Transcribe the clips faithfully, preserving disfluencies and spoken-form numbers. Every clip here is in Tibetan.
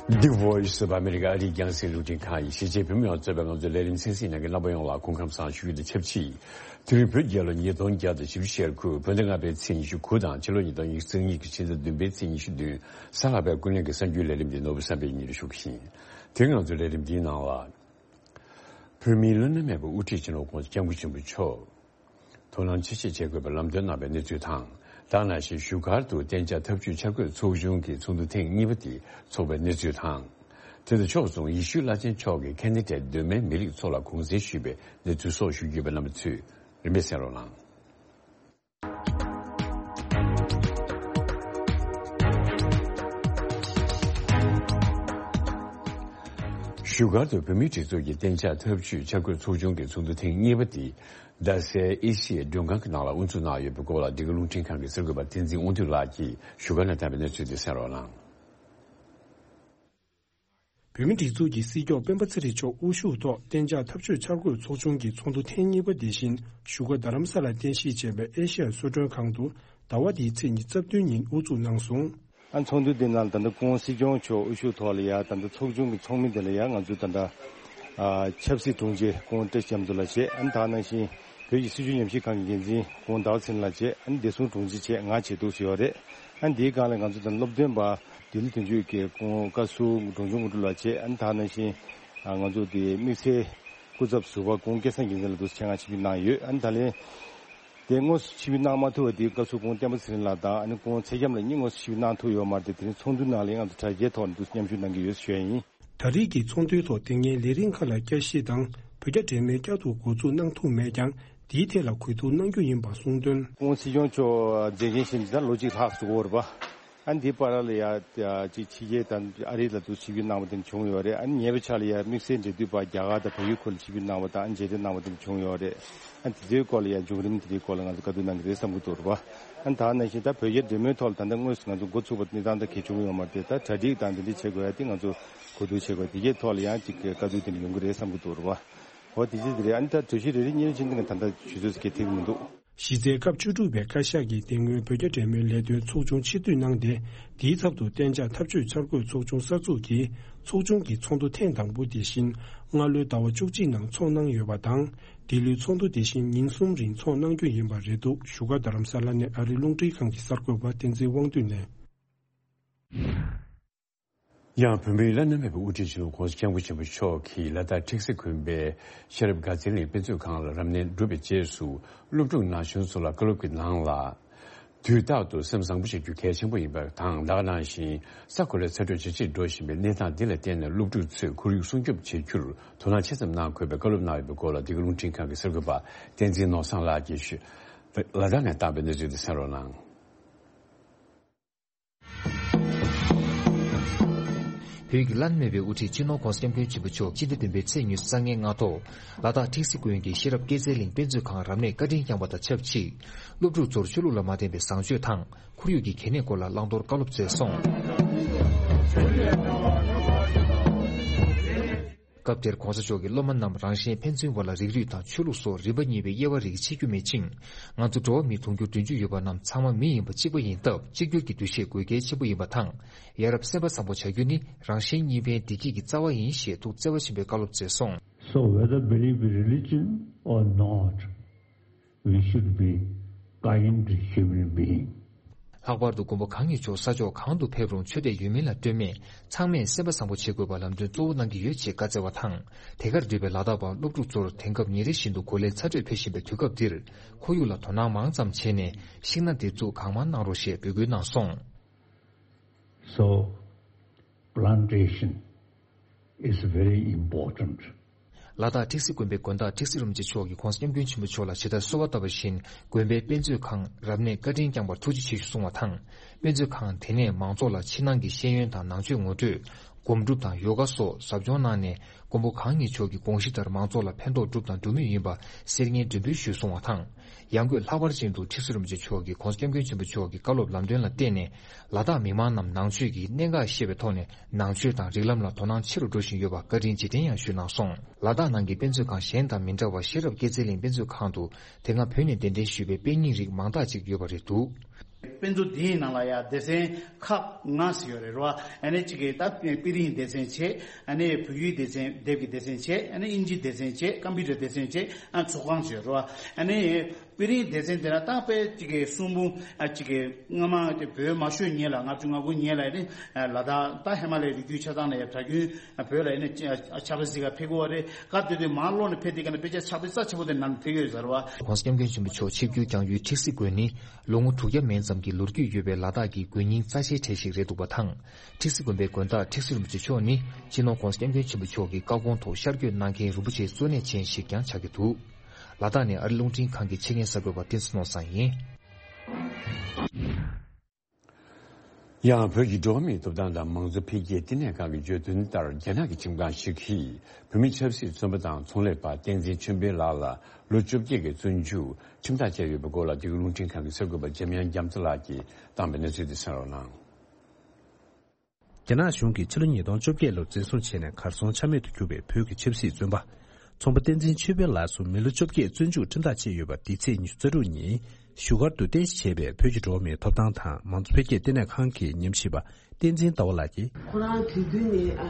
The Voice of America ཨ་རིའི་རྒྱང་སྲིང་རླུང་འཕྲིན་ཁང་ཡིན། གཞིས་བྱེས་བོད་མི་ཡོངས་གཙོས་པའི་ང་ཚོའི་ལས་རིམ་གསན་གཟིགས་གནང་མཁན་རྣམ་པ་ཡོངས་ལ་སྐུ་ཁམས་བཟང་ཞུ་རྒྱུ་དང་ཆབས་ཅིག་དེ་རིང་བོད་རྒྱལ་ལོ་ཉིས་སྟོང་བརྒྱ་དང་བཞི་བཅུ་ཞེ་དགུ་བོད་ཟླ་ལྔ་པའི་ཚེས་ཉི་ཤུ་དགུ་དང་ཕྱི་ལོ་ཉིས་སྟོང་ཉི་ཤུ་རྩ་གཉིས་ཀྱི་ཕྱི་ཟླ་བདུན་པའི་ཚེས་ཉི་ཤུ་བདུན། གཟའ་ལྷག་པའི་ཀུན་གླེང་གི་གསར་འགྱུར་ལས་རིམ་འདི་ནོར་བུ་བསམ་འཕེལ་གཉིས་ལ་ཞུ་གི་ཡིན། དེ་རིང་ང་ཚོའི་ལས་རིམ་འདིའི་ནང་ལ། བོད་མིའི་བླ་ན་མེད་པའི་དབུ་ཁྲིད་སྤྱི་ནོར་༸གོང་ས་༸སྐྱབས་མགོན་ཆེན་པོ་མཆོག་དོ་སྣང་ཆེ་བཞེས་བྱེད་དགོས་པའི་ལམ་སྟོན་གནང་བའི་གནས་ཚུལ་དང་། ད་ག་ནང་བཞིན་བཞུགས་སྒར་དུ་གཏན་འཇགས་འཐབ་ཇུས་འཆར་འགོད་ཚོགས་ཆུང་གི་ཚོགས་འདུ་ཐེངས་གཉིས་པ་དེ་འཚོགས་པའི་གནས་ཚུལ་དང་། དེ་དང་ཕྱོགས་མཚུངས་ཡེ་ཤུ་བླ་ཆེན་མཆོག་གིས་ཁེ་ན་ཌའི་གདོད་མའི་མི་རིགས་ཚོ་ལ་གུང་གསེང་ཞུས་པའི་གནས་ཚུལ་སོགས་ཞུ་རྒྱུ་ཡོད་པ། རྣམ་པ་ཚོས་རིམ་པས་གསན་རོགས་གནང་། བཞུགས་སྒར་དུ་བོད་མིའི་སྒྲིག་འཛུགས་ཀྱི་གཏན་འཇགས་འཐབ་ཇུས་འཆར་འགོད་ཚོགས་ཆུང་གི་ཚོགས་འདུ་ཐེངས་གཉིས་པ་དེ་རྡ་སའི་ཨེ་ཤི་ཡའི་མགྲོན་ཁང་གི་ནང་ལ་དབུ་འཛུགས་གནང་ཡོད་པའི་སྐོར་ལ་འདི་ག་རླུང་འཕྲིན་ཁང་གི་གསར་འགོད་པ་བསྟན་འཛིན་དབང་འདུས་ལགས་ཀྱིས་བཞུགས་སྒར་ནས་བཏང་བའི་གནས་ཚུལ་དེ་གསན་རོགས་གནང་། བོད་མིའི་སྒྲིག་འཛུགས་ཀྱི་སྲིད་སྐྱོང་སྤེན་པ་ཚེ་རིང་མཆོག་དབུ་བཞུགས་ཐོག་གཏན་འཇགས་འཐབ་ཇུས་འཆར་འགོད་ཚོགས་ཆུང་གི་ཚོགས་འདུ་ཐེངས་གཉིས་པ་དེ་བཞིན་བཞུགས་སྒར་རྡ་རམ་ས་ལར་རྟེན་གཞི་བྱས་པའི་ཨེ་ཤེ་ཡ་གསོལ་མགྲོན་ཁང་དུ་ཟླ་བ་འདིའི་ཚེས་ཉི་ཤུ་རྩ་བདུན་ཉིན་དབུ་འཛུགས་གནང་སོང་། ཨ་ཚོགས་འདུ་འདི་ནང་ད་ལྟ་སྐུ་ངོ་སྲིད་སྐྱོང་མཆོག་དབུ་བཞུགས་ཐོག་ལ་ཡ་ད་ལྟ་ཚོགས་ཆུང་གི་ཚོགས་མི་དེ་ལ་ཡ་ང་ཚོས་ད་ལྟ་ཨ་ཆབ་སྲིད་དྲུང་ཆེ་སྐུ་ངོ་བཀྲ་ཤིས་རྒྱ་མཚོ་ལགས་བྱས། ཨ་ནི་ད་ག་ནང་བཞིན་བོད་ཀྱི་སྲིད་བྱུས་ཉམས་ཞིབ་ཁང་གི་འགན་འཛིན་སྐུ་ངོ་ཟླ་བ་ཚེ་རིང་ལགས་བྱས། ཨ་ནི་བདེ་སྲུང་དྲུང་ཆེ་བྱས། ང་བྱས་འདུག་ཟེར་ཡོད་རེད། ཨ་ནི་དེའི་སྒང་ལ་ང་ཚོ་ད་སློབ་སྟོན་པ་ལྡི་ལི་དོན་གཅོད་ཀྱི་སྐུ་ངོ་བཀའ་ཟུར་འབྲོང་ཆུང་དངོས་གྲུབ་ལགས་བྱས། ཨ་ནི་ད་ག་ནང་བཞིན་ང་ཚོ་དེ་དམིགས་བསལ་སྐུ་ཚབ་ཟུར་པ་སྐུ་ངོ་སྐལ་བཟང་རྒྱལ་མཚན་ལགས་འདུག་ཆེད་མངགས་ཆིབས་བསྒྱུར་གནང་ཡོད། ཨ་ནི་ད་ལན་དེ་དངོས་སུ་ཆིབས་བསྒྱུར་གནང་མ་ཐུབ་པ་དེ་བཀའ་ཟུར་སྐུ་ངོ་བསྟན་པ་ཚེ་རིང་ལགས་དང་ཨ་ནི་སྐུ་ངོ་ཚེ་རྒྱམ་ལགས་གཉིས་དངོས་སུ་ཆིབས་བསྒྱུར་གནང་ཐུབ་ཡོད་མ་རེད་དེ། དེ་རིང་ཚོགས་འདུའི་ནང་ལ་ང་ཚོ་དྲ་རྒྱའི་ཐོག་ནས་འདུག་མཉམ་ཞུགས་གནང་གི་ཡོད་ཞུ་ཡ་ཡིན། ད་རེས་ཀྱི་ཚོགས་འདུའི་ཐོག་དེ་སྔའི་ལས་རིམ་ཁག་ལ་བསྐྱར་ཞིབ་དང་བོད་རྒྱ་འབྲེལ་མོལ་བསྐྱར་དུ་འགོ་འཛུགས་གནང་ཐུབ་མེད་ཀྱང་དེའི་ཐད་ལ་གུས་བཏུད་གནང་རྒྱུ་ཡིན་པ་གསུངས་དོན། སྐུ་ངོ་སྲིད་སྐྱོང་མཆོག་མཛད་འགན་བཞེས་ནས་ད་ལོ་གཅིག་ལྷག་ཙམ་འགོར་བ། ཨ་ནི་འདིའི་བར་ལ་ཡ་ཅིག་ཕྱི་རྒྱལ་དང་ཨ་རི་ལ་དུ་ཆིབས་བསྒྱུར་གནང་བ་དེ་འདྲ་བྱུང་ཡོད་རེད། ཨ་ནི་ཉེ་བའི་ཆར་ལ་ཡ་དམིགས་བསལ་འབྲེལ་མཐུད་པ་རྒྱ་གར་དང་བལ་ཡུལ་ཁུལ་ལ་ཆིབས་བསྒྱུར་གནང་བ་དང་ཨ་ནི་མཇལ་འཕྲད་གནང་བ་དེ་འདྲ་བྱུང་ཡོད་རེད། ཨ་ནི་དེ་ཚོའི་སྐོར་ལ་ཡ་བྱུང་རིམ་དེ་འདྲའི་སྐོར་ལ་ང་ཚོ་བཀའ་བསྡུར་གནང་གི་རེད་བསམ་གྱི་འདུག་རེད་པ། ཨ་ནི་ད་ནང་བཞིན་ད་བོད་རྒྱ་འབྲེལ་མོལ་ཐོག་ལ་ད་ལྟ་དངོས་སུ་ང་ཚོ་འགོ་ཚུགས་པ་གནས་སྟངས་ད་གལ་བྱུང་ཡོད་མ་རེད་དེ། ད་གྲ་སྒྲིག་དང་དེ་འདྲ་བྱེད་དགོས་ཡ་དེ་ང་ཚོ་གོ་བསྡུར་བྱེད་དགོས། དེ་གའི་ཐོག་ལ་ཡང་ཅིག་བཀའ་བསྡུར་དེ་འདྲ་ཡོང་གི་རེད་བསམ་གྱི་འདུག་རེད་པ། འོ་དེ་ཅི་དེ་རེད། ཨ་ནི་ད་གྲོས་གཞི་རེ་རེ་གཉིས་རེ་བྱས་ནས་ད་ལྟ་ཆུ་ཚོད་ཟེར་གྱི་ཐིག་མི་འདུག་གཞི་རྩའི་སྐབས་བཅུ་དྲུག་པའི་བཀའ་ཤག་གིས་དེ་སྔོན་བོད་རྒྱ་འབྲེལ་མོལ་ལས་དོན་ཚོགས་ཆུང་ཕྱིར་བསྡུ་གནང་སྟེ། དེའི་ཚབ་ཏུ་གཏན་འཇགས་འཐབ་ཇུས་འཆར་འགོད་ཚོགས་ཆུང་གསར་འཛུགས་ཀྱིས་ཚོགས་ཆུང་གི་ཚོགས་འདུ་ཐེངས་དང་པོ་དེ་བཞིན་སྔ་ལོའི་ཟླ་བ་བཅུ་གཅིག་ནང་འཚོགས་གནང་ཡོད་པ་དང་། འདི་ལོའི་ཚོགས་འདུ་དེ་བཞིན་ཉིན་གསུམ་རིང་འཚོགས་གནང་རྒྱུ་ཡིན་པ་རེད་འདུག་བཞུགས་སྒར་རྡ་རམ་ས་ལ་ནས་ཨ་རིའི་རླུང་འཕྲིན་ཁང་གི་གསར་འགོད་པ་བསྟན་འཛིན་དབང་འདུས་ནས། ཡང་བོད་མིའི་བླ་ན་མེད་པའི་དབུ་ཁྲིད་སྤྱི་ནོར་༸གོང་ས་༸སྐྱབས་མགོན་ཆེན་པོ་མཆོག་གིས་ལ་དྭགས་ཁྲེགས་སེ་དགོན་པའི་ཤེས་རབ་དགའ་ཚལ་གླིང་དཔེ་མཛོད་ཁང་ལ་རབ་གནས་གྲུབ་པའི་རྗེས་སུ་སློབ་ཕྲུག་ན་གཞོན་ཚོ་ལ་བཀའ་སློབ་ཀྱི་ནང་ལ། དུས་རྟག་ཏུ་སེམས་བཟང་པོ་བྱེད་རྒྱུ་གལ་ཆེན་པོ་ཡིན་པ་དང་། ད་ག་ནང་བཞིན་ས་གོ་ལའི་ཚ་དྲོད་ཇེ་ཆེར་འགྲོ་བཞིན་པའི་གནས་སྟངས་འདི་ལ་བརྟེན་ནས་སློབ་ཕྲུག་ཚོས་ཁོར་ཡུག་སྲུང་སྐྱོབ་བྱེད་རྒྱུར་དོ་སྣང་ཆེ་ཙམ་གནང་དགོས་པའི་བཀའ་སློབ་གནང་ཡོད་པའི་སྐོར་ལ་འདི་ག་རླུང་འཕྲིན་ཁང་གི་གསར་འགོད་པ་བསྟན་འཛིན་ནོར་བཟང་ལགས་ཀྱིས་ཞུས། ལ་དྭགས་ནས་བཏང་བའི་གནས་ཚུལ་དེ་གསན་རོགས་གནང་། བོད་ཀྱི་བླ་ན་མེད་པའི་དབུ་ཁྲིད་སྤྱི་ནོར་༸གོང་ས་༸སྐྱབས་མགོན་ཆེན་པོ་མཆོག་སྤྱི་ཟླ་བདུན་པའི་ཚེས་ཉི་ཤུ་རྩ་ལྔའི་སྔ་དྲོ། ལ་དྭགས་ཁྲེགས་སེ་དགོན་གྱི་ཤེས་རབ་དགའ་ཚལ་གླིང་དཔེ་མཛོད་ཁང་རབ་གནས་བཀའ་དྲིན་བསྐྱངས་པ་དང་ཆབས་ཅིག་སློབ་ཕྲུག་ཚོར་ཆོས་ལུགས་ལ་མ་བརྟེན་པའི་བཟང་སྤྱོད་དང་ཁོར་ཡུག་གི་གལ་གནད་སྐོར་ལ་བླང་དོར་བཀའ་སློབ་སྩལ་སོང་། སྐབས་དེར་༸གོང་ས་མཆོག་གིས་སློབ་མ་རྣམས་རང་གཞན་ཕན་ཚུན་བར་ལ་རིགས་རུས་དང་ཆོས་ལུགས་སོགས་རིམ་པ་གཉིས་པའི་དབྱེ་བ་རིགས་ཕྱེ་རྒྱུ་མེད་ཅིང་། ང་ཚོ་འགྲོ་བ་མི་དུང་ཕྱུར་བདུན་ཅུ་ཡོད་པ་རྣམས་ཚང་མ་མི་ཡིན་པ་གཅིག་པ་ཡིན་སྟབས། གཅིག་གྱུར་གྱི་འདུ་ཤེས་དགོས་གལ་ཆེན་པོ་ཡིན་པ་དང་། ཡ་རབས་སེམས་པ་བཟང་པོ་བྱ་རྒྱུ་ནི་རང་གཞན་གཉིས་ཕན་བདེ་སྐྱིད་ཀྱི་རྩ་བ་ཡིན་ཞེས་ཐུགས་བརྩེ་བ་ཆེན་པོས་བཀའ་སློབ་སྩལ་སོང་། So whether believe in religion or not, we should be kind human being. ལྷག་པར་དུ་མགོན་པོ་གང་ཉིད་མཆོག་ས་ཕྱོགས་གང་དུ་ཕེབས་རུང་ཆོས་དད་ཡོད་མིན་ལ་ལྟོས་མེད། ཚང་མས་སེམས་པ་བཟང་པོ་བྱེད་དགོས་པ་ལམ་སྟོན་གཙོ་བོ་གནང་གི་ཡོད་ཅེས་བཀའ་སྩལ་བ་དང་། དེ་གར་འདུས་པའི་ལ་དྭགས་པ་སློབ་ཕྲུག་ཚོར་དེང་སྐབས་ཉིན་རེ་བཞིན་དུ་གོ་ལའི་ཚ་དྲོད་འཕེལ་བཞིན་པའི་དུས་སྐབས་འདིར། ཁོར་ཡུག་ལ་དོ་སྣང་མང་ཙམ་བྱས་ནས་ཤིང་སྣ་འདེབས་འཛུགས་གང་མང་གནང་རོགས་ཞེས་འབོད་སྐུལ་གནང་སོང་། So, plantation is very important. ལ་དྭགས་ཁྲེགས་སེ་དགོན་པའི་དགོན་བདག་ཁྲེགས་སེ་རིན་པོ་ཆེ་མཆོག་གིས་༸གོང་ས་༸སྐྱབས་མགོན་ཆེན་པོ་མཆོག་ལ་ཇི་ལྟར་གསོལ་བ་བཏབ་པ་བཞིན། དགོན་པའི་དཔེ་མཛོད་ཁང་རབ་གནས་བཀའ་དྲིན་བསྐྱངས་པར་ཐུགས་རྗེ་ཆེ་ཞུ་གསུངས་བ་དང་། དཔེ་མཛོད་ཁང་དེ་ནས་མང་ཚོགས་ལ་ཕྱི་ནང་གི་ཤེས་ཡོན་དང་ནང་ཆོས་ངོ་སྤྲོད། སྒོམ་སྒྲུབ་དང་ཡོ་ག་སོགས་ཟབ་སྦྱོང་གནང་ནས། མགོན་པོ་གང་ཉིད་མཆོག་གི་དགོངས་གཞི་ལྟར་མང་ཚོགས་ལ་ཕན་ཐོགས་གྲུབ་དང་འགྲོ་མུས་ཡིན་པ་གསེར་སྙན་མགྲོན་འབོད་ཞུས་གསུངས་བ་དང་། ཡང་སྒོས་ལྷག་པར་ཅན་དུ་ཁྲི་ཟུར་རིན་པོ་ཆེ་མཆོག་གིས་༸གོང་ས་༸སྐྱབས་མགོན་ཆེན་པོ་མཆོག་གི་བཀའ་སློབ་ལམ་སྟོན་ལ་བརྟེན་ནས། ལ་དྭགས་མི་མང་རྣམས་ནང་ཆོས་ཀྱི་གནད་འགག་ཤེས་པའི་ཐོག་ནས་ནང་ཆོས་དང་རིགས་ལམ་ལ་དོ་སྣང་ཆེ་རུ་འགྲོ་བཞིན་ཡོད་པ་བཀའ་དྲིན་རྗེས་དྲན་ཡང་ཞུས་གནང་སོང་། ལ་དྭགས་ནང་གི་དཔེ་མཛོད་ཁང་གཞན་དང་མི་འདྲ་བར་ཤེས་རབ་དགེ་རྩེ་གླིང་དཔེ་མཛོད་ཁང་དུ་དེ་སྔ་བོད་ནས་གདན་འདྲེན་ཞུས་པའི་དཔེ་རྙིང་རིགས་མང་དག་ཅིག་ཡོད་པ་རེད་འདུག་དཔེ་མཛོད་འདིའི་ནང་ལ་ཡང་སྡེ་ཚན་ཁག་ལྔ་ཞིག་ཡོད་རེད་རོ། ཨ་ནི་གཅིག་གི་ད་དཔེ་རིས་སྡེ་ཚན་བྱས། ཨ་ནི་བོད་ཡིག་སྡེ་ཚན་དེབ་ཀྱི་སྡེ་ཚན་བྱས། ཨ་ནི་དབྱིན་ཇིའི་སྡེ་ཚན་བྱས། ཀམ་པུ་ཊར་སྡེ་ཚན་བྱས། ཨ་ཚོགས་ཁང་བྱས་རོ། ཨ་ནི་དཔེ་རིས་སྡེ་ཚན་དེ་ལ་ད་དཔེ་གཅིག་གི་གསུང་འབུམ་ཨ་གཅིག་གི་སྔ་མ་དེ་བོད་མ་ཤོར་སྔོན་ལ་ལྔ་བཅུ་ང་དགུ་སྔོན་ལ་ནི་ལ་དྭགས་ད་ཧི་མ་ལའི་རི་རྒྱུད་ཆ་ཚང་ལ་ཡང་གྲྭ་རྒྱུན་བོད་ལ་ནི་ཕྱག་དཔེ་གཟིགས་ག་ཕེབས་ཀྱི་ཡོད་རེད། སྐབས་དེ་དུས་མར་ལོག་ནས་ཕེབས་དུས་ཀ་ནས་དཔེ་ཆ་ཕྱག་དཔེ་རྩ་ཆེ་པོ་དེ་ནང་ཕེབས་ཡོད་ཟེར་བ། ༸གོང་ས་༸སྐྱབས་མགོན་ཆེན་པོ་མཆོག་ཆིབས་བསྒྱུར་བསྐྱངས་ཡུལ་ཁྲི་སྲིད་དགོན་ནི་ལོ་ངོ་དྲུག་བརྒྱ་མན་ཙམ་གྱི་ལོ་རྒྱུས་ཡོད་པའི་ལ་དྭགས་ཀྱི་དགོན་རྙིང་རྩ་ཆེའི་གྲས་ཤིག་རེད་འདུག་པ་དང་། ཁྲི་སྲིད་དགོན་པའི་དགོན་བདག་ཁྲི་ཟུར་རིན་པོ་ཆེ་མཆོག་ནི་སྤྱི་ནོར་༸གོང་ས་༸སྐྱབས་མགོན་ཆེན་པོ་མཆོག་གི་བཀའ་དགོངས་ཐོག་ཤར་བསྐྱོད་གནང་མཁན་རིན་པོ་ཆེའི་གཙོ་གནད་ཅན་ཞིག་ཀྱང་ཆགས་ཀྱི་འདུག་ལ་དྭགས་ནས་ཨ་རི་རླུང་འཕྲིན་ཁང་གི་ཆེད་མཁན་གསར་འགོད་པ་བསྟན་འཛིན་ནོར་བཟང་ཡིན། ཡང་བོད་ཀྱི་འགྲོ་བ་མིའི་ཐོབ་ཐང་དང་མང་གཙོ་འཕེལ་རྒྱས་བསྟི་གནས་ཁང་གི་བརྗོད་དོན་ལྟར། རྒྱ་ནག་གི་ཁྲིམས་ཁང་ཞིག་གིས་བོད་མི་ཆབ་སྲིད་བཙོན་པ་དང་ཚོང་ལས་པ་བསྟན་འཛིན་ཆོས་འཕེལ་ལགས་ལ་ལོ་བཅོ་བརྒྱད་ཀྱི་བཙོན་འཇུག་ཁྲིམས་ཐག་བཅད་ཡོད་པའི་སྐོར་ལ། འདི་ག་རླུང་འཕྲིན་ཁང་གི་གསར་འགོད་པ་འཇམ་དབྱངས་རྒྱ་མཚོ་ལགས་ཀྱིས་བཏང་པའི་གནས་ཚུལ་དེ་གསན་རོགས་གནང་། རྒྱ་ནག་གཞུང་གིས་ཕྱི་ལོ་ཉིས་སྟོང་བཅོ་བརྒྱད་ལོར་འཛིན་བཟུང་བྱས་ནས་གར་སོང་ཆ་མེད་དུ་གྱུར་བའི་བོད་ཀྱི་ཆབ་སྲིད་བཙོན་པ། ཚོང་པ་བསྟན་འཛིན་ཆོས་འཕེལ་ལགས་སུ་མི་ལོ་བཅོ་བརྒྱད་བཙོན་འཇུག་ཁྲིམས་ཐག་བཅད་ཡོད་པ། འདི་ཚེས་ཉི་ཤུ་རྩ་དྲུག་ཉིན་བཞུགས་སྒར་དུ་རྟེན་གཞི་བྱས་པའི་བོད་ཀྱི་འགྲོ་བ་མིའི་ཐོབ་ཐང་དང་མང་གཙོ་འཕེལ་རྒྱས་བསྟི་གནས་ཁང་གི་ཉམས་ཞིབ་པ་བསྟན་འཛིན་ཟླ་བ་ལགས་ཀྱིས། ཁོ་རང་དུས་རྒྱུན་ནས་ཨ་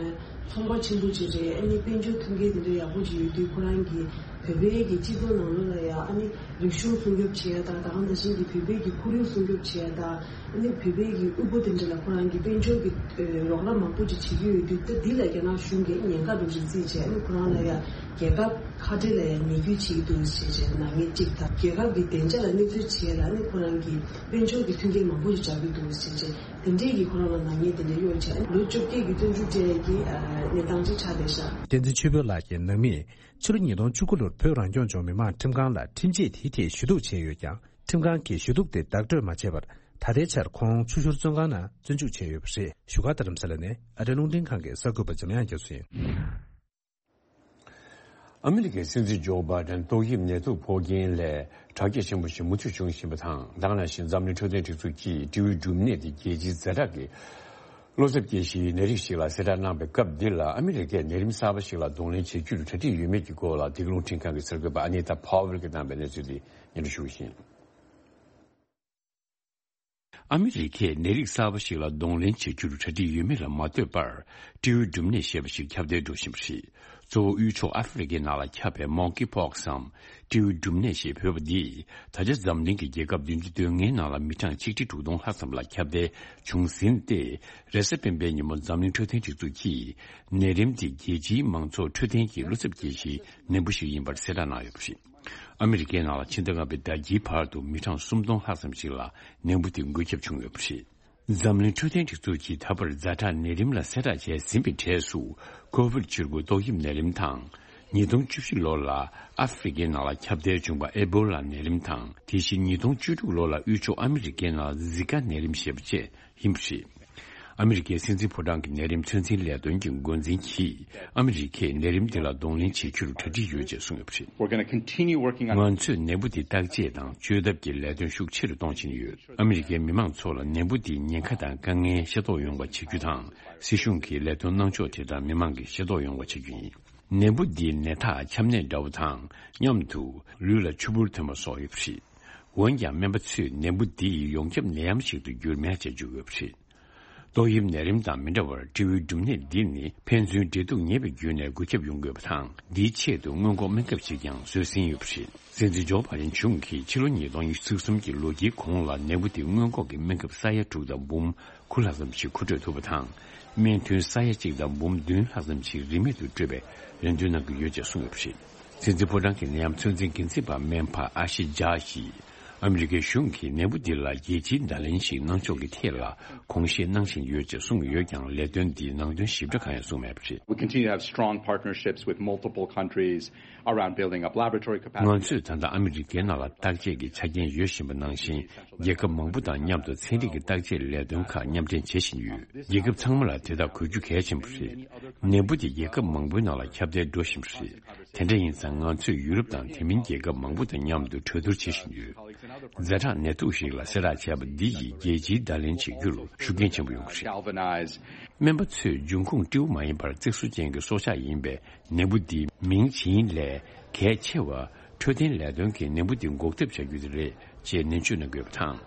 ཚོང་པ་ཆེན་པོ་ཅིག་རེད། ཨ་ནི་དཔལ་འབྱོར་མཐུན་རྐྱེན་དེ་འདྲ་ཡག་པོ་ཅིག་ཡོད་དུས། ཁོ་རང་གིས་བོད་པའི་གི་སྤྱི་ཚོགས་ནང་ལོགས་ལ་ཡང་ཨ་ནི་རིག་གཞུང་སྲུང་སྐྱོབ་བྱེད་ཡ་དང་། ད་ག་ནང་བཞིན་གྱི་བོད་པའི་གི་ཁོར་ཡུག་སྲུང་སྐྱོབ་བྱེད་ཡ་དང་། ཨ་ནི་བོད་པའི་གི་དབུལ་པོ་དེ་འདྲ་ལ་ཁོ་རང་གིས་དཔལ་འབྱོར་གྱི་ཨ་རོགས་རམ་མང་པོ་ཅིག་བྱེད་ཀྱི་ཡོད་དུས། ད་འདི་ལ་རྒྱ་ནག་གཞུང་གིས་ཉེན་ཁ་འདྲ་ཅིག་བརྩིས་བྱས། ཨ་ནི་ཁོ་རང་ལ་ཡང་རྒྱལ་ཁབ་ཁ་བྲལ་ལ་ཡང་ཉེས་འཛུགས་བྱེད་ཀྱི་འདུག་ཟེར་བྱས་ནང་ཉེས་གཅིག་དང་། རྒྱལ་ཁབ་ཀྱི་བདེ་འཇགས་ལ་གནོད་འཚེ་བྱེད་ཡ་ལ་ཨ་ནི་ཁོ་རང་གིས་དཔལ་འབྱོར་གྱི་མཐུན་རྐྱེན་མང་པོ་ཞིག་སྦྱར་གྱི་འདུག་ཟེར་བྱས། དེ་འདྲས་ཀྱིས་ཁོ་རང་ལ་ནག་ཉེས་དེ་འདྲས་གཡོགས་བྱས། ལོ་བཅོ་བརྒྱད་ཀྱི་བཙོན་འཇུག་སྤྲད་ཀྱི་ཨ་གནས་སྟངས་ཅིག་ཆགས་བསྡད་ཤག་བསྟན་འཛིན་ཆོས་འཕེལ་ལགས་ཀྱིས་ནང་མིས་ཕྱི་ལོ་ཉིས་སྟོང་བཅུ་དགུ་ལོར་བོད་རང་སྐྱོང་ལྗོངས་མི་དམངས་ཁྲིམས་ཁང་ལ་ཁྲིམས་ཆད་དེའི་ཐད་ཞུ་གཏུག་བྱས་ཡོད་ཀྱང་། ཁྲིམས་ཁང་གིས་ཞུ་གཏུག་དེ་བདག་སྤྲོད་མ་བྱས་པར། ད་ལྟའི་ཆར་ཁོང་ཆུ་ཤུར་བཙོན་ཁང་ནང་བཙོན་འཇུག་བྱས་ཡོད་པ་རེད། བཞུགས་སྒར་རྡ་རམ་ས་ལ་ནས་ཨ་རིའི་རླུང་འཕྲིན་ཁང་གི་གསར་འགོད་པ་འཇམ་དབྱངས་རྒྱ་མཚོ་ཡིན། ཨ་མི་རི་ཀའི་སྲིད་འཛིན་ཇོ་བྷའི་ཏན་ཏོག་དབྱིབས་ནད་དུག་ཕོག་རྐྱེན་ལས་དྲག་སྐྱེད་ཆེན་པོ་ཞིག་མུ་མཐུད་བྱུང་བཞིན་པ་དང་། ད་ག་ནང་བཞིན་འཛམ་གླིང་འཕྲོད་བསྟེན་སྒྲིག་འཛུགས་ཀྱིས་སྤྲེའུའི་འབྲུམ་ནད་དེ་རྒྱལ་སྤྱིའི་ཛ་དྲག་གི་བློ་འཚབ་སྐྱེ་གཞིའི་ནད་རིགས་ཤིག་ལ་གསལ་བསྒྲགས་གནང་བའི་སྐབས་འདི་ལ། ཨ་མི་རི་ཀས་ནད་རིམས་གསར་པ་ཞིག་ལ་གདོང་ལེན་བྱེད་རྒྱུར་གྲ་སྒྲིག་ཡོད་མེད་ཀྱི་སྐོར་ལ། འདི་ག་རླུང་འཕྲིན་ཁང་གི་གསར་འགོད་པ་ཨ་ནི་ཏཱ་ཕཱ་ཝེལ་གྱིས་བཏང་པའི་གནས་ཚུལ་འདི་སྙན་སྒྲོན་ཞུ་བ་ཡིན། ཨ་མི་རི་ཀས་ནད་རིགས་གསར་པ་ཞིག་ལ་གདོང་ལེན་བྱེད་རྒྱུར་གྲ་སྒྲིག་ཡོད་མེད་ལ་མ་ལྟོས་པར། སྤྲེའུའི་འབྲུམ་ནད་ཞེས་པ་ཞིག་ཁྱབ་གདལ་འགྲོ་བཞིན་པ་རེད། གཙོ་བོ་དབུས་ཕྱོགས་ཨ་ཧྥེ་རི་ཁའི་ནང་ལ་ཁྱབ་པའི་མོང་ཀི་ཕོག་སམ། སྤྲེའུའི་འབྲུམ་ནད་ཞེས་འབོད་པ་འདིས་ད་ཆ་འཛམ་གླིང་གི་རྒྱལ་ཁབ་བདུན་ཅུ་དོན་ལྔའི་ནང་ལ་མི་གྲངས་ཆིག་ཁྲི་དྲུག་སྟོང་ལྷག་ཙམ་ལ་ཁྱབ་གདལ་བྱུང་ཟིན་ཏེ། རེས་གཟའ་སྤེན་པའི་ཉིན་མོ་འཛམ་གླིང་འཕྲོད་བསྟེན་སྒྲིག་འཛུགས་ཀྱིས་ནད་རིམས་འདི་རྒྱལ་སྤྱིའི་མང་ཚོགས་འཕྲོད་བསྟེན་གྱི་བློ་འཚབ་སྐྱེ་གཞིའི་ནད་འབུ་ཞིག་ཡིན་པར་གསལ་བསྒྲགས་གནང་ཡོད་པ་རེད། ཨ་མི་རི་ཀའི་ནང་ལ་ཕྱི་ཟླ་ལྔ་པའི་ཟླ་དཀྱིལ་བར་དུ་མི་གྲངས་སུམ་སྟོང་ལྷག་ཙམ་ཞིག་ལ་ནད་འབུ་དེ་འགོས་ཁྱབ་བྱུང་ཡོད་པ་རེད། འཛམ་གླིང་འཕྲོད་བསྟེན་སྒྲིག་འཛུགས་ཀྱིས་ད་བར་ཛ་དྲག་ནད་རིམས་ལ་གསལ་བསྒྲགས་བྱས་ཟིན་པའི་གྲས་སུ། ཀོ་ཝིཌ་བཅུ་དགུ་ཏོག་དབྱིབས་ནད་རིམས་དང་། ཉིས་སྟོང་བཅུ་བཞི་ལོ་ལ་ཨ་ཧྥེ་རི་ཁའི་ནང་ལ་ཁྱབ་གདལ་བྱུང་བ་ཨེ་བྷོ་ལ་ནད་རིམས་དང་། དེ་བཞིན་ཉིས་སྟོང་བཅུ་དྲུག་ལོ་ལ་དབུས་ཕྱོགས་ཨ་མི་རི་ཀའི་ནང་ལ་ཛི་ཀ་ནད་རིམས་ཞེས་པ་བཅས་ཡིན་པ་རེད། ཨ་མི་རི་ཀའི་སྲིད་འཛིན་ཕོ་བྲང་གི་ནད་རིམས་ཚོད་འཛིན་ལས་དོན་གྱི་འགོ་འཛིན་གྱིས། ཨ་མི་རི་ཀས་ནད་རིམས་འདི་ལ་གདོང་ལེན་བྱེད་རྒྱུར་གྲ་སྒྲིག་ཡོད་ཅེས་གསུངས་ཡོད་པ་རེད། We're gonna continue working on ང་ཚོས་ནད་འབུ་འདི་བརྟག་དཔྱད་དང་བཅོས་ཐབས་ཀྱི་ལས་དོན་ཤུགས་ཆེ་རུ་གཏོང་བཞིན་ཡོད། ཨ་མི་རི་ཀའི་མི་མང་ཚོ་ལ་ནད་འབུ་འདིའི་ཉེན་ཁ་དང་དཀའ་ངལ་ཤེས་རྟོགས་ཡོང་བ་བྱེད་རྒྱུ་དང་། སྲིད་གཞུང་གིས་ལས་དོན་གནང་ཕྱོགས་དེ་དག་མི་མང་གིས་ཤེས་རྟོགས་ཡོང་བ་བྱེད་རྒྱུ་ཡིན། ནད་འབུ་འདིའི་ནད་རྟགས་ཆམ་ནད་འདྲ་བོ་དང་མཉམ་དུ་ལུས་ལ་ཆུ་བུར་ཐོན་པ་སོགས་ཡོད་པ་རེད། འོན་ཀྱང་སྨན་པ་ཚོས་ནད་འབུ་འདི་ཡི་ཡོངས་ཁྱབ་ནད་ཡམས་ཤིག་ཏུ་འགྱུར་མེད་ཅེས་བརྗོད་ཡོད་པ་རེད། ཏོག་དབྱིབས་ནད་རིམས་དང་མི་འདྲ་བར་སྤྲེའུའི་འབྲུམ་ནད་འདི་ནི་ཕན་ཚུན་འབྲེལ་གཏུག་ཉེ་བའི་བརྒྱུད་ནས་འགོས་ཁྱབ་ཡོང་གི་ཡོད་པ་དང་། འདིའི་ཆེད་དུ་སྔོན་འགོག་སྨན་ཁབ་ཅིག་ཀྱང་བཟོས་ཟིན་ཡོད་པ་རེད། སྲིད་འཛིན་ཇོ་བྷ་ཌེན་གཞུང་གིས་ཕྱི་ལོ་ཉིས་སྟོང་ཉི་ཤུ་རྩ་གསུམ་གྱི་ལོ་དཀྱིལ་གོང་ལ་ནད་འབུ་དེ་སྔོན་འགོག་གི་སྨན་ཁབ་ས་ཡ་དྲུག་དང་འབུམ་དགུ་ལྷག་ཙམ་ཞིག་མཁོ་སྤྲོད་ཐུབ་པ་དང་། སྨན་ཐུན་ས་ཡ་གཅིག་དང་འབུམ་བདུན་ལྷག་ཙམ་ཞིག་རིན་མེད་དུ་སྤྲོད་པའི་རེ་འདུན་གནང་གི་ཡོད་ཅེས་གསུངས་ཡོད་པ་རེད། སྲིད་འཛིན་ཕོ་བྲང་གི་ནད་ཡམས་ཚོད་འཛིན་འགན་འཛིན་པ་སྨན་པ་ཨ་ཤི་ཇཱ་ཡིས། ཨ་མི་རི་ཀའི་གཞུང་གིས་ནད་འབུ་འདི་ལ་རྒྱལ་སྤྱིའི་བརྡ་ལན་ཞིག་གནང་ཕྱོགས་ཀྱི་ཐད་ལ་དགོངས་བཞེས་གནང་བཞིན་ཡོད་ཅེས་གསུངས་ཡོད་ཀྱང་། ལས་དོན་འདིའི་ནང་དོན་ཞིབ་ཕྲ་གང་ཡང་གསུངས་མེད་པ་རེད། We continue to have strong partnerships with multiple countries around building up laboratory capacity. ང་ཚོས་ད་ལྟ་ཨ་མི་རི་ཀའི་ནང་ལ་བརྟག་དཔྱད་ཀྱི་ཆ་རྐྱེན་ཡོད་བཞིན་པ་ནང་བཞིན། རྒྱལ་ཁབ་མང་པོ་དང་མཉམ་དུ་ཚན་རིག་གི་བརྟག་དཔྱད་ལས་དོན་ཁག་མཉམ་འབྲེལ་བྱེད་བཞིན་ཡོད། རྒྱལ་ཁབ་ཚང་མ་ལ་དེ་དག་དགོས་རྒྱུ་གལ་ཆེན་པོ་རེད། ནད་འབུ་དེ་རྒྱལ་ཁབ་མང་པོའི་ནང་ལ་ཁྱབ་གདལ་འགྲོ་བཞིན་པ་རེད། དེ་འདྲ་ཡིན་ཙང་ང་ཚོས་ཡུ་རོབ་དང་དེ་མིན་རྒྱལ་ཁབ་མང་པོ་དང་མཉམ་དུ་གྲོས་བསྡུར་བྱེད་བཞིན་ཡོད། ཛ་དྲག་ནད་དུག་ཞིག་ལ་གསལ་བསྒྲགས་བྱས་པ་འདི་ཡིས་རྒྱལ་སྤྱིའི་བརྡ་ལན་བྱེད་རྒྱུ་ལ་ཤུགས་རྐྱེན་ཆེན་པོ་ཡོང་གི་རེད། Galvanize. སྨན་པ་ཚོས་འབྱུང་ཁུངས་སྤྲེའུ་མ་ཡིན་པར་བརྩེགས་སོ་ཅན་གྱི་སྲོག་ཆགས་ཡིན་པས། ནད་འབུ་འདིའི་མིང་ཇི་ཡིན་ལས་གལ་ཆེ་བ། འཕྲོད་བསྟེན་ལས་དོན་གྱིས་ནད་འབུ་འདི་འགོག་ཐབས་བྱ་རྒྱུ་དེ་རེད་ཅེས་ནན་བརྗོད་གནང་དགོས་པ་དང་།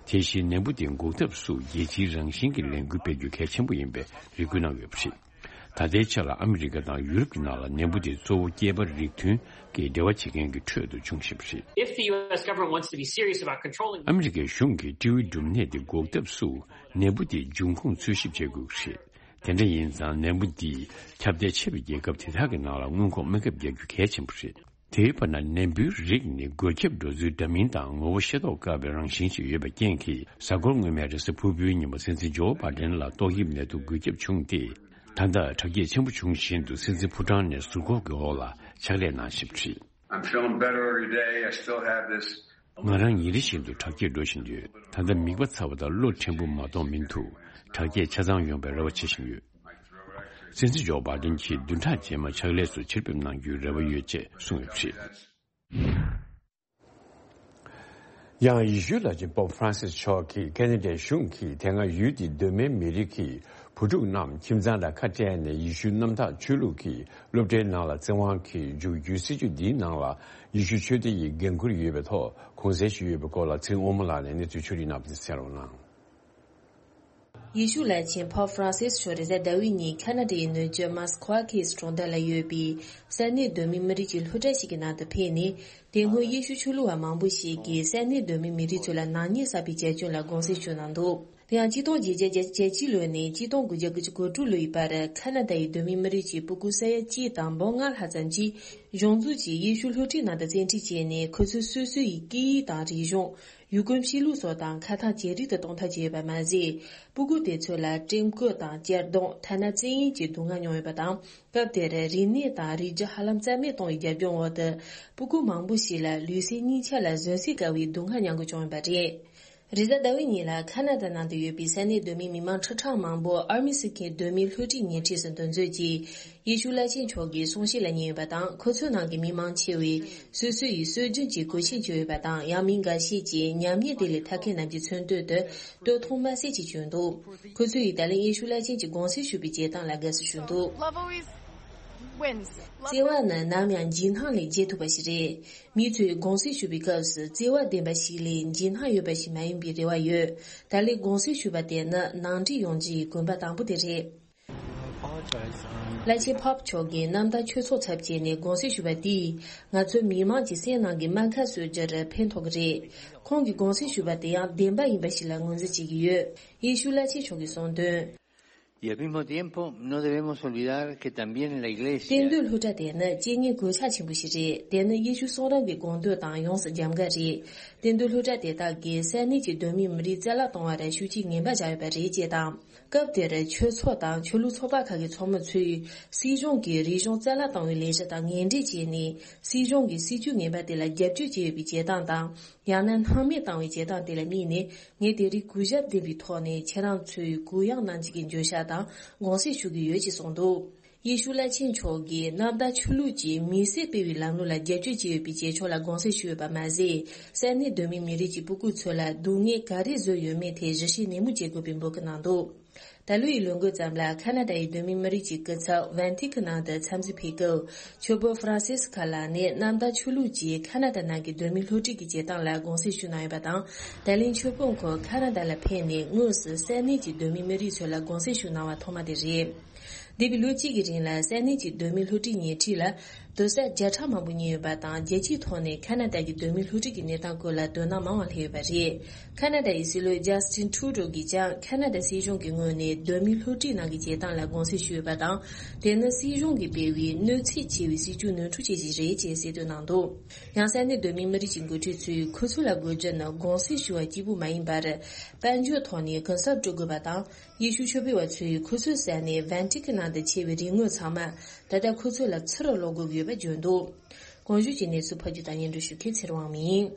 དེ་བཞིན་ནད་འབུ་དེ་འགོག་ཐབས་སུ་རྒྱལ་སྤྱིའི་རང་བཞིན་གྱི་ལས་འགུལ་སྤེལ་རྒྱུ་གལ་ཆེན་པོ་ཡིན་པའི་རེ་སྐུལ་གནང་ཡོད་པ་རེད། ད་ལྟའི་ཆ་ལ་ཨ་མི་རི་ཀ་དང་ཡུ་རོབ་ཀྱི་ནང་ལ་ནད་འབུ་དེ་གཙོ་བོ་སྐྱེས་པ་རིགས་མཐུན་གྱི་འབྲེལ་བ་བྱེད་མཁན་གྱི་ཁྲོད་དུ་བྱུང་བཞིན་པ་རེད། If the U S government wants to be serious about controlling ཨ་མི་རི་ཀའི་གཞུང་གིས་སྤྲེའུའི་འབྲུམ་ནད་དེ་འགོག་ཐབས་སུ་ནད་འབུ་དེའི་འབྱུང་ཁུངས་འཚོལ་ཞིབ་བྱེད་དགོས་ཀྱི་རེད། དེ་འདྲ་ཡིན་ཙང་ནད་འབུ་འདིས་ཁྱབ་གདལ་ཆེ་བའི་རྒྱལ་ཁབ་དེ་དག་གི་ནང་ལ་སྔོན་འགོག་སྨན་ཁབ་རྒྱག་རྒྱུ་གལ་ཆེན་པོ་རེད། དེའི་བར་ན་ནད་འབུའི་རིགས་ནི་འགོས་ཁྱབ་འགྲོ་ཚུལ་འདྲ་མིན་དང་ངོ་བོ་ཤེས་རྟོགས་དཀའ་བའི་རང་བཞིན་ཞིག་ཡོད་པའི་རྐྱེན་གྱིས། གཟའ་འཁོར་སྔོན་མའི་རེས་གཟའ་ཕུར་བུའི་ཉིན་མོ་སྲིད་འཛིན་ཇོ་བྷ་ཌེན་ལ་ཏོག་དབྱིབས་ནད་དུག་འགོས་ཁྱབ་བྱུང་སྟེ། ད་ལྟ་དྲག་སྐྱེད་ཆེན་པོ་བྱུང་བཞིན་དུ་སྲིད་འཛིན་ཕོ་བྲང་ནས་ཟུར་འགོག་གི་འོག་ལ་ཕྱག་ལས་གནང་བཞིན་པ་རེད། I'm feeling better every day. I still have this. ང་རང་ཉིན་རེ་བཞིན་དུ་དྲག་སྐྱེད་འགྲོ་བཞིན་ཡོད། ད་ལྟ་མིད་པ་ཚ་བ་དང་གློ་མཁྲེགས་པོ་མ་གཏོགས་མི་འདུག་དྲག་སྐྱེད་ཆ་ཚང་ཡོང་བའི་རེ་བ་བྱེད་བཞིན་ཡོད། སྲིད་འཛིན་ཇོ་བྷ་ཌེན་གྱིས་བདུན་ཕྲག་རྗེས་མ་ཕྱག་ལས་སུ་ཕྱིར་ཕེབས་གནང་རྒྱུའི་རེ་བ་ཡོད་ཅེས་གསུངས་ཡོད་པ་རེད། ཡང་ཡེ་ཤུ་བླ་ཆེན་པོབ་ཧྥ་རན་སིས་མཆོག་གིས་ཁེ་ན་ཌའི་གཞུང་གིས་དེ་སྔ་ཡུལ་དེའི་གདོད་མའི་མི་རིགས་ཀྱི་བུ་ཕྲུག་རྣམས་ཁྱིམ་ཚང་དང་ཁ་བྲལ་ནས་ཡེ་ཤུ་གནམ་བདག་ཆོས་ལུགས་ཀྱི་སློབ་གྲྭའི་ནང་ལ་བཙན་དབང་གིས་འཇུག་རྒྱུའི་སྲིད་ཇུས་འདིའི་ནང་ལ་ཡེ་ཤུ་ཆོས་སྡེ་ཡི་འགན་འཁུར་ཡོད་པའི་ཐོག་གུང་གསེང་ཞུས་ཡོད་པའི་སྐོར་ལ་ཚེ་རིང་དབང་མོ་ལགས་ནས་གནས་ཚུལ་ཕྱོགས་སྒྲིག་གནང་བ་དེ་གསན་རོགས་གནང་། ཡེ་ཤུ་བླ་ཆེན་པོབ་ཧྥ་རན་སིས་མཆོག་རེས་གཟའ་ཟླ་བའི་ཉིན་ཁ་ན་ཌའི་ནུབ་ཕྱོགས་མཱ་སི་ཁོ་ཨ་ཁེ་སི་གྲོང་རྡལ་ལ་ཡོད་པའི་ས་གནས་གདོད་མའི་མི་རིགས་ཀྱི་སློབ་གྲྭ་ཞིག་གི་ནང་དུ་ཕེབས་ནས། དེ་སྔོན་ཡེ་ཤུ་ཆོས་ལུགས་པ་མང་པོ་ཞིག་གིས་ས་གནས་གདོད་མའི་མི་རིགས་ཚོ་ལ་ནག་ཉེས་བསགས་པའི་བྱ་སྤྱོད་ལ་དགོངས་སེལ་ཞུས་གནང་འདུག་དེ་ཡང་ཆིག་སྟོང་བརྒྱད་བརྒྱ་བརྒྱད་ཅུ་གྱ་གཅིག་ལོ་ནས་ཆིག་སྟོང་དགུ་བརྒྱ་དགུ་བཅུ་གོ་དྲུག་ལོ་ཡི་བར་ཁ་ན་ཌ་ཡི་གདོད་མའི་མི་རིགས་ཀྱི་སྤུ་གུ་ས་ཡ་གཅིག་དང་འབུམ་ལྔ་ལྷག་ཙམ་གྱིས་གཞུང་འཛུགས་ཀྱི་ཡེ་ཤུ་སློབ་ཁྲིད་ནང་དུ་བཙན་ཁྲིད་བྱས་ནས། ཁོ་ཚོས་སོ་སོ་ཡི་སྐད་ཡིག་དང་རིག་གཞུང་། ཡུལ་གོམས་གཤིས་ལུགས་སོགས་དང་ཁ་ཐག་ཇེ་སྡུག་ཏུ་གཏོང་ཐབས་བྱས་ཡོད་པ་མ་ཟད། སྤུ་གུ་དེ་ཚོ་ལ་ཀྲེམ་སྐོར་དང་གཅར་རྡུང་། ཐ་ན་བཙན་གཡེམ་གྱི་སྡུག་བསྔལ་མྱོང་ཡོད་པ་དང་། སྐབས་དེར་རིག་གནས་དང་རིག་རྒྱུ་ཧ་ལམ་རྩ་མེད་གཏོང་བའི་རྒྱབ་ལྗོངས་འོག་ཏུ། སྤུ་གུ་མང་པོ་ཞིག་ལ་ལུས་སེམས་གཉིས་ཆ་ལ་གཟོན་བསྲེག་དཀའ་བའི་སྡུག་བསྔལ་མྱང་དགོས་བྱུང་ཡོད་པ་རེད། རེས་གཟའ་ཟླ་བའི་ཉིན་ལ་ཁ་ན་ཌ་ནང་དུ་ཡོད་པའི་ས་གནས་གདོད་མའི་མི་མང་ཁྲི་ཕྲག་མང་པོ་ཨར་མི་སི་ཁའི་གདོད་མའི་སློབ་ཁྲིད་ཉེ་འཁྲིས་སུ་འདུ་འཛོམས་ཀྱིས། ཡེ་ཤུ་བླ་ཆེན་མཆོག་གི་གསུང་བཤད་ལ་ཉན་ཡོད་པ་དང་། ཁོ་ཚོའི་ནང་གི་མི་མང་ཆེ་བས་སོ་སོ་ཡི་སྲོལ་རྒྱུན་གྱི་གོས་ཆེན་གྱོན་ཡོད་པ་དང་། ཡང་མི་འགའ་ཤས་ཀྱིས་ཉམས་ཉེས་དེ་ལས་ཐར་མཁན་རྣམས་ཀྱི་མཚོན་དོན་དུ་སྟོད་ཐུང་དམར་སེར་ཅིག་གྱོན་འདུག་ཁོ་ཚོ་ཡིས་ད་ལན་ཡེ་ཤུ་བླ་ཆེན་གྱིས་དགོངས་སེལ་ཞུས་པའི་བྱེད་སྟངས་ལ་དགའ་བསུ་ཞུས་འདུག Love always wins. Love བརྩེ་བ་ནི་ནམ་ཡང་འཇིགས་སྣང་ལས་རྒྱལ་ཐུབ་པ་ཞིག་རེད། མི་ཚོས་དགོངས་སེལ་ཞུས་པའི་སྐབས་སུ་བརྩེ་བ་ལྡན་པ་ཞིག་ལས་འཇིགས་སྣང་ཡོད་པ་ཞིག་མ་ཡིན་པའི་རེ་བ་ཡོད། ད་ལན་དགོངས་སེལ་ཞུས་པ་དེ་ནི་ནང་འགྲིག་ཡོང་རྒྱུ་ཡི་གོམ་པ་དང་པོ་དེ་རེད། བླ་ཆེན་པོབ་མཆོག་གིས་གནམ་བདག་ཆོས་ཚོགས་ཚབ་བྱས་ནས་དགོངས་སེལ་ཞུས་པ་དེས། ང་ཚོའི་མི་མང་གི་སེམས་ནང་གི་རྨ་ཁ་གསོ་རྒྱུར་ཕན་ཐོགས་ཀྱི་རེད། ཁོང་གིས་དགོངས་སེལ་ཞུས་པ་དེ་ཡང་བདེན་པ་ཡིན་པ་ཞིག་ལ་ངོས་འཛིན་བྱེད་ཀྱི་ཡོད། ཡེ་ཤུ་བླ་ཆེན་མཆོག་གིས་གསུངས་དོན། Y al mismo tiempo, no debemos olvidar que también la Iglesia གཏན་སྡོད་སློབ་གྲྭ་དེ་ནི་རྐྱེན་ངན་གོད་ཆག་ཆེན་པོ་ཞིག་རེད། དེ་ནི་ཡེ་ཤུ་གསུང་རབ་ཀྱི་དགོངས་དོན་དང་ཡོངས་སུ་རྒྱབ་འགལ་རེད། གཏན་སྡོད་སློབ་གྲྭ་དེ་དག་གིས་ས་གནས་ཀྱི་གདོད་མའི་མི་རིགས་རྩ་བརླག་གཏོང་བར་ཤུགས་རྐྱེན་ངན་པ་བཞག་ཡོད་པ་རེད་ཅེས་དང་། སྐབས་དེར་ཆོས་ཚོགས་དང་ཆོས་ལུགས་ཚོགས་པ་ཁག་གི་ཚོགས་མི་ཚོས་སྲིད་གཞུང་གིས་རིག་གཞུང་རྩ་བརླག་གཏོང་བའི་ལས་གཞི་དང་ངན་འབྲེལ་བྱས་ནས། སྲིད་གཞུང་གི་སྲིད་ཇུས་ངན་པ་དེ་ལ་རྒྱབ་སྐྱོར་བྱས་ཡོད་པའི་བྱེད་སྟངས་དང་། ཡང་ན་སྣང་མེད་བཏང་བའི་བྱེད་སྟངས་དེ་ལ་དམིགས་ནས། ངས་དེ་རིང་གུས་ཞབས་ལྡན་པའི་ཐོག་ནས་ཁྱེད་རང་ཚོས་གུ་ཡངས་གནང་རྒྱུ་གི་འགྱོད་བཤགས་དང་དགོངས་སེལ་ཞུ་གི་ཡོད་ཅེས་གསུངས་འདུག་ཡེ་ཤུ་བླ་ཆེན་མཆོག་གིས་གནམ་བདག་ཆོས་ལུགས་ཀྱིས་མི་སེར་སྤེལ་བའི་ལམ་ལུགས་ལ་རྒྱབ་སྐྱོར་བྱས་ཡོད་པའི་བྱེད་ཕྱོགས་ལ་དགོངས་སེལ་ཞུས་ཡོད་པ་མ་ཟད། ས་གནས་གདོད་མའི་མི་རིགས་ཀྱི་སྤུ་གུ་ཚོ་ལ་སྡུག་བསྔལ་ག་རེ་བཟོས་ཡོད་མེད་ཐད་ཞིབ་བཤེར་ནན་མོ་བྱེད་དགོས་པའི་འབོད་སྐུལ་གནང་འདུག་ད་ལོའི་ལོ་འགོའི་མཚམས་ལ་ཁ་ན་ཌ་ཡི་གདོད་མའི་མི་རིགས་ཀྱི་སྐུ་ཚབ་ཝན་ཏི་ཀན་ནང་དུ་འཚམས་གཟིགས་ཕེབས་སྐབས། ཆོས་དཔོན་ཧྥ་རན་སིས་ཁ་ལགས་ནས་གནམ་བདག་ཆོས་ལུགས་ཀྱིས་ཁ་ན་ཌ་ནང་གི་གདོད་མའི་སློབ་ཁྲིད་ཀྱི་བྱེད་སྟངས་ལ་དགོངས་སེལ་ཞུ་གནང་ཡོད་པ་དང་། ད་ལན་ཆོས་དཔོན་ཁོ་ཁ་ན་ཌ་ལ་ཕེབས་ནས་དངོས་སུ་ས་གནས་ཀྱི་གདོད་མའི་མི་རིགས་ཚོ་ལ་དགོངས་སེལ་ཞུ་གནང་བ་ཐོག་མ་དེ་རེད། འདས་པའི་ལོ་གཅིག་གི་རིང་ལ་ས་གནས་ཀྱི་གདོད་མའི་སློབ་ཁྲིད་ཉིན་ཁྲིད་ལ་སྡོད་ས་བརྒྱ་ཕྲག་མང་པོ་ཉོས་ཡོད་པ་དང་། རྒྱལ་སྤྱིའི་ཐོག་ནས་ཁ་ན་ཌ་ཀྱི་གདོད་མའི་སློབ་ཁྲིད་ཀྱི་གནས་སྟངས་སྐོར་ལ་དོ་སྣང་མང་བ་སླེབས་ཡོད་པ་རེད། ཁ་ན་ཌ་ཡི་སྲིད་བློན་ཇཱ་སི་ཊིན་ཊུ་རུ་ཌོ་གིས་ཀྱང་ཁ་ན་ཌ་སྲིད་གཞུང་གི་ངོས་ནས་གདོད་མའི་སློབ་ཁྲིད་ནང་གི་བྱེད་སྟངས་ལ་དགོངས་སེལ་ཞུས་ཡོད་པ་དང་། དེ་ནི་སྲིད་གཞུང་གིས་སྤེལ་བའི་གནོད་འཚེ་ཆེ་བའི་སྲིད་ཇུས་ནོར་འཁྲུལ་བྱས་ཤིག་རེད་ཅེས་གསལ་སྟོན་གནང་འདུག་ཡང་ས་གནས་གདོད་མའི་མི་རིགས་ཀྱི་འགོ་ཁྲིད་ཚོས་ཁོ་ཚོ་ལ་དགོས་རྒྱུ་ནི་དགོངས་སེལ་ཞུ་བ་གཅིག་པུ་མ་ཡིན་པར། དཔལ་འབྱོར་ཐོག་ནས་གུན་གསབ་སྤྲོད་དགོས་པ་དང་། ཡེ་ཤུ་ཆོས་སྤེལ་བ་ཚོས་ཁོ་ཚོའི་ས་གནས་ཝན་ཏི་ཀན་ནང་དུ་ཆད་པའི་རིན་དངུལ་ཚང་མ་ད་ལྟ་ཁོ་ཚོ་ལ་ཚུར་སློག་དགོས་ཀྱི་ཡོད་པ་བརྗོད་འདུག་གོང་ཞུས་ཀྱི་གནས་ཚུལ་ཕབ་སྒྱུར་དང་སྙན་སྒྲོན་ཞུ་མཁན་ཚེ་རིང་དབང་མོ་ཡིན།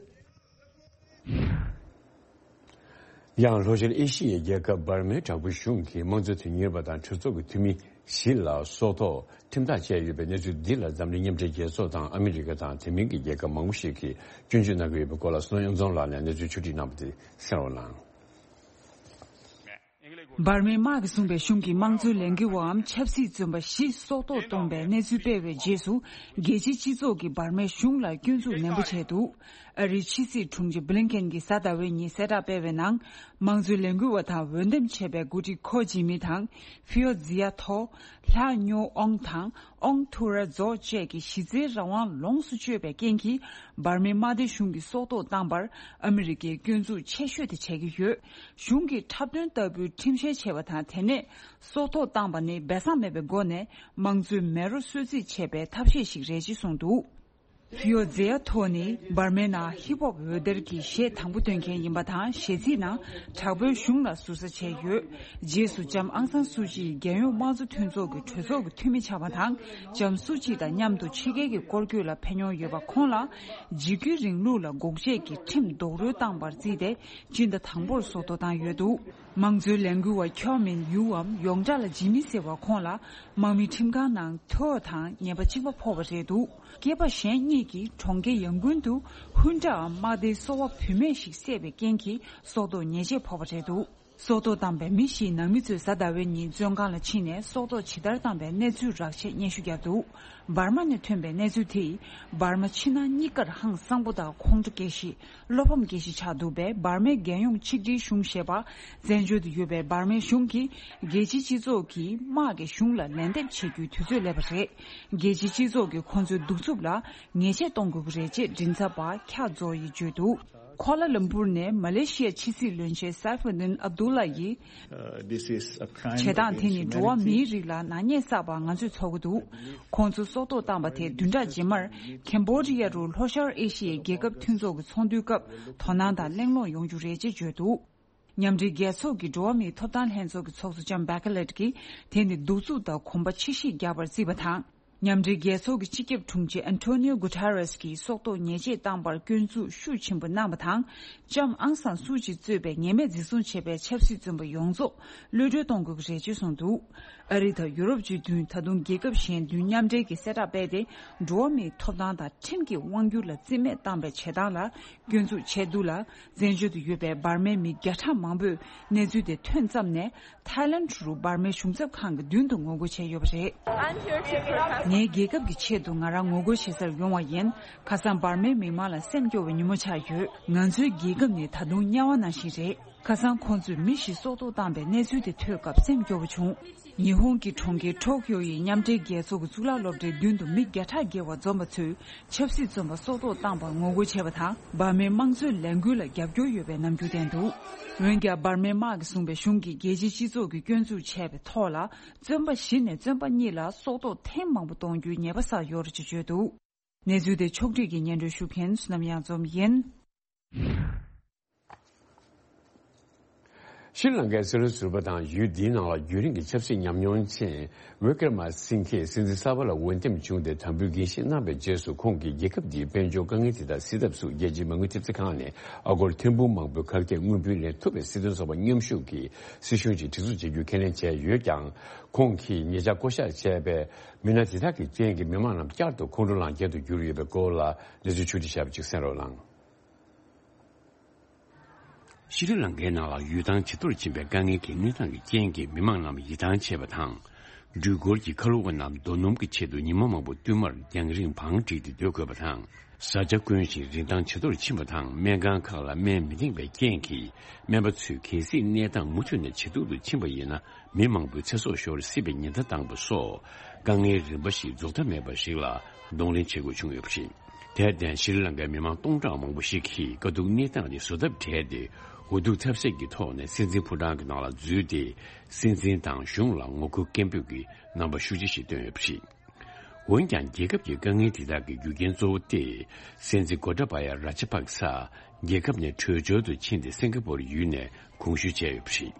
ཡང་ལྷོ་ཤར་ཨེ་ཤི་ཡའི་རྒྱལ་ཁབ་འབར་མའི་དྲག་པོའི་གཞུང་གིས་དམངས་གཙོ་དོན་གཉེར་བ་དང་གྲོས་ཚོགས་ཀྱི་འཐུས་མི་བཞི་ལ་སྲོག་ཐོག་ཁྲིམས་ཐག་བཅད་ཡོད་པའི་གནས་ཚུལ་འདི་ལ་འཛམ་གླིང་མཉམ་འབྲེལ་རྒྱལ་ཚོགས་དང་ཨ་མི་རི་ཀ་དང་དེ་མིན་གྱི་རྒྱལ་ཁབ་མང་པོ་ཞིག་གིས་སྐྱོན་བརྗོད་གནང་གི་ཡོད་པའི་སྐོར་ལ་བསོད་ནམས་གཡུ་རྫོང་ལགས་ནས་གནས་ཚུལ་ཕྱོགས་བསྒྲིགས་གནང་བ་དེ་གསན་རོགས་གནང་། འབར་མའི་དམག་གིས་བཟུང་བའི་གཞུང་གི་དམངས་གཙོའི་ལས་འགུལ་བའམ་ཆབ་སྲིད་བཙོན་པ་བཞི་སྲོག་ཐོག་བཏང་བའི་གནས་ཚུལ་སྤེལ་བའི་རྗེས་སུ། རྒྱལ་སྤྱིའི་སྤྱི་ཚོགས་ཀྱིས་འབར་མའི་གཞུང་ལ་སྐྱོན་འཛུགས་ནན་པོ་བྱས་འདུག་ཨ་རིའི་ཕྱི་སྲིད་དྲུང་ཆེ་བྷི་ལིན་ཀེན་གྱིས་གཟའ་ཟླ་བའི་ཉིན་གསལ་བསྒྲགས་སྤེལ་བའི་ནང་། དམངས་གཙོའི་ལས་འགུལ་བ་དང་འོས་འདེམས་བྱས་པའི་འགོ་ཁྲིད་ཁོ་ཇི་མི་དང་། ཧྥིའོ་ཛི་ཡ་ཐོ། ལྷ་ཉོ་ཨོང་དང་། ཨོང་ཐུ་ར་ཛོ་བཅས་ཀྱི་གཞི་རྩའི་རང་དབང་ལོངས་སུ་སྤྱོད་པའི་རྐྱེན་གྱིས། འབར་མའི་དམག་སྡེ་གཞུང་གིས་སྲོག་ཐོག་བཏང་བར་ཨ་མི་རི་ཀས་སྐྱོན་འཛུགས་ཆེ་ཤོས་དེ་བྱེད་ཀྱི་ཡོད། གཞུང་གིས་འཁྲབ་སྟོན་ལྟ་བུའི་ཁྲིམས་བཤེར་བྱས་པ་དང་། དེ་ནས་སྲོག་ཐོག་བཏང་བ་ནི་སྦས་གསང་མེད་པའི་སྒོ་ནས་དམངས་གཙོའི་མེ་རོ་གསོད་རྩིས་བྱས་པའི་ཐབས་ཤེས་ཤིག་རེད་ཅེས་གསུངས་འདུག་ཧྥིའོ་ཛེ་ཡ་ཐོ་ནི་འབར་མའི་ནང་ཧིབ་ཧོབ་འོད་སྡེར་གྱི་གཞས་དང་པོ་འདོན་མཁན་ཡིན་པ་དང་། གཞས་ཚིག་ནང་དྲག་པོའི་གཞུང་ལ་ཟུར་ཟ་བྱས་ཡོད། རྗེས་སུ་ལྕམ་ཨང་སང་སུ་ཅི་ཡིས་རྒྱལ་ཡོངས་དམངས་གཙོ་མཐུན་ཚོགས་ཀྱི་གྲོས་ཚོགས་ཀྱི་འཐུས་མི་ཆགས་པ་དང་། ལྕམ་སུ་ཅི་དང་མཉམ་དུ་ཕྱི་རྒྱལ་གྱི་སྐོར་སྐྱོད་ལ་ཕེབས་མྱོང་ཡོད་པ་ཁོང་ལ། འཇིགས་སྐུལ་རིང་ལུགས་ལ་འགོག་བྱེད་ཀྱི་ཁྲིམས་རྡོག་རོལ་བཏང་བར་བརྩིས་ཏེ། སྤྱི་ཟླ་དང་པོར་སྲོག་ཐོག་བཏང་ཡོད་འདུག་དམངས་གཙོའི་ལས་འགུལ་བ་ཁྱོ་མིན་ཡུའམ་ཡོངས་གྲགས་ལ་ཇི་མི་ཟེར་བ་ཁོང་ལ། དམག་མི་ཁྲིམས་ཁང་ནང་ཐོ་དང་ཉེས་པ་གཅིག་པ་ཕོག་པ་རེད་འདུག་སྐྱེས་པ་གཞན་གཉིས་ཀྱིས་གྲོང་ཁྱེར་ཡང་ཀུན་དུ་ཧུན་ཀྲའམ་དམག་སྡེའི་སོ་པ་བུད་མེད་ཞིག་བསད་པའི་རྐྱེན་གྱིས་སྲོག་ཐོག་ཉེས་ཆད་ཕོག་པ་རེད་འདུག་སྲོག་ཐོག་བཏང་པའི་མི་བཞིའི་ནང་མི་ཚོས་གཟའ་ཟླ་བའི་ཉིན་བཙོན་ཁང་ལ་ཕྱིན་ནས་སྲོག་ཐོག་ཇི་ལྟར་བཏང་པའི་གནས་ཚུལ་རགས་ཆད་སྙན་ཞུ་བརྒྱབ་འདུག་འབར་མ་ནས་ཐོན་པའི་གནས་ཚུལ་དེས། འབར་མ་ཕྱི་ནང་གཉིས་ཀར་ཧང་སང་པོ་དང་ཁོང་ཁྲོ་སྐྱེ་གཞི། བློ་ཕམ་སྐྱེ་གཞི་ཆགས་འདུག་པས། འབར་མའི་རྒྱལ་ཡོངས་ཆིག་སྒྲིལ་གཞུང་ཞེས་པ། བཙན་བྱོལ་དུ་ཡོད་པའི་འབར་མའི་གཞུང་གིས། རྒྱལ་སྤྱིའི་སྤྱི་ཚོགས་ཀྱིས་དམག་གི་གཞུང་ལ་ལན་འདེབས་བྱེད་རྒྱུའི་དུས་ཚོད་སླེབས་པ་རེད། རྒྱལ་སྤྱིའི་སྤྱི་ཚོགས་ཀྱིས་ཁོང་ཚོའི་གདུག་རྩུབ་ལ་ཉེས་ཆད་གཏོང་དགོས་ཀྱི་རེད་ཅེས་མགྲིན་ཚབ་པ་ཁྱ་ཛོ་ཡིས་བརྗོད་འདུག་ཁོ་ལ་ལམ་པུར་ནས་མ་ལེ་ཤི་ཡའི་ཕྱི་སྲིད་བློན་ཆེན་སཱ་ཧྥུ་ཏིན་ཨབ་དུ་ལ་ཡིས། Uh, this is a crime བྱེད་སྟངས་དེ་ནི་against འགྲོ་བ་humanity. མིའི་རིགས་ལ་ནག་ཉེས་བསགས་པ་ང་ཚོས་ཚོར་གྱི་འདུག་ཁོང་ཚོ་སྲོག་ཐོག་བཏང་བ་དེ་བདུན་ཕྲག་རྗེས་མར་ཁེམ་བྷོ་ཌི་ཡ་རུ་ལྷོ་ཤར་ཨེ་ཤི་ཡའི་རྒྱལ་ཁབ་མཐུན་ཚོགས་ཀྱི་ཚོགས་འདུའི་སྐབས་དོ་སྣང་དང་གླེང་སློང་ཡོང་རྒྱུ་རེད་ཅེས་བརྗོད་འདུག་མཉམ་འབྲེལ་རྒྱལ་ཚོགས་ཀྱི་འགྲོ་བ་མིའི་ཐོབ་ཐང་ལྷན་ཚོགས་ཀྱི་ཚོགས་གཙོ་ལྕམ་བྷེ་ཁ་ལེད་ཀྱིས་དེ་ནི་གདུག་རྩུབ་དང་གོམ་པ་ཕྱིར་བཤིག་རྒྱག་པར་བརྩིས་པ་དང་། མཉམ་འབྲེལ་རྒྱལ་ཚོགས་ཀྱི་སྤྱི་ཁྱབ་དྲུང་ཆེ་ཨན་ཐོ་ནིའོ་གུ་ཐེ་རེས་ཀྱིས་སྲོག་ཐོག་ཉེས་ཆད་བཏང་པར་སྐྱོན་འཛུགས་ཤུགས་ཆེན་པོ་གནང་བ་དང་། ལྕམ་ཨང་སང་སུའུ་ཅི་གཙོས་པའི་ཉེས་མེད་འཛིན་བཟུང་བྱས་པའི་ཆབ་སྲིད་བཙོན་པ་ཡོངས་རྫོགས་གློད་གྲོལ་གཏོང་དགོས་ཀྱི་རེད་ཅེས་གསུངས་འདུག་ཨ་རི་དང་ཡུ་རོབ་སྤྱི་མཐུན། ད་དུང་རྒྱལ་ཁབ་གཞན་བདུན་མཉམ་འབྲེལ་གྱིས་གསལ་བསྒྲགས་སྤེལ་ཏེ། འགྲོ་བ་མིའི་ཐོབ་ཐང་དང་ཁྲིམས་ཀྱི་དབང་སྒྱུར་ལ་རྩིས་མེད་བཏང་པའི་བྱེད་སྟངས་ལ་སྐྱོན་འཛུགས་བྱས་འདུག་ལ། བཙན་བྱོལ་དུ་ཡོད་པའི་འབར་མའི་མི་བརྒྱ་ཕྲག་མང་པོས་གནས་ཚུལ་དེ་ཐོན་ཙམ་ནས། ཐའི་ལན་རུ་འབར་མའི་གཞུང་ཚབ་ཁང་གི་མདུན་དུ་ངོ་རྒོལ་བྱས་ཡོད་པ་རེད། I'm here to protest. ངའི་རྒྱལ་ཁབ་ཀྱི་ཆེད་དུ་ང་རང་ངོ་རྒོལ་བྱེད་སར་ཡོང་བ་ཡིན། ཁ་སང་འབར་མའི་མི་མང་ལ་སེམས་སྐྱོ་བའི་ཉིན་མོ་ཆགས་ཡོད། ང་ཚོའི་རྒྱལ་ཁབ་ནི་ད་དུང་དམྱལ་བ་ནང་བཞིན་རེད། ཁ་སང་ཁོང་ཚོས་མི་བཞི་སྲོག་ཐོག་བཏང་པའི་གནས་ཚུལ་དེ་ཐོས་སྐབས་སེམས་སྐྱོ་བོ་བྱུང་། ཉི་ཧོང་གི་གྲོང་ཁྱེར་ཊོ་ཀིའོ་ཡི་མཉམ་འབྲེལ་རྒྱལ་ཚོགས་ཀྱི་གཙུག་ལག་སློབ་གྲྭའི་མདུན་དུ་མི་བརྒྱ་ཕྲག་བརྒལ་བ་འཛོམས་པ་ཚོས་ཆབ་སྲིད་བཙོན་པ་སྲོག་ཐོག་བཏང་པར་ངོ་རྒོལ་བྱས་པ་དང་། འབར་མའི་དམངས་གཙོའི་ལས་འགུལ་ལ་རྒྱབ་སྐྱོར་ཡོད་པའི་རྣམ་འགྱུར་བསྟན་འདུག་འོན་ཀྱང་། འབར་མའི་དམག་གིས་བཟུང་བའི་གཞུང་གིས་རྒྱལ་སྤྱིའི་སྤྱི་ཚོགས་ཀྱིས་སྐྱོན་འཛུགས་བྱས་པའི་ཐོག་ལ། བཙོན་པ་བཞི་ནས་བཙོན་པ་གཉིས་ལ་སྲོག་ཐོག་ཐེངས་མང་པོ་གཏོང་རྒྱུའི་ཉེས་པ་བསགས་ཡོད་རེད་ཅེས་བརྗོད་འདུག་གནས་ཚུལ་དེ་ཕྱོགས་སྒྲིག་གིས་སྙན་སྒྲོན་ཞུ་མཁན་བསོད་ནམས་གཡང་འཛོམས་ཡིན། ཤྲི་ལང་ཀའི་སྲིད་བློན་ཟུར་པ་དང་ཡུལ་འདིའི་ནང་ལ་རྒྱུན་རིང་གི་ཆབ་སྲིད་ཉམས་མྱོང་ཅན་ཝི་ཀྲ་མ་སིང་ཁེ་སྲིད་འཛིན་གསར་པ་ལ་འོས་འདེམས་བྱུང་སྟེ་དམ་འབུལ་འགན་བཞེས་གནང་བའི་རྗེས་སུ། ཁོང་གིས་རྒྱལ་ཁབ་འདིའི་དཔལ་འབྱོར་དཀའ་ངལ་དེ་དག་སེལ་ཐབས་སུ་རྒྱལ་སྤྱིའི་མ་དངུལ་ཐེབས་རྩ་ཁང་ནས་ཨ་སྒོར་ཐེར་འབུམ་མང་པོའི་ཁ་གཏད་དངུལ་བུན་ལེན་ཐུབ་པའི་སྲིད་དོན་ཚོགས་པ་མཉམ་ཞུགས་ཀྱི་སྲིད་གཞུང་ཅིག་སྒྲིག་འཛུགས་བྱེད་རྒྱུའི་ཁས་ལེན་བྱས་ཡོད་ཀྱང་། ཁོང་གིས་ཉེ་ཆར་བསྐོ་བཞག་བྱས་པའི་མི་སྣ་དེ་དག་གི་རྐྱེན་གྱིས་མི་མང་རྣམས་བསྐྱར་དུ་ཁོང་ཁྲོ་ལངས་རྐྱེན་དུ་གྱུར་ཡོད་པའི་སྐོར་ལ་གནས་ཚུལ་ཕྱོགས་སྒྲིག་བྱས་པ་ཅིག་གསན་རོགས་གནང་། ཤྲི་ལང་ཀའི་ནང་ལ་ཡུལ་ཐང་ཇེ་མཐོར་ཕྱིན་པའི་དཀའ་ངལ་གྱི་གནས་སྟངས་ཀྱི་རྐྱེན་གྱིས་མི་མང་རྣམས་ཡིད་ཐང་ཆད་པ་དང་། འགྲུལ་འཁོར་གྱི་ཁ་ལོ་བ་རྣམས་རྡོ་སྣུམ་གྱི་ཆེད་དུ་ཉི་མ་མང་པོ་བསྟུད་མར་རྒྱང་རིང་བང་བསྒྲིགས་ཏེ་སྡོད་དགོས་པ་དང་། བཟའ་བཅའ་དཀོན་ཞིང་རིན་ཐང་ཇེ་མཐོར་ཕྱིན་པ་དང་། སྨན་ཁང་ཁག་ལ་སྨན་མི་འདེང་བའི་རྐྱེན་གྱིས་སྨན་པ་ཚོས་གལ་སྲིད་གནས་སྟངས་མུ་མཐུད་ནས་ཇེ་སྡུག་ཏུ་ཕྱིན་པ་ཡིན་ན། མི་མང་པོའི་ཚེ་སྲོག་ཤོར་སྲིད་པའི་ཉེན་བརྡ་བཏང་པ་སོགས། དཀའ་ངལ་རིམ་པ་ཞིག་རྫོགས་མཐའ་མེད་པ་ཞིག་ལ་གདོང་ལེན་བྱེད་དགོས་བྱུང་ཡོད་པ་རེད། དེར་བརྟེན། ཤྲི་ལང་ཀའི་མི་མང་སྟོང་ཕྲག་མང་པོ་ཞིག་གིས་དཀའ་སྡུག་གནས་སྟངས་དེ་བཟོད་ཐབས་བྲལ་ཏེ། འུ་ཐུག་ཐབས་ཟད་ཀྱི་ཐོག་ནས་སྲིད་འཛིན་ཕོ་བྲང་གི་ནང་ལ་འཛུལ་ཏེ། སྲིད་འཛིན་དང་གཞུང་ལ་ངོ་རྒོལ་སྐད་འབོད་ཀྱི་རྣམ་པ་ཤུགས་ཆེ་ཞིག་བཏོན་ཡོད་པ་རེད། འོན་ཀྱང་། རྒྱལ་ཁབ་ཀྱི་དཀའ་ངལ་དེ་དག་གི་རྒྱུ་རྐྱེན་གཙོ་བོ་སྟེ། སྲིད་འཛིན་གོ་ཏ་བ་ཡ་ར་ཇ་པག་ས་རྒྱལ་ཁབ་ནས་བྲོས་བྱོལ་དུ་ཕྱིན་ཏེ། སིང་ག་པོར་ཡུལ་ནས་གོང་བཞུད་བྱས་ཡོད་པ་རེད།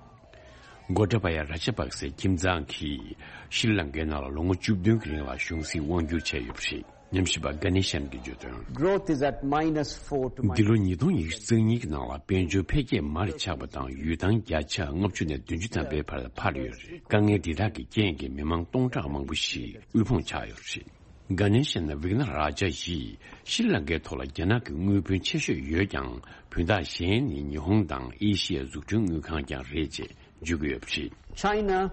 གོ་ཏ་བ་ཡ་ར་ཇ་པག་སའི་ཁྱིམ་ཚང་གིས་ཤྲི་ལང་ཀའི་ནང་ལ་ལོ་ངོ་བཅུ་བདུན་གྱི་རིང་ལ་གཞུང་སྲིད་དབང་བསྒྱུར་བྱས་ཡོད་པ་རེད། ཉམས་ཞིབ་པ་གྷ་ནེ་ཤན་གྱིས་བརྗོད་དོན། Growth is at minus four to minus འདི་ལོ་ཉིས་སྟོང་ཉི་ཤུ་རྩ་གཉིས་ཀྱི་ནང་ལ་དཔལ་འབྱོར་འཕེལ་རྒྱས་མར་ཆག་པ་དང་། ཡུལ་ཐང་བརྒྱ་ཆ་ལྔ་བཅུ་ནས་བདུན་ཅུ་ཐམ་པའི་བར་འཕར་ཡོད་རེད། དཀའ་ངལ་འདི་དག་གི་རྐྱེན་གྱིས་མི་མང་སྟོང་ཕྲག་མང་པོ་ཞིག་དབུལ་ཕོངས་ཆགས་ཡོད་རེད། གྷ་ནེ་ཤན་ཝིག་ན་ར་ཇ་ཡིས། ཤྲི་ལང་ཀའི་ཐོག་ལ་རྒྱ་ནག་གི་དངུལ་བུན་ཆེ་ཤོས་ཡོད་ཀྱང་། བུན་བདག་གཞན་ནི་ཉི་ཧོང་དང་ཨེ་ཤི་ཡའི་འཛུགས་སྐྲུན་དངུལ་ཁང་ཀྱང་རེད་ཅེས་ འཇུག་གི་ཡོད་པ་རེད། China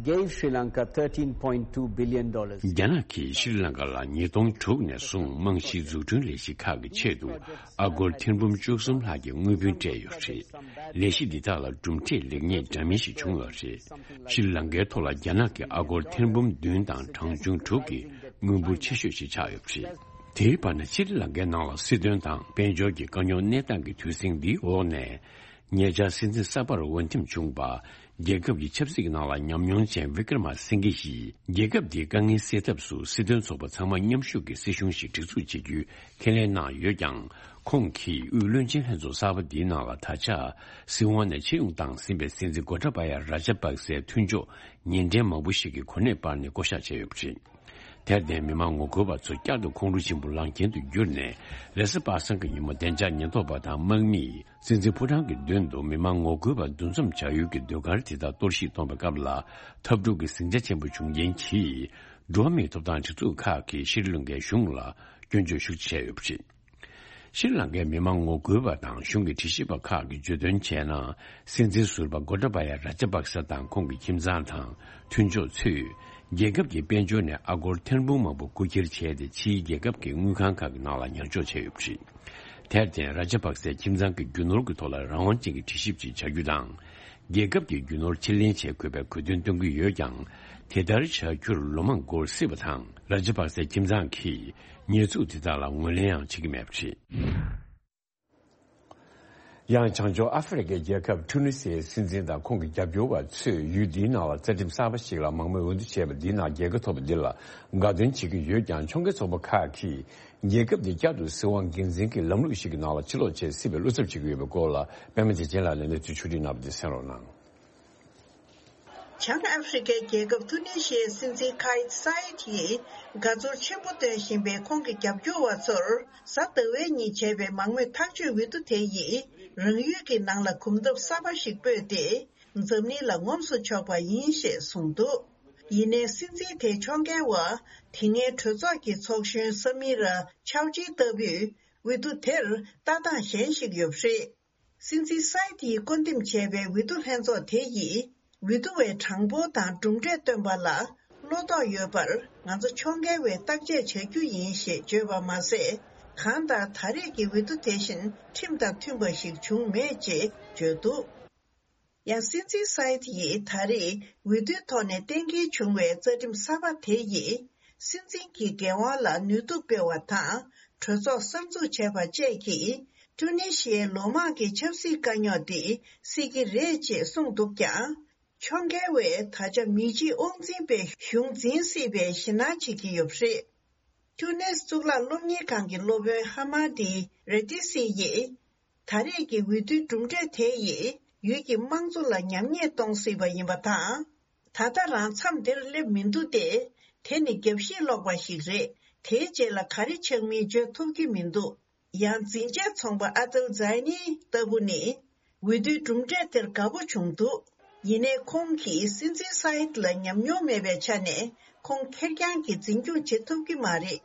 gave Sri Lanka thirteen point two billion dollars. རྒྱ་ནག་གིས་ཤྲི་ལང་ཀ་ལ་ཉིས་སྟོང་དྲུག་ནས་བཟུང་རྨང་གཞིའི་འཛུགས་སྐྲུན་ལས་གཞི་ཁག་གི་ཆེད་དུ་ཨ་སྒོར་ཐེར་འབུམ་བཅུ་གསུམ་ལྷག་གི་དངུལ་བུན་སྤྲད་ཡོད་པ་རེད། ལས་གཞི་འདི་དག་ལ་གྲུབ་འབྲས་ལེགས་ཉེས་འདྲ་མིན་ཞིག་བྱུང་ཡོད་པ་རེད། ཤྲི་ལང་ཀའི་ཐོག་ལ་རྒྱ་ནག་གིས་ཨ་སྒོར་ཐེར་འབུམ་བདུན་དང་གྲངས་ཆུང་དྲུག་གི་དངུལ་འབོར་ཆེ་ཤོས་ཤིག་ཆགས་ཡོད་པ་རེད། དེའི་བར་ན་ཤྲི་ལང་ཀའི་ནང་ལ་སྲིད་དོན་དང་དཔལ་འབྱོར་གྱི་དཀའ་རྙོག་གནས་སྟངས་ཀྱི་དུས་ཟིང་འདིའི་འོག་ནས། ཉེ་ཆར་སྲིད་འཛིན་གསར་པར་འོས་འདེམས་བྱུང་བ། རྒྱལ་ཁབ་ཀྱི་ཆབ་སྲིད་ཀྱི་ནང་ལ་ཉམས་མྱོང་ཅན་བི་ཀྲ་མ་སིང་གེ་ཡིས་རྒྱལ་ཁབ་འདིའི་དཀའ་ངལ་སེལ་ཐབས་སུ་སྲིད་དོན་ཚོགས་པ་ཚང་མ་མཉམ་ཞུགས་ཀྱིས་སྲིད་གཞུང་ཞིག་སྒྲིག་འཛུགས་བྱེད་རྒྱུའི་ཁས་ལེན་གནང་ཡོད་ཀྱང་། ཁོང་གིས་དབུས་བློན་ཆེན་ལྷན་ཚོགས་གསར་པ་འདིའི་ནང་ལ་ད་ཆ་སྲིད་དབང་ནས་ཕྱིར་ཡོང་བཏང་ཟིན་པའི་སྲིད་འཛིན་གོ་ཏཱ་བ་ཡ་ར་ཇ་པག་སའི་མཐུན་ཕྱོགས་ཉེ་འབྲེལ་མང་པོ་ཞིག་གི་གོ་གནས་སྤར་ནས་བསྐོ་གཞག་བྱས་ཡོད་པ་རེད། དེར་བརྟེན་མི་མང་ངོ་རྒོལ་བ་ཚོ་བསྐྱར་དུ་ཁོང་ཁྲོ་ཆེན་པོ་ལངས་རྐྱེན་དུ་གྱུར་ནས། རེས་གཟའ་པ་སངས་ཀྱི་ཉིན་མོ་བདེ་འཇགས་ཉེན་རྟོག་པ་དང་དམག་མིས་སྲིད་འཛིན་ཕོ་བྲང་གི་མདུན་དུ་མི་མང་ངོ་རྒོལ་བ་འདུ་འཛོམས་བྱ་ཡུལ་གྱི་ཟློས་གར་དེ་དག་གཏོར་བཤིག་གཏོང་བའི་སྐབས་ལ་འཐབ་འཁྲུག་གི་ཟིང་ཆ་ཆེན་པོ་བྱུང་རྐྱེན་གྱིས། འགྲོ་བ་མིའི་ཐོབ་ཐང་སྒྲིག་འཛུགས་ཁག་གིས་ཤྲི་ལང་ཀའི་གཞུང་ལ་སྐྱོན་བརྗོད་ཤུགས་ཆེ་བྱས་ཡོད་པ་རེད། ཤྲི་ལང་ཀའི་མི་མང་ངོ་རྒོལ་བ་དང་གཞུང་གི་དྲི་ཞིབ་པ་ཁག་གིས་བརྗོད་དོན་བྱས་ན། སྲིད་འཛིན་ཟུར་པ་གོ་ཏཱ་བ་ཡ་ར་ཇ་པག་ས་དང་ཁོང་གི་ཁྱིམ་ཚང་དང་མཐུན་ཕྱོགས་ཚོས་རྒྱལ་ཁབ་ཀྱི་དཔལ་འབྱོར་ནས་ཨ་སྒོར་ཐེར་འབུམ་མང་པོ་རྐུ་འཁྱེར་བྱས་ཏེ། ཕྱིའི་རྒྱལ་ཁབ་ཀྱི་དངུལ་ཁང་ཁག་གི་ནང་ལ་ཉར་འཇོག་བྱས་ཡོད་པ་རེད། དེར་བརྟེན་ར་ཇ་པག་སའི་ཁྱིམ་ཚང་གི་རྒྱུ་ནོར་གྱི་ཐོག་ལ་རང་དབང་ཅན་གྱི་དྲི་ཞིབ་ཅིག་བྱ་རྒྱུ་དང་། རྒྱལ་ཁབ་ཀྱི་རྒྱུ་ནོར་ཕྱིར་ལེན་བྱེད་དགོས་པའི་གོ་སྟོན་གཏོང་གི་ཡོད་ཀྱང་། དེ་ལྟར་བྱ་རྒྱུར་ལོ་མང་འགོར་སྲིད་པ་དང་། ར་ཇ་པག་སའི་ཁྱིམ་ཚང་གིས་ཉེས་འཛུགས་དེ་དག་ལ་ངོས་ལེན་ཡང་བྱེད་ཀྱི་མེད་པ་རེད། ཡང་བྱང་ཕྱོགས་ཨ་ཧྥེ་རི་ཁའི་རྒྱལ་ཁབ་ཊུ་ནི་སིའི་སྲིད་འཛིན་དང་ཁོང་གི་རྒྱབ་སྐྱོར་བ་ཚོས་ཡུལ་འདིའི་ནང་ལ་རྩ་ཁྲིམས་གསར་པ་ཞིག་ལ་མང་མོས་འོས་བསྡུ་བྱས་པ་འདིའི་ནང་རྒྱལ་ཁ་ཐོབ་པ་འདི་ལ་དགའ་སྟོན་བྱེད་ཀྱི་ཡོད་ཀྱང་། ཕྱོགས་འགལ་ཚོགས་པ་ཁག་གིས་རྒྱལ་ཁབ་འདི་བསྐྱར་དུ་སྲིད་དབང་སྒེར་འཛིན་གྱི་ལམ་ལུགས་ཤིག་གི་ནང་ལ་ཕྱིར་ལོག་བྱེད་སྲིད་པའི་བློ་འཚབ་བྱེད་ཀྱི་ཡོད་པའི་སྐོར་ལ་པད་མ་བདེ་ཆེན་ལགས་ནས་གནས་ཚུལ་ཕྱོགས་བསྒྲིགས་གནང་བ་འདི་གསན་རོགས་གནང་། བྱང་ཨ་ཧྥེ་རི་ཁའི་རྒྱལ་ཁབ་ཐུ་ནེ་ཤི་ཡའི་སྲིད་འཛིན་ཁ་ཡིད་སཱ་ཡིད་ཡིས་དགའ་ཚོར་ཆེན་པོ་སྟོན་བཞིན་པའི་ཁོང་གི་རྒྱབ་སྐྱོར་བ་ཚོར་གཟའ་ཟླ་བའི་ཉིན་བྱས་པའི་མང་མོས་ཐག་གཅོད་འོས་བསྡུ་དེ་ཡིས་རང་ཡུལ་གྱི་ནང་ལ་གོམ་སྟབས་གསར་པ་ཞིག་སྤོས་ཏེ། འཛམ་གླིང་ལ་ངོམས་སུ་ཆོག་པ་ཡིན་ཞེས་གསུངས་འདུག་ཡིན་ནའི་སྲིད་འཛིན་དེའི་ཕྱོགས་འགལ་བ་དེ་སྔའི་གྲོས་ཚོགས་ཀྱི་ཚོགས་གཞོན་སམ་མི་ར་ཆའོ་ཅི་ལྟ་བུས་འོས་བསྡུ་དེར་ལྟ་སྟངས་གཞན་ཞིག་ཡོད་པ་རེད། སྲིད་འཛིན་སཱ་ཡིད་ཡིས་བསྐོ་འདེམས་བྱས་པའི་འོས་བསྡུ་ལྷན་ཚོགས་དེ་ཡིས་འོས་བསྡུ་བའི་གྲངས་འབོར་དང་གྲུབ་འབྲས་བཏོན་པ་ལ་བློ་དོགས་ཡོད་པར་ང་ཚོ་ཕྱོགས་འགལ་བས་བརྟག་དཔྱད་བྱ་རྒྱུ་ཡིན་ཞེས་བརྗོད་པ་མ་ཟད། གང་ལྟར་ད་རེས་ཀྱི་འོས་བསྡུ་དེ་བཞིན་ཁྲིམས་དང་མཐུན་པ་ཞིག་བྱུང་མེད་ཅེས་བརྗོད་འདུག་ཡང་སྲིད་འཛིན་སཱ་ཡིད་ཡིས་ད་རེས་འོས་བསྡུའི་ཐོག་ནས་གཏན་འཁེལ་བྱུང་བའི་རྩ་ཁྲིམས་གསར་པ་དེ་ཡིས་སྲིད་འཛིན་གྱི་འགན་དབང་ལ་ནུས་སྟོབས་སྤེལ་བ་དང་། གྲོས་ཚོགས་གསར་འཛུགས་བྱས་པ་བཅས་ཀྱིས་ཊུ་ནི་ཤི་ཡའི་ལོ་མང་གི་ཆབ་སྲིད་དཀའ་རྙོག་འདི་སེལ་གྱི་རེད་ཅེས་གསུངས་འདུག་ཀྱང་། ཕྱོགས་འགལ་བས་ད་ཆ་མི་གཅིག་དབང་འཛིན་པས་གཞུང་འཛིན་སྲིད་པའི་ཞེད་སྣང་བྱེད་ཀྱི་ཡོད་པ་རེད། ཊུ་ནེ་སི་གཙུག་ལག་སློབ་གཉེར་ཁང་གི་སློབ་དཔོན་ཧ་མ་ཏི་རེ་ཏི་སི་ཡིས། ད་རེས་ཀྱི་འོས་བསྡུའི་གྲུབ་འབྲས་དེ་ཡིས་ཡུལ་གྱི་དམངས་གཙོ་ལ་ཉམས་ཉེས་གཏོང་སྲིད་པ་ཡིན་པ་དང་། ད་ལྟ་རང་མཚམས་འདིར་སླེབས་མི་འདུག་སྟེ། དེ་ནི་རྒྱབ་བཤིག་ལོག་པ་ཞིག་རེད། དེའི་རྗེས་ལ་ག་རེ་ཆགས་མིན་བརྗོད་ཐུབ་ཀྱི་མི་འདུག་ཡང་འཛིན་ཆས་ཚོང་པ་ཨ་ཏལ་ཛའི་ནི་ལྟ་བུ་ནི། འོས་བསྡུའི་གྲུབ་འབྲས་དེར་དགའ་པོ་བྱུང་འདུག་ཡིན་ནའི་ཁོང་གིས་སྲིད་འཛིན་སཱ་ཡིད་ལ་ཉམས་མྱོང་མེད་པའི་ཆ་ནས་ཁོང་ཁེར་རྐྱང་གིས་འཛིན་སྐྱོང་བྱེད་ཐུབ་ཀྱི་མ་རེད།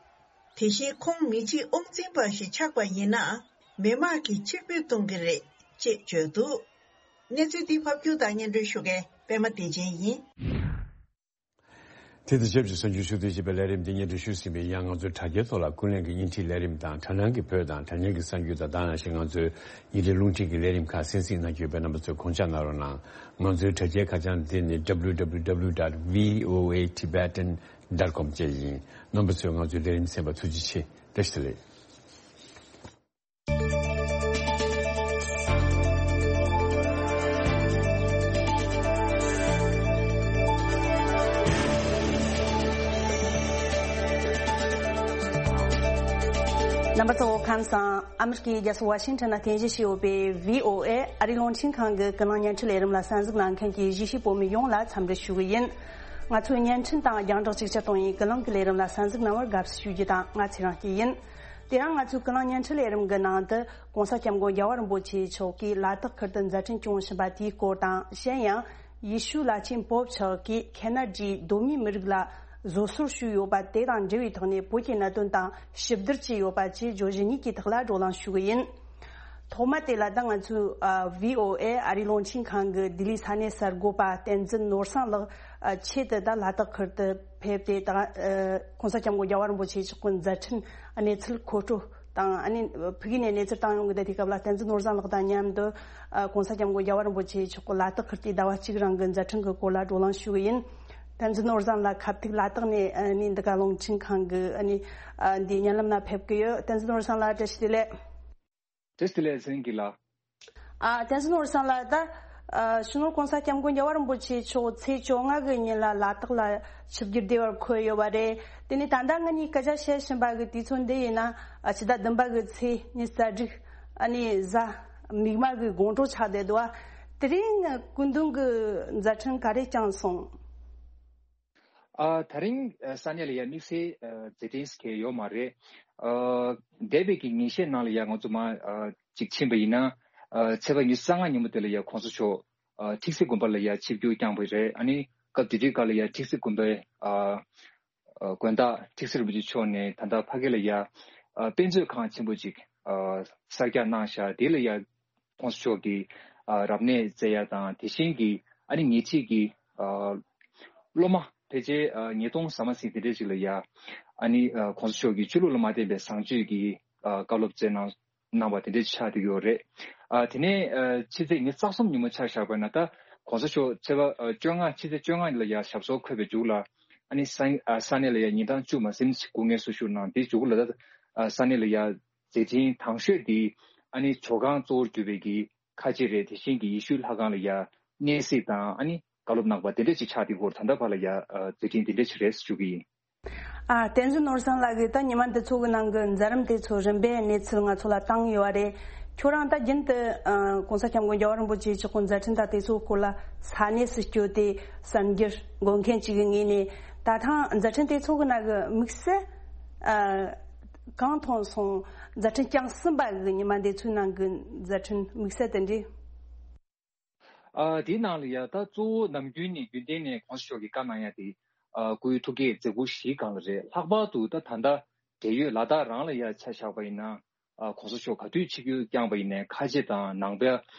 དེ་བཞིན་ཁོང་མི་གཅིག་དབང་འཛིན་པ་ཞིག་ཆགས་པ་ཡིན་ན། མི་དམངས་ཀྱིས་ཕྱིར་འབུད་གཏོང་གི་རེད་ཅེས་བརྗོད་འདུག་གནས་ཚུལ་འདི་ཕབ་སྒྱུར་དང་སྙན་སྒྲོན་ཞུ་མཁན་པད་མ་བདེ་ཆེན་ཡིན། དེ་དང་ཆབས་ཅིག་གསར་འགྱུར་ཕྱོགས་བསྡུས་བྱས་པའི་ལས་རིམ་འདི་སྙན་སྒྲོན་ཞུས་ཟིན་པའི་ཡང་། ང་ཚོའི་དྲ་རྒྱའི་ཐོག་ལ་ཀུན་གླེང་གི་བརྙན་འཕྲིན་ལས་རིམ་དང་། དྲ་སྣང་གི་བོད་དང་དྲ་བརྙན་གྱི་གསར་འགྱུར་དང་། ད་ནང་བཞིན་ང་ཚོའི་བརྙན་འཕྲིན་རླུང་འཕྲིན་གྱི་ལས་རིམ་ཁག་གསན་གཟིགས་གནང་རྒྱུ་ཡོད་པས། རྣམ་པ་ཚོས་དགོངས་འཇགས་གནང་རོགས་གནང་། ང་ཚོའི་དྲ་རྒྱའི་ཁ་བྱང་འདི་ནི་W W W dot V O A Tibetan dot com བཅས་ཡིན། རྣམ་པ་ཚོས་ང་ཚོའི་ལས་རིམ་གསན་པར་ཐུགས་རྗེ་ཆེ། བཀྲ་ཤིས་བདེ་ལེགས། རྣམ་པ་ཚོ་ཁམས་བཟང་། ཨ་མི་རི་ཀའི་རྒྱལ་ས་ཝ་ཤིང་ཊོན་ན་རྟེན་གཞི་བྱས་ཡོད་པའི་V O A ཨ་རིའི་རླུང་འཕྲིན་ཁང་གི་ཀུན་གླེང་བརྙན་འཕྲིན་ལས་རིམ་ལ་གསན་གཟིགས་གནང་མཁན་གྱི་གཞིས་བྱེས་བོད་མི་ཡོངས་ལ་འཚམས་འདྲི་ཞུ་གི་ཡིན། ང་ཚོའི་བརྙན་འཕྲིན་དང་རྒྱང་བསྒྲགས་ཅིག་ཅར་གཏོང་བའི་ཀུན་གླེང་གི་ལས་རིམ་ལ་གསན་གཟིགས་གནང་བར་དགའ་བསུ་ཞུ་རྒྱུ་དང་། ང་ཚེ་རིང་སྐྱིད་ཡིན། དེ་རིང་ང་ཚོའི་ཀུན་གླེང་བརྙན་འཕྲིན་ལས་རིམ་གྱི་ནང་དུ་༸གོང་ས་༸སྐྱབས་མགོན་རྒྱལ་བ་རིན་པོ་ཆེ་མཆོག་གིས་ལ་དྭགས་ཁུལ་དུ་མཛད་འཕྲིན་སྐྱོང་བཞིན་པ་དེའི་སྐོར་དང་། གཞན་ཡང་ཡེ་ཤུ་བླ་ཆེན་པོབ་མཆོག་གིས་ཁེ་ན་ཌིའི་གདོད་མའི་མི་རིགས་ལ་བཟོད་གསོལ་ཞུས་ཡོད་པ་དེ་དང་འབྲེལ་བའི་ཐོག་ནས་བོད་ཀྱི་གནད་དོན་དང་ཞིབ་བསྡུར་བྱས་ཡོད་པ་བཅས་བརྗོད་གཞི་གཉིས་ཀྱི་ཐོག་ལ་བགྲོ་གླེང་ཞུ་གི་ཡིན། ཐོག་མ་དེ་ལ་ད་ང་ཚོའི་ཨ་བྷི་ཨོ་ཨེ་ཨ་རིའི་རླུང་འཕྲིན་ཁང་གི་ལྡི་ལི་ས་གནས་གསར་འགོད་པ་བསྟན་འཛིན་ནོར་བཟང་ལགས་ཨ་ཆེད་དུ་ད་ལ་དྭགས་ཁུལ་དུ་ཕེབས་ཏེ། ད་ཨ་༸གོང་ས་༸སྐྱབས་མགོན་རྒྱལ་བ་རིན་པོ་ཆེ་མཆོག་གི་མཛད་འཕྲིན་གནས་ཚུལ་མཁོ་སྤྲོད་དང་། ཨ་ནི་ཕ་གི་ནས་གནས་ཚུལ་བཏང་ཡོང་གི་བསྡད་དུས་སྐབས་ལ། བསྟན་འཛིན་ནོར་བཟང་ལགས་དང་མཉམ་དུ་ཨ་༸གོང་ས་༸སྐྱབས་མགོན་རྒྱལ་བ་རིན་པོ་ཆེ་མཆོག་གི་ལ་དྭགས་ཁུལ་དུ་ཟླ་བ་གཅིག་རིང་གི་མཛད་འཕྲིན་གྱི་སྐོར་ལ་བགྲོ་གླེང་ཞུ་གི་ཡིན། བསྟན་འཛིན་ནོར་བཟང་ལགས་ཁ་ཐུག་ལ་དྭགས་ནས་ཨ་ནི་འདི་ག་རླུང་འཕྲིན་ཁང་གི་ཨ་ནི་ཨ་འདི་བརྙན་ལམ་ན་ཕེབས་ཀྱི་ཡོད། བསྟན་འཛིན་ནོར་བཟང་ལགས་བཀྲ་ཤིས་བདེ་ལེགས། བཀྲ་ཤིས་བདེ་ལེགས། ཚེ་རིང་སྐྱིད་ལགས། ཨ། བསྟན་འཛིན་ནོར་བཟང་ལགས། ད་ཨ་སྤྱི་ནོར་༸གོང་ས་༸སྐྱབས་མགོན་རྒྱལ་བ་རིན་པོ་ཆེ་མཆོག་ཚེས་བཅོ་ལྔ་གི་ཉིན་ལ་ལ་དྭགས་ལ་ཆིབས་བསྒྱུར་བདེ་བར་འཁོད་ཡོད་པ་རེད། དེ་ནས་ད་ལྟ་ང་གཉིས་སྐད་ཆ་བཤད་བཞིན་པ་གི་དུས་ཚོད་འདི་ཡིན་ན། ཨ་ཕྱི་ཟླ་བདུན་པ་གི་ཚེས་ཉི་ཤུ་རྩ་དྲུག་ཨ་ནི་གཟའ་མིག་དམར་གི་དགོང་དྲོ་ཆགས་བསྡད་འདུག་ཨ། དེ་རིང་སྐུ་མདུན་གྱི་མཛད་འཕྲིན་ག་རེ་བསྐྱངས་སོང་། ཨ། ད་རིང་ཨ་ས་གནས་ལ་ཡ་དམིགས་བསལ་ཨ་མཛད་འཕྲིན་ཟེར་མཁན་ཡོད་མ་རེད། ཨ་འདས་པའི་གི་ཉིན་ཤས་ནང་ལ་ཡ་ང་ཚོ་མ་ཨ་གཅིག་ཕྱིན་པ་ཡིན་ན། ཨ་ཚེས་པ་ཉི་ཤུ་རྩ་ལྔ་ཉིན་མོ་དེ་ལ་ཡ་༸གོང་ས་མཆོག་ཨ་ཁྲིག་སེ་དགོན་པ་ལ་ཡ་ཆིབས་བསྒྱུར་བསྐྱངས་པ་རེད། ཨ་ནི་སྐབས་དེ་དུས་སྐབས་ལ་ཡ་ཁྲིག་སེ་དགོན་པའི་ཨ་ཨ་དགོན་བདག་ཁྲིག་སེ་རིན་པོ་ཆེ་མཆོག་ནས་ད་ལྟ་ཕ་གི་ལ་ཡ་ཨ་དཔེ་མཛོད་ཁང་ཆེན་པོ་ཅིག་ཨ་གསར་རྒྱག་གནང་ཤག་དེ་ལ་ཡ་༸གོང་ས་མཆོག་གིས་ཨ་རབ་གནས་བསྩལ་ཡ་དང་། དེ་བཞིན་གྱི་ཨ་ནི་ཉེ་འཁྲིས་ཀྱི་ཨ་སློབ་མ་ཕལ་ཆེར་ཨ་ཉིས་སྟོང་ཟ་མ་ཟིན་དེ་འདྲས་ཅིག་ལ་ཡ་ཨ་ནི་ཨ་༸གོང་ས་མཆོག་གིས་ཆོས་ལུགས་ལ་མ་བརྟེན་པའི་བཟང་སྤྱོད་ཀྱི་ཨ་བཀའ་སློབ་སྩལ་གནང་གནང་བ་དེ་འདྲས་ཆགས་བསྡད་ཡོད་རེད། ཨ་དེ་ནས་ཨ་ཕྱི་ཚེས་ཉི་ཤུ་རྩ་གསུམ་ཉིན་མོ་ཆ་བཞག་པ་ན། ད་༸གོང་ས་མཆོག་ཚེས་པ་ཨ་བཅོ་ལྔ་ཕྱི་ཚེས་བཅོ་ལྔ་ལ་ཡ་ཞབས་སོར་འཁོད་པའི་མཇུག་ལ། ཨ་ནི་ས་ཨ་ས་གནས་ལ་ཡ་ཉིན་གྲངས་བཅུ་མ་ཟིན་ཞིག་སྐུ་ངལ་གསོ་བཞུགས་གནང་། དེའི་མཇུག་ལ་ད་ཨ་ས་གནས་ལ་ཡ་མཛད་འཕྲིན་དང་ཤོས་དེ་ཨ་ནི་ཇོ་ཁང་གཙོ་བོར་གྱུར་པའི་གི་ཁ་ཆེ་རེད། དེ་བཞིན་གྱི་ཡེ་ཤུའི་ལྷ་ཁང་ལ་ཡ་གནས་གཟིགས་དང་། ཨ་ནི་བཀའ་སློབ་གནང་བ་དེ་འདྲ་ཅིག་ཆགས་དེ་སྐོར་ད་ལྟ་བར་ལ་ཡ་ཨ་མཛད་འཕྲིན་དེ་འདྲ་ཅིག་རེད་ཞུ་གི་ཡིན། ཨ། བསྟན་འཛིན་ནོར་བཟང་ལགས་ཀྱིས་ད་ཉི་མ་འདི་ཚོ་གི་ནང་གི་མཛད་རིམ་དེ་ཚོ་རིམ་པས་གནས་ཚུལ་ང་ཚོ་ལ་བཏང་ཡོད་རེད། ཁྱོད་རང་ད་རྒྱུན་དུ་ཨ་༸གོང་ས་༸སྐྱབས་མགོན་རྒྱལ་བ་རིན་པོ་ཆེ་མཆོག་གི་མཛད་འཕྲིན་དང་དེ་ཚོའི་སྐོར་ལ་ས་གནས་སུ་བསྐྱོད་དེ་གསར་འགྱུར་འགོད་མཁན་ཅིག་གི་ངོས་ནས། ད་ཐེངས་མཛད་འཕྲིན་དེ་ཚོ་གི་ནང་གི་དམིགས་བསལ་ཨ་གང་མཐོང་སོང་། མཛད་འཕྲིན་བསྐྱངས་ཟིན་པ་གི་ཉི་མ་འདི་ཚོའི་ནང་གི་མཛད་འཕྲིན་དམིགས་བསལ་དེ་འདྲས། ཨ་དེའི་ནང་ལ་ཡ་ད་གཙོ་བོ་ནམ་རྒྱུན་ནས་རྒྱུན་ལྡན་ནས་༸གོང་ས་མཆོག་གིས་བཀའ་གནང་ཡ་དེ་ཨ་སྐུའི་ཐུགས་བསྐྱེད་མཛད་ཁུར་བཞིའི་སྒང་ལ་རེད། ལྷག་པར་དུ་ད་ད་ལྟ་འབྲེལ་ཡོད་ལ་དྭགས་རང་ལ་ཡ་ཆ་བཞག་པ་ཡིན་ན། ཨ་༸གོང་ས་མཆོག་ག་དུས་ཆིབས་བསྒྱུར་བསྐྱངས་པ་ཡིན་ནའི་ཁ་ཆེ་དང་ནང་པ་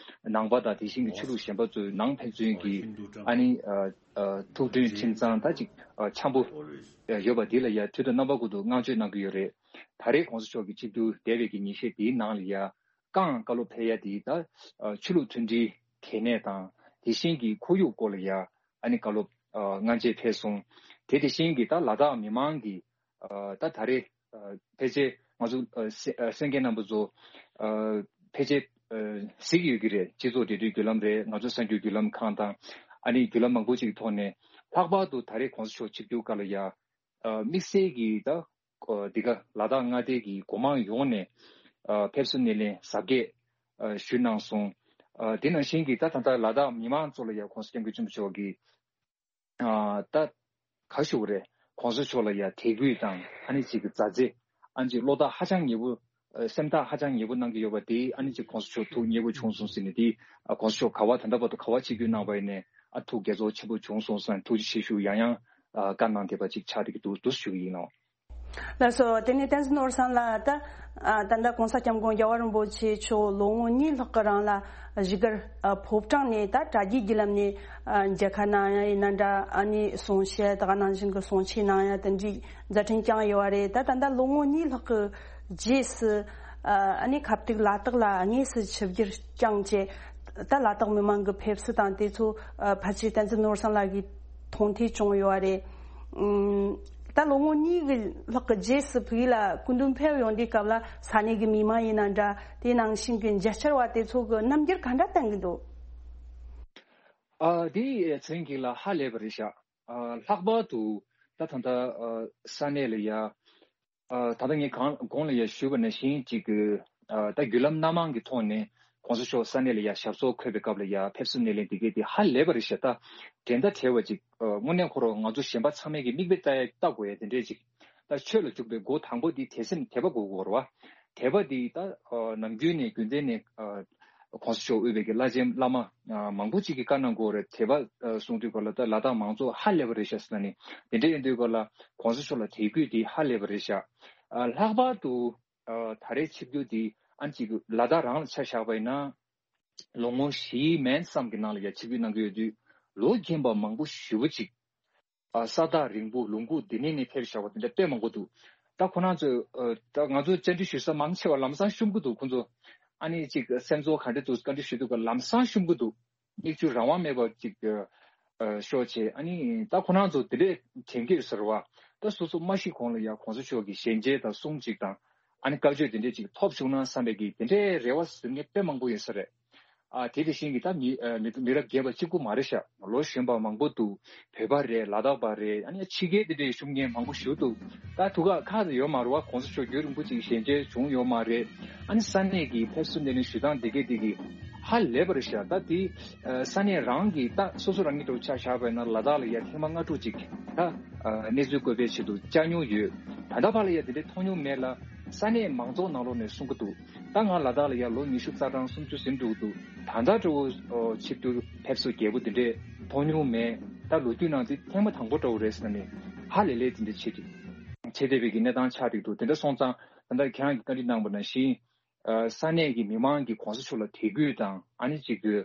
ནང་པ་དང་། དེ་བཞིན་གྱི་ཆོས་ལུགས་གཞན་པ་ཚོའི་ནང་ཕན་ཚུན་གྱི་ཨ་ནི་ཨ་ཨ་ཐུགས་མཐུན་ཁྲིམས་གཙང་ད་ཅིག་ཨ་འཆམ་པོ་ཡོད་པ་འདི་ལ་ཡ་དུས་དང་རྣམ་པ་ཀུན་ཏུ་བསྔགས་བརྗོད་གནང་གི་ཡོད་རེད། ད་རེས་༸གོང་ས་མཆོག་གི་ཆིབས་བསྒྱུར་འདས་པའི་གི་ཉིན་ཤས་འདིའི་ནང་ལ་ཡ། རྐང་བཀའ་སློབ་ཕེབས་ཡ་དེ་ད་ཨ་ཆོས་ལུགས་མཐུན་སྒྲིལ་གལ་གནད་དང་། དེ་བཞིན་གྱི་ཁོར་ཡུག་སྐོར་ལ་ཡ་ཨ་ནི་བཀའ་སློབ་ཨ་སྔ་རྗེས་ཕེབས་སོང་། དེ་དེ་བཞིན་གྱི་ད་ལ་དྭགས་མི་མང་གི་ཨ་ད་ད་རེས་ཨ་ཕལ་ཆེར་ང་ཚོ་ཨ་གསན་གསན་མཁན་རྣམ་པ་ཚོ་ཨ་ཕལ་ཆེར་ཨ་གཟིགས་ཡོད་ཀྱི་རེད། སྤྱི་ཚོགས་འབྲེལ་མཐུད་བརྒྱུད་ལམ་རེད། ང་ཚོ་གསར་འགྱུར་བརྒྱུད་ལམ་ཁང་དང་། ཨ་ནི་བརྒྱུད་ལམ་མང་པོ་ཅིག་གི་ཐོག་ནས། ལྷག་པར་དུ་ད་རེས་༸གོང་ས་མཆོག་ཆིབས་བསྒྱུར་སྐབས་ལ་ཡ། ཨ་དམིགས་བསལ་གྱིས་ད་ཨ་འདི་ག་ལ་དྭགས་མངའ་སྡེ་གི་སྒོ་མང་ཡོངས་ནས་ཨ་ཕེབས་བསུ་སྣེ་ལེན་གཟབ་རྒྱས་ཨ་ཞུས་གནང་སོང་། ཨ་དེ་ནང་བཞིན་གྱི་ད་ད་ལྟ་ལ་དྭགས་མི་མང་ཚོ་ལ་ཡ་༸གོང་ས་༸སྐྱབས་མགོན་ཆེན་པོ་མཆོག་གིས་ཨ་ད་ག་ཞུ་དགོས་རེད། ༸གོང་ས་མཆོག་ལ་ཡ་དད་གུས་དང་། ཨ་ནི་ཅིག་གི་མཛའ་བརྩེ། ཨ་ནི་ཅིག་བློ་ཐག་ཧ་ཅང་ཉེ་པོ། ཨ་སེམས་ཐག་ཧ་ཅང་ཉེ་པོ་གནང་གི་ཡོད་པ་དེ། ཨ་ནི་ཅིག་༸གོང་ས་མཆོག་ཐུགས་མཉེས་པོ་བྱུང་སོང་ཟེར་ནས་དེ། ཨ་༸གོང་ས་མཆོག་ག་བ་ད་ལྟ་བར་དུ་ག་བ་ཆིབས་བསྒྱུར་གནང་བ་ཡིན་ནའི་ཨ་ཐུགས་དགྱེས་ཚོར་ཆེན་པོ་བྱུང་སོང་ཟེར་ནས་ཐུགས་རྗེ་ཆེ་ཞུ་ཡང་ཡང་ཨ་བཀའ་གནང་བསྡད་པ་ཅིག་ཆགས་བསྡད་ཀྱི་འདུག་འདུག་ཞུ་གི་ཡིན་ལགས། ལགས་སོ། དེ་ནས་བསྟན་འཛིན་ནོར་བཟང་ལགས། ད་ཨ་ད་ལྟ་༸གོང་ས་༸སྐྱབས་མགོན་རྒྱལ་བ་རིན་པོ་ཆེ་མཆོག་ལོ་ངོ་གཉིས་ལྷག་གི་རིང་ལ་བཞུགས་སྒར་ཨ་ཕོ་བྲང་ནས་ད་དྲ་རྒྱའི་བརྒྱུད་ལམ་ནས་ཨ་མཇལ་ཁ་གནང་ཡ་ཡིན་ན་འདྲ། ཨ་ནི་གསུང་བཤད་དེ་ག་ནང་བཞིན་གྱི་གསུང་ཆོས་གནང་ཡ་དེ་འདྲའི་མཛད་འཕྲིན་བསྐྱངས་ཡོད་པ་རེད། ད་ད་ལྟ་ལོ་ངོ་གཉིས་ལྷག་གི་རྗེས་སུ་ཨ་ནི་ཁ་ཐུག་ལ་དྭགས་ལ་དངོས་སུ་ཆིབས་བསྒྱུར་བསྐྱངས་བྱས། ད་ལ་དྭགས་མི་མང་གི་ཕེབས་བསུ་དང་དེ་ཚོ་ཨ་ཕལ་ཆེར་བསྟན་འཛིན་ནོར་བཟང་ལགས་ཀྱིས་མཐོང་ཐོས་བྱུང་ཡོད་པ་རེད། ཨུམ། ད་ལོ་ངོ་གཉིས་ཀྱི་ལྷག་གི་རྗེས་སུ་བོད་ཡིག་ལ་སྐུ་མདུན་ཕེབས་ཡོང་དུས་སྐབས་ལ་ས་གནས་ཀྱི་མི་མང་ཡིན་ན་འདྲ། དེ་ནང་བཞིན་གྱི་མཇལ་བཅར་བ་དེ་ཚོ་གི་རྣམ་འགྱུར་ག་འདྲ་བསྟན་གྱི་འདུག་ཨ་དེ་ཚེ་རིང་སྐྱིད་ལགས་ཧ་ལས་པ་རེད་ཤག་ཨ་ལྷག་པར་དུ་ད་ད་ལྟ་ཨ་ས་གནས་ལ་ཡ། ཨ་ད་ལྟ་ངས་གང་གོང་ལ་ཡ་ཞུས་པ་ནང་བཞིན་ཅིག་གི་ཨ་ད་བརྒྱུད་ལམ་སྣ་མང་གི་ཐོག་ནས་༸གོང་ས་མཆོག་ས་གནས་ལ་ཡ་ཞབས་སོར་འཁོད་པའི་སྐབས་ལ་ཡ་ཕེབས་བསུ་སྣེ་ལེན་འདི་གས་དེ་ཧ་ལས་པ་རེད་ཤག་ད་འགྲན་ཟླ་བྲལ་བ་ཅིག་ཨ་དངོས་གནས་ཁོ་རང་ང་ཚོ་གཞན་པ་ཚང་མས་ཀྱི་མིག་དཔེ་ལྟ་ཡ་ལྟ་དགོས་ཡ་དེ་འདྲས་ཅིག་ད་ཆོས་ལ་འཇུག་པའི་སྒོ་དང་པོ་འདི་དད་སེམས་དད་པ་དགོས་དགོས་རེད་བ། དད་པ་འདི་ད་ཨ་ནམ་རྒྱུན་ནས་རྒྱུན་ལྡན་ནས་ཨ་༸གོང་ས་མཆོག་དབུས་པའི་གི་བླ་ཆེན་བླ་མ་ཨ་མང་པོ་ཅིག་གིས་བཀའ་གནང་གི་ཡོད་རེད། དད་པ་ཨ་གསུང་དུས་སྐབས་ལ་ད་ལ་དྭགས་མང་ཚོགས་ཧ་ལས་པ་རེད་ཤག་ཟེར་ན་ནི། དེ་འདྲ་ཡིན་དུས་སྐབས་ལ་༸གོང་ས་མཆོག་ལ་དད་གུས་དེ་ཧ་ལས་པ་རེད་ཤག་ཨ་ལྷག་པར་དུ་ཨ་ད་རེས་ཆིབས་བསྒྱུར་དེ་ ཨ་ནི་ཅིག་ལ་དྭགས་རང་ལ་ཆ་བཞག་པ་ཡིན་ན། ལོ་ངོ་བཞིའི་མན་ཙམ་གྱི་ནང་ལ་ཡ་ཆིབས་བསྒྱུར་གནང་གི་ཡོད་དུས། ལོ་རྒན་པ་མང་པོ་ཞེ་པོ་ཅིག་ཨ་ས་ཐག་རིང་པོ་ལུང་ཁུག་འདི་ནས་ནས་ཕེབས་བཞག་པ་དེ་འདྲ་དཔེ་མང་པོ་འདུག་ད་ཁོ་རང་ཚོས་ཨ་ད་ང་ཚོ་བཅར་འདྲི་ཞུ་ས་མང་ཆེ་བ་ལམ་སང་ཤོམ་གི་འདུག་ཁོ་ཚོ་ཨ་ནི་ཅིག་སེམས་ཚོར་ག་འདྲ་འདུག་བཀའ་འདྲི་ཞུ་དུས་ཀ་ལམ་སང་ཤོམ་གི་འདུག་མིག་ཆུ་རང་དབང་མེད་པ་ཅིག་ཨ་ཤོར་བྱས། ཨ་ནི་ད་ཁོ་རང་ཚོ་དེ་འདྲས་དྲན་གྱི་ཡོད་ཟེར་བ། ད་སོ་སོ་མ་ཤི་གོང་ལ་ཡ་གོང་ས་མཆོག་གི་ཞལ་མཇལ་དང་གསུང་གཅིག་དང་། ཨ་ནི་བཀའ་ཆོས་དེ་འདྲས་ཅིག་ཐོབ་བྱུང་ན་བསམ་པའི་གི་དེ་འདྲའི་རེ་བ་ཟེར་མཁན་དཔེ་མང་པོ་ཡོད་ས་རེད། ཨ་དེ་དེ་བཞིན་གྱི་ད་མི་ཨ་མི་མི་རབས་རྒས་པ་གཅིག་པུ་མ་རེད་ཤག་ལོ་གཞོན་པ་མང་པོ་འདུག་བོད་པ་རེད། ལ་དྭགས་པ་རེད། ཨ་ནི་ཕྱི་རྒྱལ་དེ་འདྲའི་བཞུགས་མཁན་མང་པོ་ཞིག་འདུག་ད་ཐུག་ཁ་ཁག་ཏུ་ཡོད་མ་རེད་བ། གོང་ས་མཆོག་རྒྱུན་རིང་པོ་ཅིག་ཞལ་མཇལ་བྱུང་ཡོད་མ་རེད། ཨ་ནི་ས་གནས་ཀྱི་ཕེབས་བསུ་སྣེ་ལེན་ཞུ་སྟངས་དེ་གས་དེ་གི་ཧ་ལས་པ་རེད་ཤག་ད་དེ་ཨ་ས་གནས་རང་གི་ད་སོ་སོ་རང་གི་འགྲོ་ཆ་བཞག་པ་ཡིན་ན་ལ་དྭགས་ལ་ཡ་ཐེངས་མ་ལྔ་དྲུག་ཅིག་ད་ཨ་གནས་ཚུལ་བཀོད་པའི་ཆེད་དུ་བཅར་མྱོང་ཡོད། ད་ལྟ་བར་ལ་ཡ་དེ་འདྲའི་མཐོང་མྱོང་མེད་ལ། ས་གནས་མང་ཚོགས་ནང་ལོགས་ནས་གསུང་གི་འདུག་ད་ང་ལ་དྭགས་ལ་ཡ་ལོ་ཉི་ཤུ་རྩ་གྲངས་སུམ་ཅུ་ཟིན་འགྲོ་གི་འདུག་ད་ལྟ་འདྲ་བོ་ཨོ་ཆིབས་བསྒྱུར་ཕེབས་བསུ་རྒྱས་པོ་འདི་འདྲས་མཐོང་མྱོང་མེད། ད་ལོ་རྒྱུས་ནང་འདི་ཐེངས་མ་དང་པོ་འདྲ་བོ་རེད་ཟེར་ན་ནི་ཧ་ལས་ལས་འདི་འདྲས་བྱེད་ཀྱི་བྱེད་བསྡད་པའི་གི་གནས་སྟངས་ཆགས་བསྡད་འདུག་དེ་འདྲ་སོང་ཙང་ད་ལྟ་ཁྱེད་རང་གིས་བཀའ་འདྲི་གནང་པ་ནང་བཞིན་ཨ་ས་གནས་ཀྱི་མི་མང་གིས་གོང་ས་མཆོག་ལ་དད་གུས་དང་ཨ་ནི་གཅིག་གི་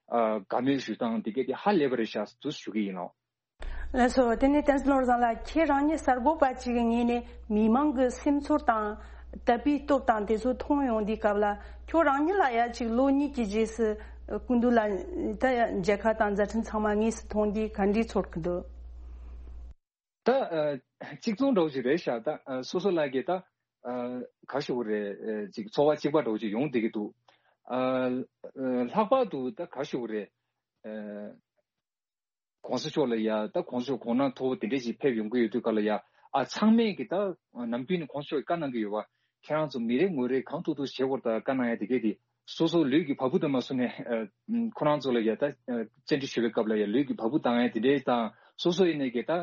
ཨ་དགའ་མོས་ཞུ་སྟངས་འདི་གས་དེ་ཧ་ལས་པ་རེད་ཤག་འདུག་ཞུ་གི་ཡིན་ལགས། ལགས་སོ། དེ་ནས་བསྟན་འཛིན་ནོར་བཟང་ལགས། ཁྱེད་རང་ཉིད་གསར་འགོད་པ་ཅིག་གི་ངོས་ནས་མི་མང་གི་སེམས་ཚོར་དང་དད་པའི་སྟོབས་དང་དེ་ཚོ་མཐོང་ཡོང་དུས་སྐབས་ལ། ཁྱོད་རང་ཉིད་ལ་ཡ་ཅིག་ལོ་གཉིས་ཀྱི་རྗེས་སུ་སྐུ་མདུན་ལ་ད་མཇལ་ཁ་དང་མཛད་འཕྲིན་ཚང་མ་དངོས་སུ་མཐོང་དུས་ག་འདྲའི་ཚོར་གི་འདུག་ད་ཨ་གཅིག་མཚུངས་འདྲ་བོ་ཅིག་རེད་ཤག་ད་ཨ་སོ་སོ་ལ་གི་ད་ཨ་ག་ཞུ་དགོས་རེད། ཨ་ཅིག་ཚོར་བ་གཅིག་པ་འདྲ་བོ་ཅིག་ཡོང་བསྡད་ཀྱི་འདུག་ཨ་ཨ་ལྷག་པར་དུ་ད་ག་ཞུ་དགོས་རེད། ཨ་གོང་ས་མཆོག་ལ་ཡ་ད་གོང་ས་མཆོག་གོང་ན་མཐོ་བོ་དེ་འདྲས་ཞིག་ཕེབས་ཡོང་གི་ཡོད་དུས་ག་ལ་ཡ། ཨ་ཚང་མས་ཀྱི་ད་ནམ་རྒྱུན་ནས་གོང་ས་མཆོག་གིས་བཀའ་གནང་གི་ཡོད་པ། ཁྱེད་རང་ཚོ་མི་རེ་ངོ་རེ་གང་ཐུབ་ཐུབ་བྱེད་དགོས་ད་བཀའ་གནང་ཡ་དེ་གས་དེ། སོ་སོ་ལུས་ཀྱི་བ་སྤུ་དང་མ་སོ་ནས་ཨ་ཁོ་རང་ཚོ་ལ་ཡ་ད་ཨ་བཅར་འདྲི་ཞུ་བའི་སྐབས་ལ་ཡ་ལུས་ཀྱི་བ་སྤུ་བཏང་ཡ་དེ་འདྲས་དང་། སོ་སོ་ཡིན་ནས་ཀྱི་ད་ཨ་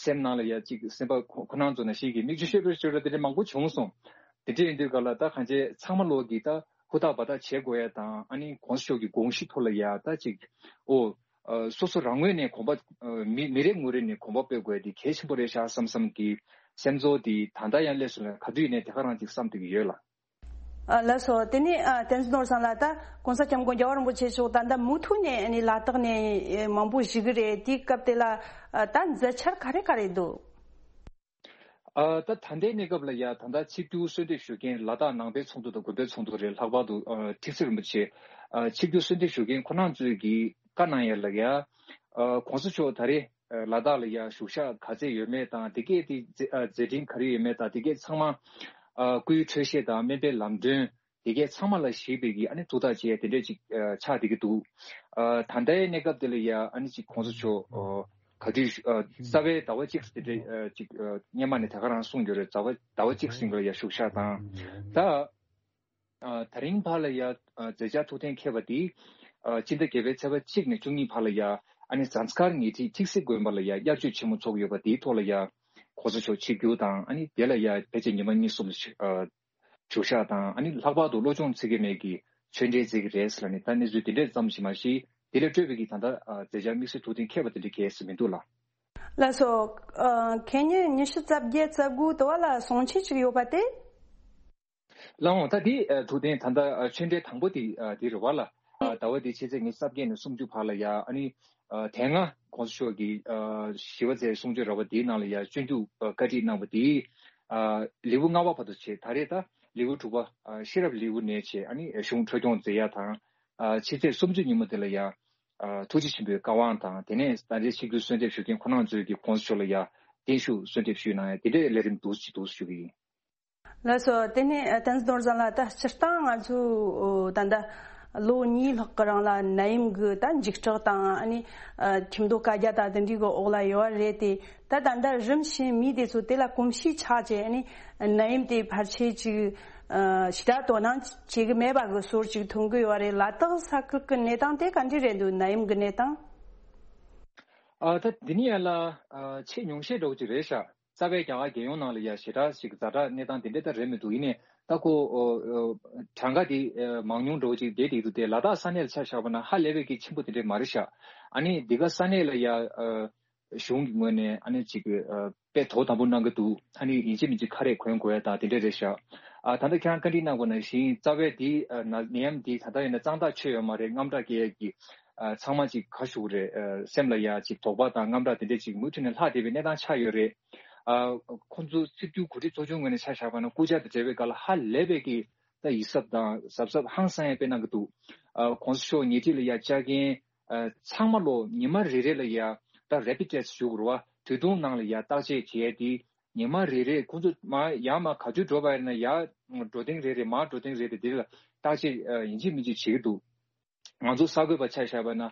སེམས་ནང་ལ་ཡ་ཅིག་སེམས་པ་ཁོ་ཁོ་རང་ཚོ་ནང་བཞིན་གྱི་མིག་ཆུ་ཤོར་བའི་ཤོར་བ་དེ་འདྲས་མང་པོ་བྱུང་སོང་། དེ་འདྲས་ཡིན་དུས་ག་ལ་ད་གང་ཅི་ཚང་མ་ལོག་གི་ད་ཧུར་ཐག་འབད་ཐག་བྱེད་དགོས་ཡ་དང་། ཨ་ནི་གོང་ས་མཆོག་གི་དགོངས་གཞི་ཐོག་ལ་ཡ་ད་ཅིག་ཨོ། ཨ་སོ་སོ་རང་ངོས་ནས་གོམ་པ་ཨ་མི་མི་རེ་ངོ་རེ་ནས་གོམ་པ་སྤོས་དགོས་དེ་གལ་ཆེན་པོ་རེད་ཤག་བསམ་བསམ་གྱི་སེམས་ཚོར་དེ་ད་ལྟ་ཡང་སླེབས་སོང་ལ། ག་དུས་ནས་དེ་ག་རང་ཅིག་བསམ་བསྡད་ཀྱི་ཡོད་ལགས། ཨ་ལགས་སོ། དེ་ནས་ཨ་བསྟན་འཛིན་ནོར་བཟང་ལགས། ད་གོང་ས་སྐྱབས་མགོན་རྒྱལ་བ་རིན་པོ་ཆེ་མཆོག་ད་ལྟ་མུ་མཐུད་ནས་ཨ་ནི་ལ་དྭགས་ནས་ཨེ་མང་པོ་བཞུགས་ཀྱི་རེད། དེའི་སྐབས་དེ་ལ་ཨ་ད་མཛད་འཆར་ག་རེ་ག་རེ་འདུག་ཨ་ད་ད་ལྟའི་གནས་སྐབས་ལ་ཡ་ད་ལྟ་ཆིབས་བསྒྱུར་གསོལ་འདེབས་ཞུ་མཁན་ལ་དྭགས་ནང་པའི་ཚོགས་འདུ་དང་དགོན་པའི་ཚོགས་འདུ་རེད། ལྷག་པར་དུ་ཨ་ཁྲི་ཟུར་རིན་པོ་ཆེ་ཨ་ཆིབས་བསྒྱུར་གསོལ་འདེབས་ཞུ་མཁན་ཁོ་རང་ཚོས་ཀྱིས་བཀའ་གནང་ཡ་ལ་ཡ། ཨ་གོང་ས་མཆོག་ད་རེས་ཨ་ལ་དྭགས་ལ་ཡ་བཞུགས་ཞག་ག་ཚད་ཡོད་མེད་དང་། དེ་གས་དེ་མཛད་ཨ་མཛད་འཕྲིན་ག་རེ་ཡོད་མེད་དང་། དེ་གས་ཚང་མ་ཨ་སྐུའི་འཕྲོད་བཞེས་དང་སྨན་པའི་ལམ་སྟོན། དེ་གས་ཚང་མ་ལ་གཞིགས་པའི་གི་ཨ་ནི་ཐུགས་ཐག་བཅད་དེ་འདྲས་ཅིག་ཨ་ཆགས་བསྡད་ཀྱི་འདུག་ཨ་ད་ལྟའི་གནས་སྐབས་དེ་ལ་ཡ་ཨ་ནི་ཅིག་གོང་ས་མཆོག་ཨ་ག་དུས་ཨ་རྩ་བའི་ཟླ་བ་གཅིག་དེ་འདྲས་ཨ་ཅིག་ཨ་སྔོན་མ་ནས་དེ་ག་རང་གསུངས་ཡོད་རེད། ཟླ་བ་ཟླ་བ་གཅིག་ཟིན་པ་ལ་ཡ་བཞུགས་ཞག་དང་། ད་ཨ་དེ་རིང་བར་ལ་ཡ་ཨ་མཛད་འཆར་ཐུགས་གཏན་འཁེལ་བ་དེ་ཨ་སྤྱི་ཟླ་བརྒྱད་པའི་ཚེས་པ་གཅིག་ནས་བཅུ་གཉིས་བར་ལ་ཡ་ཨ་ནི་ཟངས་དཀར་ཉེ་འཁྲིས་ཁྲིག་སེ་དགོན་པ་ལ་ཡ་དབྱར་ཆོས་ཆེན་མོ་ཚོགས་ཡོད་པ་དེའི་ཐོག་ལ་ཡ་གོང་ས་མཆོག་ཆིབས་བསྒྱུར་དང་། ཨ་ནི་དེ་ལ་ཡ་ཕལ་ཆེར་ཉི་མ་གཉིས་གསུམ་ལ་ཨ་བཞུགས་ཞག་དང་། ཨ་ནི་ལྷག་པར་དུ་བློ་སྦྱོང་ཚིག་གེ་མེད་ཀྱི་ཆོས་འབྲེལ་མཛད་ཀྱི་རེད་ཟེར་ལ་ནི། ད་གནས་ཚུལ་དེ་འདྲས་ཙམ་ཞིག་མ་གཞི་དེ་ལས་སྤྲོས་པའི་གི་ད་ལྟ་ཨ་མཛད་འཆར་དམིགས་བསལ་ཐུགས་གཏན་འཁེལ་བ་དེ་འདྲ་གལ་སྲིད་མི་འདུག་ལགས། ལགས་སོ། ཨ་ཁེ་ཉིན་ཉི་ཤུ་རྩ་བརྒྱད་རྩ་དགུ་དུ་བ་ལ་གསུང་ཆོས་ཅིག་ཡོད་པ་དེ། ལགས་འོང་། ད་དེ་ཨ་ཐུགས་གཏན་ད་ལྟ་ཨ་ཆོས་འབྲེལ་དང་པོ་དེ་ཨ་དེ་རེད་བ་ལགས། ཨ་ཟླ་བ་འདིའི་ཕྱི་ཚེས་ཉི་ཤུ་རྩ་བརྒྱད་ནས་སུམ་ཅུ་བར་ལ་ཡ། ཨ་ནི་ཨ་དེ་སྔ་གོང་ས་མཆོག་གིས་ཨ་ཞི་བ་འཚལ་གསུང་ཆོས་ར་བ་དེའི་ནང་ལ་ཡ་སྤྱོད་འཇུག་ཨ་བཀའ་ཁྲིད་གནང་བ་དེ་ཨ་ལེའུ་ལྔ་པ་བར་དུ་བྱས། ད་རེས་ད་ལེའུ་དྲུག་པ་ཨ་ཤེས་རབ་ལེའུ་ནས་བྱས། ཨ་ནི་གཞུང་འཕྲོས་སྐྱོང་མཛད་ཡ་དང་། ཨ་ཕྱི་ཚེས་སུམ་ཅུ་ཉིན་མོ་དེ་ལ་ཡ་ཨ་ཐུགས་རྗེ་ཆེན་པོའི་བཀའ་དབང་དང་། དེ་ནས་ད་རེས་ཆིབས་བསྒྱུར་གསོལ་འདེབས་ཞུ་མཁན་ཁོང་རྣམ་ཚོས་ཀྱིས་གོང་ས་མཆོག་ལ་ཡ་བརྟན་བཞུགས་གསོལ་འདེབས་ཞུས་གནང་ཡ་དེ་འདྲའི་ལས་རིམ་འདུག་ཅིག་འདུག་ཞུ་གི་ཡིན། ལགས་སོ། དེ་ནས་ཨ་བསྟན་འཛིན་ནོར་བཟང་ལགས། ད་སྤྱིར་བཏང་ང་ཚོ་ད་ལྟ་ལོ་གཉིས་ལྷག་གི་རིང་ལ་ནད་ཡམས་ཀྱི་ད་འཇིགས་སྐྲག་དང་། ཨ་ནི་ཨ་ཁྱིམ་ཐོག་བཀའ་རྒྱ་དང་དེ་འདྲའི་གི་འོག་ལ་ཡོད་རེད་དེ། ད་ད་ལྟ་རིམ་བཞིན་མི་དེ་ཚོ་དེ་ལ་གོམས་གཤིས་ཆགས་བྱས། ཨ་ནི་ནད་ཡམས་དེ་ཕལ་ཆེར་ཅིག་ཨ་ཞེ་དྲག་དོ་སྣང་བྱེད་ཀྱི་མེད་པ་གི་བཟོ་འདྲ་ཅིག་མཐོང་གི་ཡོད་རེད། ལ་དྭགས་ས་ཁུལ་གྱི་གནས་སྟངས་དེ་ག་འདྲ་རེད་འདུག་ནད་ཡམས་ཀྱི་གནས་སྟངས། ཨ་ད་འདི་ནི་ཡ་ལ་ཨ་ཆེས་ཉུང་ཤས་འདྲ་བོ་ཅིག་རེད་ཤག་རྩ་བའི་རྒྱ་གར་རྒྱལ་ཡོངས་ནང་ལ་ཡ་ཞེ་དྲག་ཅིག་ཛ་དྲག་གནས་སྟངས་དེ་འདྲ་ད་རེད་མི་འདུག་ཡིན་ནའི་ད་ཁོ་ཨོ་ཨོ་གྲངས་ཀ་དེ་ཨ་མང་ཉུང་འདྲ་བོ་ཅིག་བསྡད་བསྡད་འདུག་དེ་ལ་དྭགས་ས་གནས་ལ་ཆ་བཞག་པ་ན་ཧ་ལས་པའི་གི་ཆེན་པོ་དེ་འདྲ་མ་རེད་ཤག་ཨ་ནི་འདི་ག་ས་གནས་ལ་ཡ་ཨ་གཞུང་གི་ངོས་ནས་ཨ་ནི་ཅིག་ཨ་དཔེ་དོ་དམ་པོ་གནང་གི་འདུག་ཨ་ནི་ཡིན་གཅིག་མིན་གཅིག་ཁ་རས་གོན་དགོས་ཡ་དང་དེ་འདྲ་རེད་ཤག་ཨ་ད་ལྟ་ཁྱེད་རང་བཀའ་འདྲི་གནང་བ་ནང་བཞིན་རྩ་བའི་འདི་ཨ་ན་ནད་ཡམས་འདི་ད་ལྟ་ཡིན་ན་གཙང་དག་ཆོད་ཡོད་མ་རེད། དངངས་སྐྲག་སྐྱེ་ཡས་ཀྱི་ཨ་ཚང་མ་ཅིག་ག་ཞུ་གི་རེད། ཨ་སེམས་ལ་ཡ་ཅིག་དོགས་པ་དང་དངངས་སྐྲག་དེ་འདྲས་ཅིག་མུ་མཐུད་ནས་ལྷག་བསྡད་པའི་གནས་སྟངས་ཆགས་ཡོད་རེད། ཨ་ཁོང་ཚོ་སྲིད་བྱུས་གོ་སྒྲིག་ཚོགས་ཆུང་ངོས་ནས་ཆ་བཞག་པ་ན་སྐུ་བཅར་དང་འབྲེལ་བའི་སྐབས་ལ་ཧ་ལས་པའི་གི་ད་ཡིད་གཟབ་དང་གཟབ་གཟབ་ཧང་སང་ཡ་དཔེ་གནང་གི་འདུག་ཨ་གོང་ས་མཆོག་ཉེ་འཁྲིས་ལ་ཡ་བཅར་མཁན་ཨ་ཚང་མ་ལོ་ཉི་མ་རེ་རེ་ལ་ཡ་ད་rapid test་ཞུ་དགོས་རེད་བ། དུས་ཐུང་ནང་ལ་ཡ་བརྟག་དཔྱད་བྱས་ཏེ་ཉི་མ་རེ་རེ་ཁོང་ཚོ་མ་ཡར་མར་ག་དུས་འགྲོ་བ་ཡིན་ན་ཡར་འགྲོ་ཐེངས་རེ་རེ་མར་འགྲོ་ཐེངས་རེ་རེ་དེ་ལ་བརྟག་དཔྱད་ཨ་ཡིན་གཅིག་མིན་གཅིག་བྱེད་ཀྱི་འདུག་ང་ཚོ་གསར་འགོད་པ་ཆ་བཞག་པ་ན་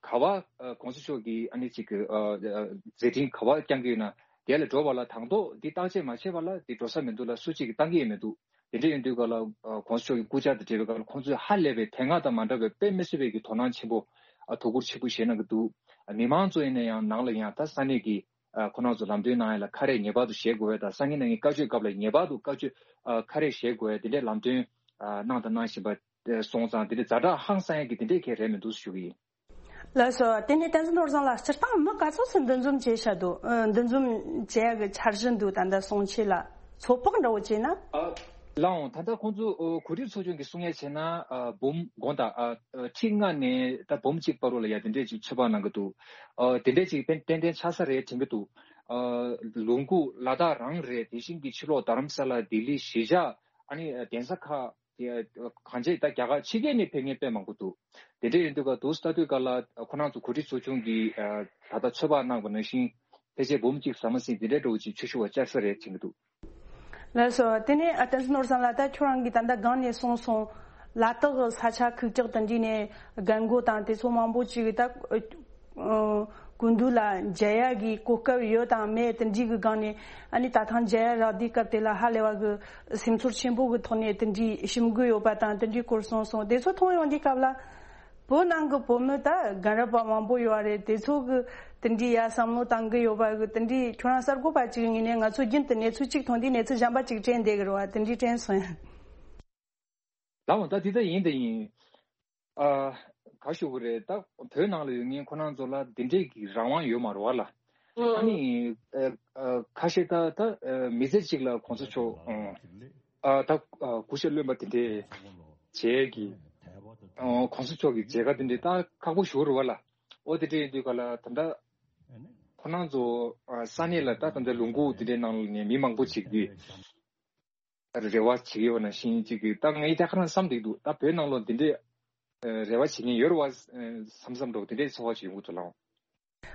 ག་བ་ཨ་གོང་ས་མཆོག་གིས་ཨ་ནི་ཅིག་གི་ཨ་ཨ་མཛད་འཕྲིན་ག་བ་བསྐྱང་གི་ཡོད་ན་དེ་ལ་འགྲོ་བ་ལ་དང་ཐོག་འདི་བརྟག་དཔྱད་མ་བྱས་པ་ལ་འདི་འགྲོ་ས་མི་འདུག་ལ་སུ་གཅིག་གིས་བཏང་གི་ཡོད་མི་འདུག་དེ་འདྲ་ཡིན་དུས་ག་ལ་ཨ་གོང་ས་མཆོག་གི་སྐུ་བཅར་དང་འབྲེལ་བའི་སྐབས་ལ་ཁོང་ཚོས་ཧ་ལས་པའི་དེ་སྔ་དང་མ་འདྲ་བའི་དཔེ་མི་སྲིད་པའི་གི་དོ་སྣང་ཆེན་པོ་ཨ་དོ་ཁུར་ཆེན་པོ་བཞེས་གནང་གི་འདུག་ཨ་མི་མང་ཚོ་ཡིན་ན་ཡང་ནང་ལ་ཡང་ད་ས་གནས་ཀྱི་ཨ་ཁོ་རང་ཚོ་ལམ་སྟོན་གནང་ཡ་ལ་ཁ་རས་ངེས་པར་དུ་བཞེས་དགོས་པ་དང་སང་ཉིན་གནངས་ཉིན་བཀའ་ཆོས་སྐབས་ལ་ངེས་པར་དུ་བཀའ་ཆོས་ཨ་ཁ་རས་བཞེས་དགོས་ཡ་དེ་འདྲའི་ལམ་སྟོན་ཨ་གནང་དང་གནང་བཞིན་པ་སོང་ཙང་དེ་འདྲའི་ཛ་དྲག་ཧང་སང་ཡ་གི་དེ་འདྲའི་གལ་རེད་མི་འདུག་ཞུ་གི་ཡིན། ལགས་སོ། དེ་ནས་བསྟན་འཛིན་ནོར་བཟང་ལགས་སྤྱིར་བཏང་མི་ག་ཚོད་ཙམ་འདུ་འཛོམས་བྱས་བཞག་འདུག་ཨ་འདུ་འཛོམས་བྱེད་ཡ་གི་འཆར་གཞི་འདུག་ད་ལྟ་སོང་ཆེད་ལ་ཚོད་དཔག་འདྲ་བོ་བྱས་ན། ཨ་ལའང་ད་ལྟ་ཁོང་ཚོ་ཨོ་གོ་སྒྲིག་ཚོགས་ཆུང་གིས་གསུང་ཡ་བྱས་ན་ཨ་འབུམ་དགོངས་དག་ཨ་ཁྲི་ལྔ་ནས་ད་འབུམ་གཅིག་བར་རོ་ལ་ཡ་དེ་འདྲས་ཅིག་ཚོད་དཔག་གནང་གི་འདུག་ཨ་དེ་འདྲས་ཅིག་ཏན་ཏན་ཏན་ཆགས་ས་རེད་དྲན་གི་འདུག་ཨ་ལུང་ཁུག་ལ་དྭགས་རང་རེད། དེ་བཞིན་གྱི་ཕྱི་ལོགས་རྡ་རམ་ས་ལ་ལྡི་ལི་གཞིས་ཆགས་ཨ་ནི་གདན་ས་ཁག་དེ་གང་ཅི་ད་རྒྱ་གར་ཕྱི་རྒྱལ་ནས་ཕེབས་མཁན་དཔེ་མང་པོ་འདུག་དེ་འདྲས་ཡིན་དུས་ག་དུས་ལྟ་དུས་ག་ལ་ཁོ་རང་ཚོ་གོ་སྒྲིག་ཚོགས་ཆུང་གིས་ཨ་ད་ལྟ་ཚོད་དཔག་གནང་བ་ནང་བཞིན་ཕལ་ཆེར་འབུམ་གཅིག་ཟ་མ་ཟིན་དེ་འདྲས་འདྲ་བོ་ཅིག་ཆོས་ཞུ་བ་བཅར་ས་རེད་དྲན་གི་འདུག་ལགས་སོ། དེ་ནས་ཨ་བསྟན་འཛིན་ནོར་བཟང་ལགས་ད་ཁྱོད་རང་གིས་ད་ལྟ་སྒང་ནས་གསུངས་སོང་། ལ་དྭགས་ས་ཆ་ཁུག་ཀྱག་དང་འདྲ་ནས་རྒན་རྒོན་དང་དེ་ཚོ་མང་པོ་ཅིག་ད་ཨ་སྐུ་མདུན་ལ་མཇལ་ཡ་གི་གོ་སྐབས་ཡོད་དང་མེད་དེ་འདྲའི་གི་སྒང་ནས་ཨ་ནི་ད་ཐེངས་མཇལ་ཡ་རག་དུས་སྐབས་དེ་ལ་ཧ་ལས་པ་གི་སེམས་ཚོར་ཆེན་པོ་གི་ཐོག་ནས་དེ་འདྲའི་ཞིམ་དགོས་ཡོད་པ་དང་དེ་འདྲའི་སྐོར་གསུངས་སོང་། དེ་ཚོ་མཐོང་ཡོང་དུས་སྐབས་ལ། བོད་ནང་གི་བོད་མི་ད་རྒན་རབས་པ་མང་པོ་ཡོད་རེད། དེ་ཚོ་གི་དེ་འདྲའི་ཡ་བསམ་བློ་བཏང་གི་ཡོད་པ་གི་དེ་འདྲའི་ཁྱོད་རང་གསར་འགོད་པ་ཅིག་ཡིན་ནའི་ང་ཚོ་རྒྱུན་དུ་གནས་ཚུལ་གཅིག་མཐོང་དུས་གནས་ཚུལ་གཞན་པ་ཅིག་དྲན་བསྡད་གི་རེད་བ། དེ་འདྲའི་དྲན་སོང་ཡ། ལའང་ད་འདི་ད་ཡིན་ད་ཡིན། ཨ་ག་ཞུ་གི་རེད། ད་བོད་ནང་ལ་ཡོད་མཁན་ཁོ་རང་ཚོ་ལ་འདི་འདྲའི་གི་རང་དབང་ཡོད་མ་རེད་བ་ལ། ཨ་ནི་ཨ་ཨ་ཁ་ཤས་ད་ད་ཨ་མི་ཚེ་གཅིག་ལ་གོང་ས་མཆོག་ཨ་ད་ཨ་སྐུ་ཞབས་བློན་པ་དེ་འདྲས་བྱས་གི་ཨ་གོང་ས་མཆོག་གི་མཇལ་ཁ་དེ་འདྲས་ད་ཁག་པོ་ཞུ་རུ་བ་ལ། ཨོ་དེ་འདྲས་ཡིན་དུས་ག་ལ་ད་ལྟ་ཁོ་རང་ཚོ་ཨ་ས་གནས་ལ་ད་ད་ལྟ་ལུང་ཁུག་དེ་འདྲས་ནང་ལ་ནས་མི་མང་པོ་ཅིག་གིས་རེ་བ་བྱེད་ཀྱི་ཡོད་ན་ཤིང་ཅིག་གིས་ད་ངས་ད་ཁ་རང་བསམ་འདུག་འདུག་ད་བོད་ནང་ལོ་དེ་འདྲས་ཨ་རེ་བ་བྱེད་མཁན་ཡོད་རེད་བ་བསམ་བསམ་འགྲོ་དེ་འདྲས་ཚོར་བ་ཅིག་ཡོང་གི་འདུག་ལགས།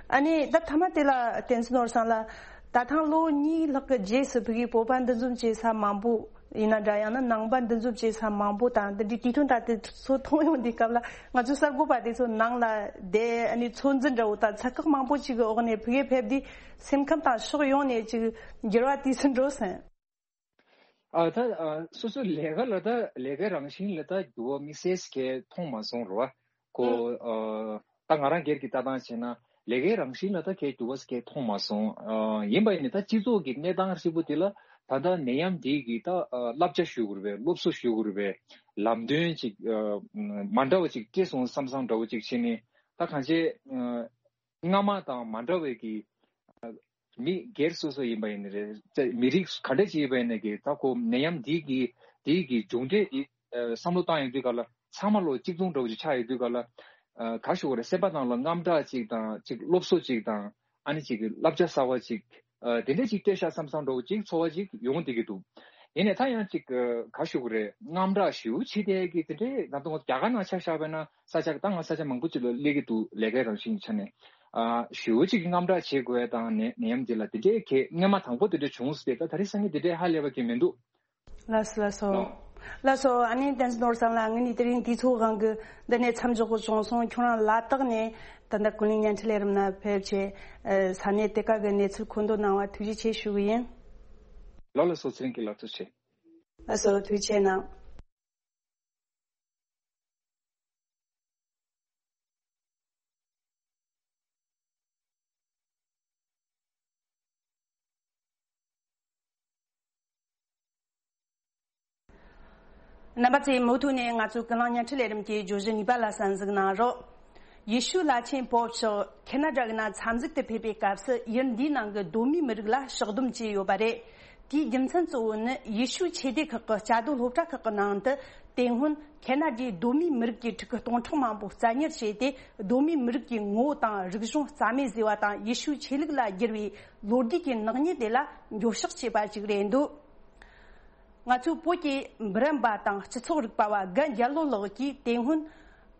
ཨ་ནི་ད་མཐའ་མ་དེ་ལ་བསྟན་འཛིན་ནོར་བཟང་ལགས། ད་ཐེངས་ལོ་གཉིས་ལྷག་གི་རྗེས་སུ་ཕ་གིའི་བོད་པ་འདུ་འཛོམས་བྱེད་ས་མང་པོ་ཡིན་ན་འདྲ་ཡང་ན་ནང་པ་འདུ་འཛོམས་བྱེད་ས་མང་པོ་དང་འདི་འདྲའི་དུས་སྟོན་ད་དེ་ཚོ་མཐོང་ཡོང་དུས་སྐབས་ལ་ང་ཚོ་གསར་འགོད་པ་དེ་ཚོ་ནང་ལ་བསྡད་ཨ་ནི་ཚོད་འཛིན་འདྲ་བོ་དང་ཚ་ཁག་མང་པོ་ཅིག་གི་འོག་ནས་ཕ་གིར་ཕེབས་དུས་སེམས་ཁམས་དང་ཕྱོགས་ཡོངས་ནས་ཅིག་འགྱུར་བ་དུས་སུ་འགྲོ་སོང་། ཨ་ད་ཨ་སོ་སོའི་ལས་ཀ་ལ་ད་ལས་ཀའི་རང་བཞིན་ལ་ད་འགྱུར་བ་དམིགས་བསལ་གྱི་མཐོང་མ་སོང་རོ། ཁོ་ཨ་ད་ང་རང་སྒེར་གྱི་ལྟ་སྟངས་བྱས་ན་ལས་ཀའི་རང་བཞིན་ལ་ད་གའི་འགྱུར་བ་གའི་མཐོང་མ་སོང་། ཨ་ཡིན་པ་ཡིན་ན་ད་སྤྱི་ཚོགས་ཀྱི་གནས་སྟངས་ཧྲིལ་པོ་དེ་ལ་ད་ལྟ་ནད་ཡམས་འདི་གི་ད་ཨ་བསླབ་བྱ་ཞུ་དགོས་རེད་པས། སློབ་གསོ་ཞུ་དགོས་རེད་པས། ལམ་སྟོན་ཅིག་ཨ་མ་འདྲ་བ་ཅིག་སྤྲད་སོང་བསམ་བསམ་འདྲ་བོ་ཅིག་བྱས་ནས་ད་གང་ཅི་ཨ་སྔ་མ་དང་མ་འདྲ་བའི་གི་ཨ་མི་སྒེར་སོ་སོ་ཡིན་པ་ཡིན་ནི་རེད། ཙེ་མི་རིགས་ག་འདྲ་ཅིག་ཡིན་པ་ཡིན་ནི་གི་ད་ཁོ་ནད་ཡམས་འདི་གི་འདི་གི་མཇུག་འབྲས་འདི་ཨ་བསམ་བློ་བཏང་ཡོང་དུས་ག་ལ་ཚང་མ་ལོ་གཅིག་མཚུངས་འདྲ་བོ་ཅིག་ཆགས་ཡོང་དུས་ག་ལ་ཨ་ག་ཞུ་དགོས་རེད། སེམས་པ་ནང་ལ་དངངས་སྐྲག་ཅིག་དང་ཅིག་སློབ་གསོ་ཅིག་དང་ཨ་ནི་ཅིག་གི་བསླབ་བྱ་གསར་བ་ཅིག་ཨ་དེ་འདྲ་ཅིག་སྤྲད་ཤག་བསམ་བསམ་འདྲ་བོ་ཅིག་ཚོར་བ་ཅིག་ཡོང་བསྡད་ཀྱི་འདུག་ཡིན་ནའི་ད་ཡང་ཅིག་ག་ཞུ་དགོས་རེད། དངངས་སྐྲག་ཞེ་པོ་ཅིག་བྱེད་བསྡད་ཀྱི་དེ་འདྲའི་ད་དུང་རྒྱ་གར་ནང་ཆ་བཞག་པ་ན་ས་ཆ་ད་ང་ས་ཆ་མང་པོ་ཅིག་ལ་སླེབས་ཀྱི་འདུག་ལས་ཀའི་རང་བཞིན་ཆ་ནས། ཨ་ཞེ་པོ་ཅིག་གི་དངངས་སྐྲག་བྱེད་དགོས་ཡ་དང་ནད་ནད་ཡམས་འདི་ལ་དེ་འདྲའི་གལ་སྔོན་མ་དང་པོ་དེ་འདྲ་བྱུང་ཟེར་ཏེ་ད་ད་རེས་སང་ཉིན་དེ་འདྲའི་ཧ་ལས་པ་གི་མི་འདུག་ལགས་སོ་ལགས་སོ། ལགས་སོ། ཨ་ནི་བསྟན་འཛིན་ནོར་བཟང་ལགས། ངས་ནི་དེ་རིང་དུས་ཚོད་དབང་གིས་འདི་ནས་མཚམས་འཇོག་དགོས་བྱུང་སོང་། ཁྱོད་རང་ལ་དྭགས་ནས་ད་ལྟ་ཀུན་གླེང་བརྙན་འཕྲིན་ལས་རིམ་ནང་ཕེབས་བྱས་ཨ་ས་གནས་དེ་ག་གི་གནས་ཚུལ་མཁོ་འདོན་གནང་བ་ཐུགས་རྗེ་ཆེ་ཞུ་གི་ཡིན། ལགས་ལགས་སོ། ཚེ་རིང་གི་ལགས་ཐུགས་རྗེ་ཆེ། ལགས་སོ། ཐུགས་རྗེ་ཆེ་གནང་། རྣམ་པ་ཚོས་མུ་མཐུད་ནས་ང་ཚོའི་ཀུན་གླེང་བརྙན་འཕྲིན་ལས་རིམ་གྱི་བརྗོད་གཞི་གཉིས་པ་ལ་གསན་གཟིགས་གནང་རོགས། ཡེ་ཤུ་བླ་ཆེན་པོབ་མཆོག་ཁེ་ན་ཌ་གི་ནང་འཚམས་གཟིགས་དུ་ཕེབས་པའི་སྐབས་སུ་ཡུལ་འདིའི་ནང་གི་གདོད་མའི་མི་རིགས་ལ་ཕྱག་སྡོམ་བྱས་ཡོད་པ་རེད། དེའི་རྒྱུ་མཚན་གཙོ་བོ་ནི་ཡེ་ཤུ་ཆོས་སྡེ་ཁག་གི་བཅའ་སྡོད་སློབ་གྲྭ་ཁག་གི་ནང་དུ། དེ་སྔོན་ཁེ་ན་ཌའི་གདོད་མའི་མི་རིགས་ཀྱི་ཕྲུ་གུ་སྟོང་ཕྲག་མང་པོ་བཙན་ཉར་བྱས་ཏེ། གདོད་མའི་མི་རིགས་ཀྱི་ངོ་བོ་དང་རིག་གཞུང་རྩ་མེད་བཟོས་པ་དང་། ཡེ་ཤུ་ཆོས་ལུགས་ལ་བསྒྱུར་བའི་ལོ་རྒྱུས་ཀྱི་ནག་ཉེས་དེ་ལ་འགྱོད་བཤགས་བྱས་པ་ཞིག་རེད་འདུག་ང་ཚོའི་བོད་ཀྱི་འབུམ་རམས་པ་དང་སྤྱི་ཚོགས་རིག་པ་བ་རྒན་རྒྱལ་ལོ་ལགས་ཀྱིས། དེ་སྔོན་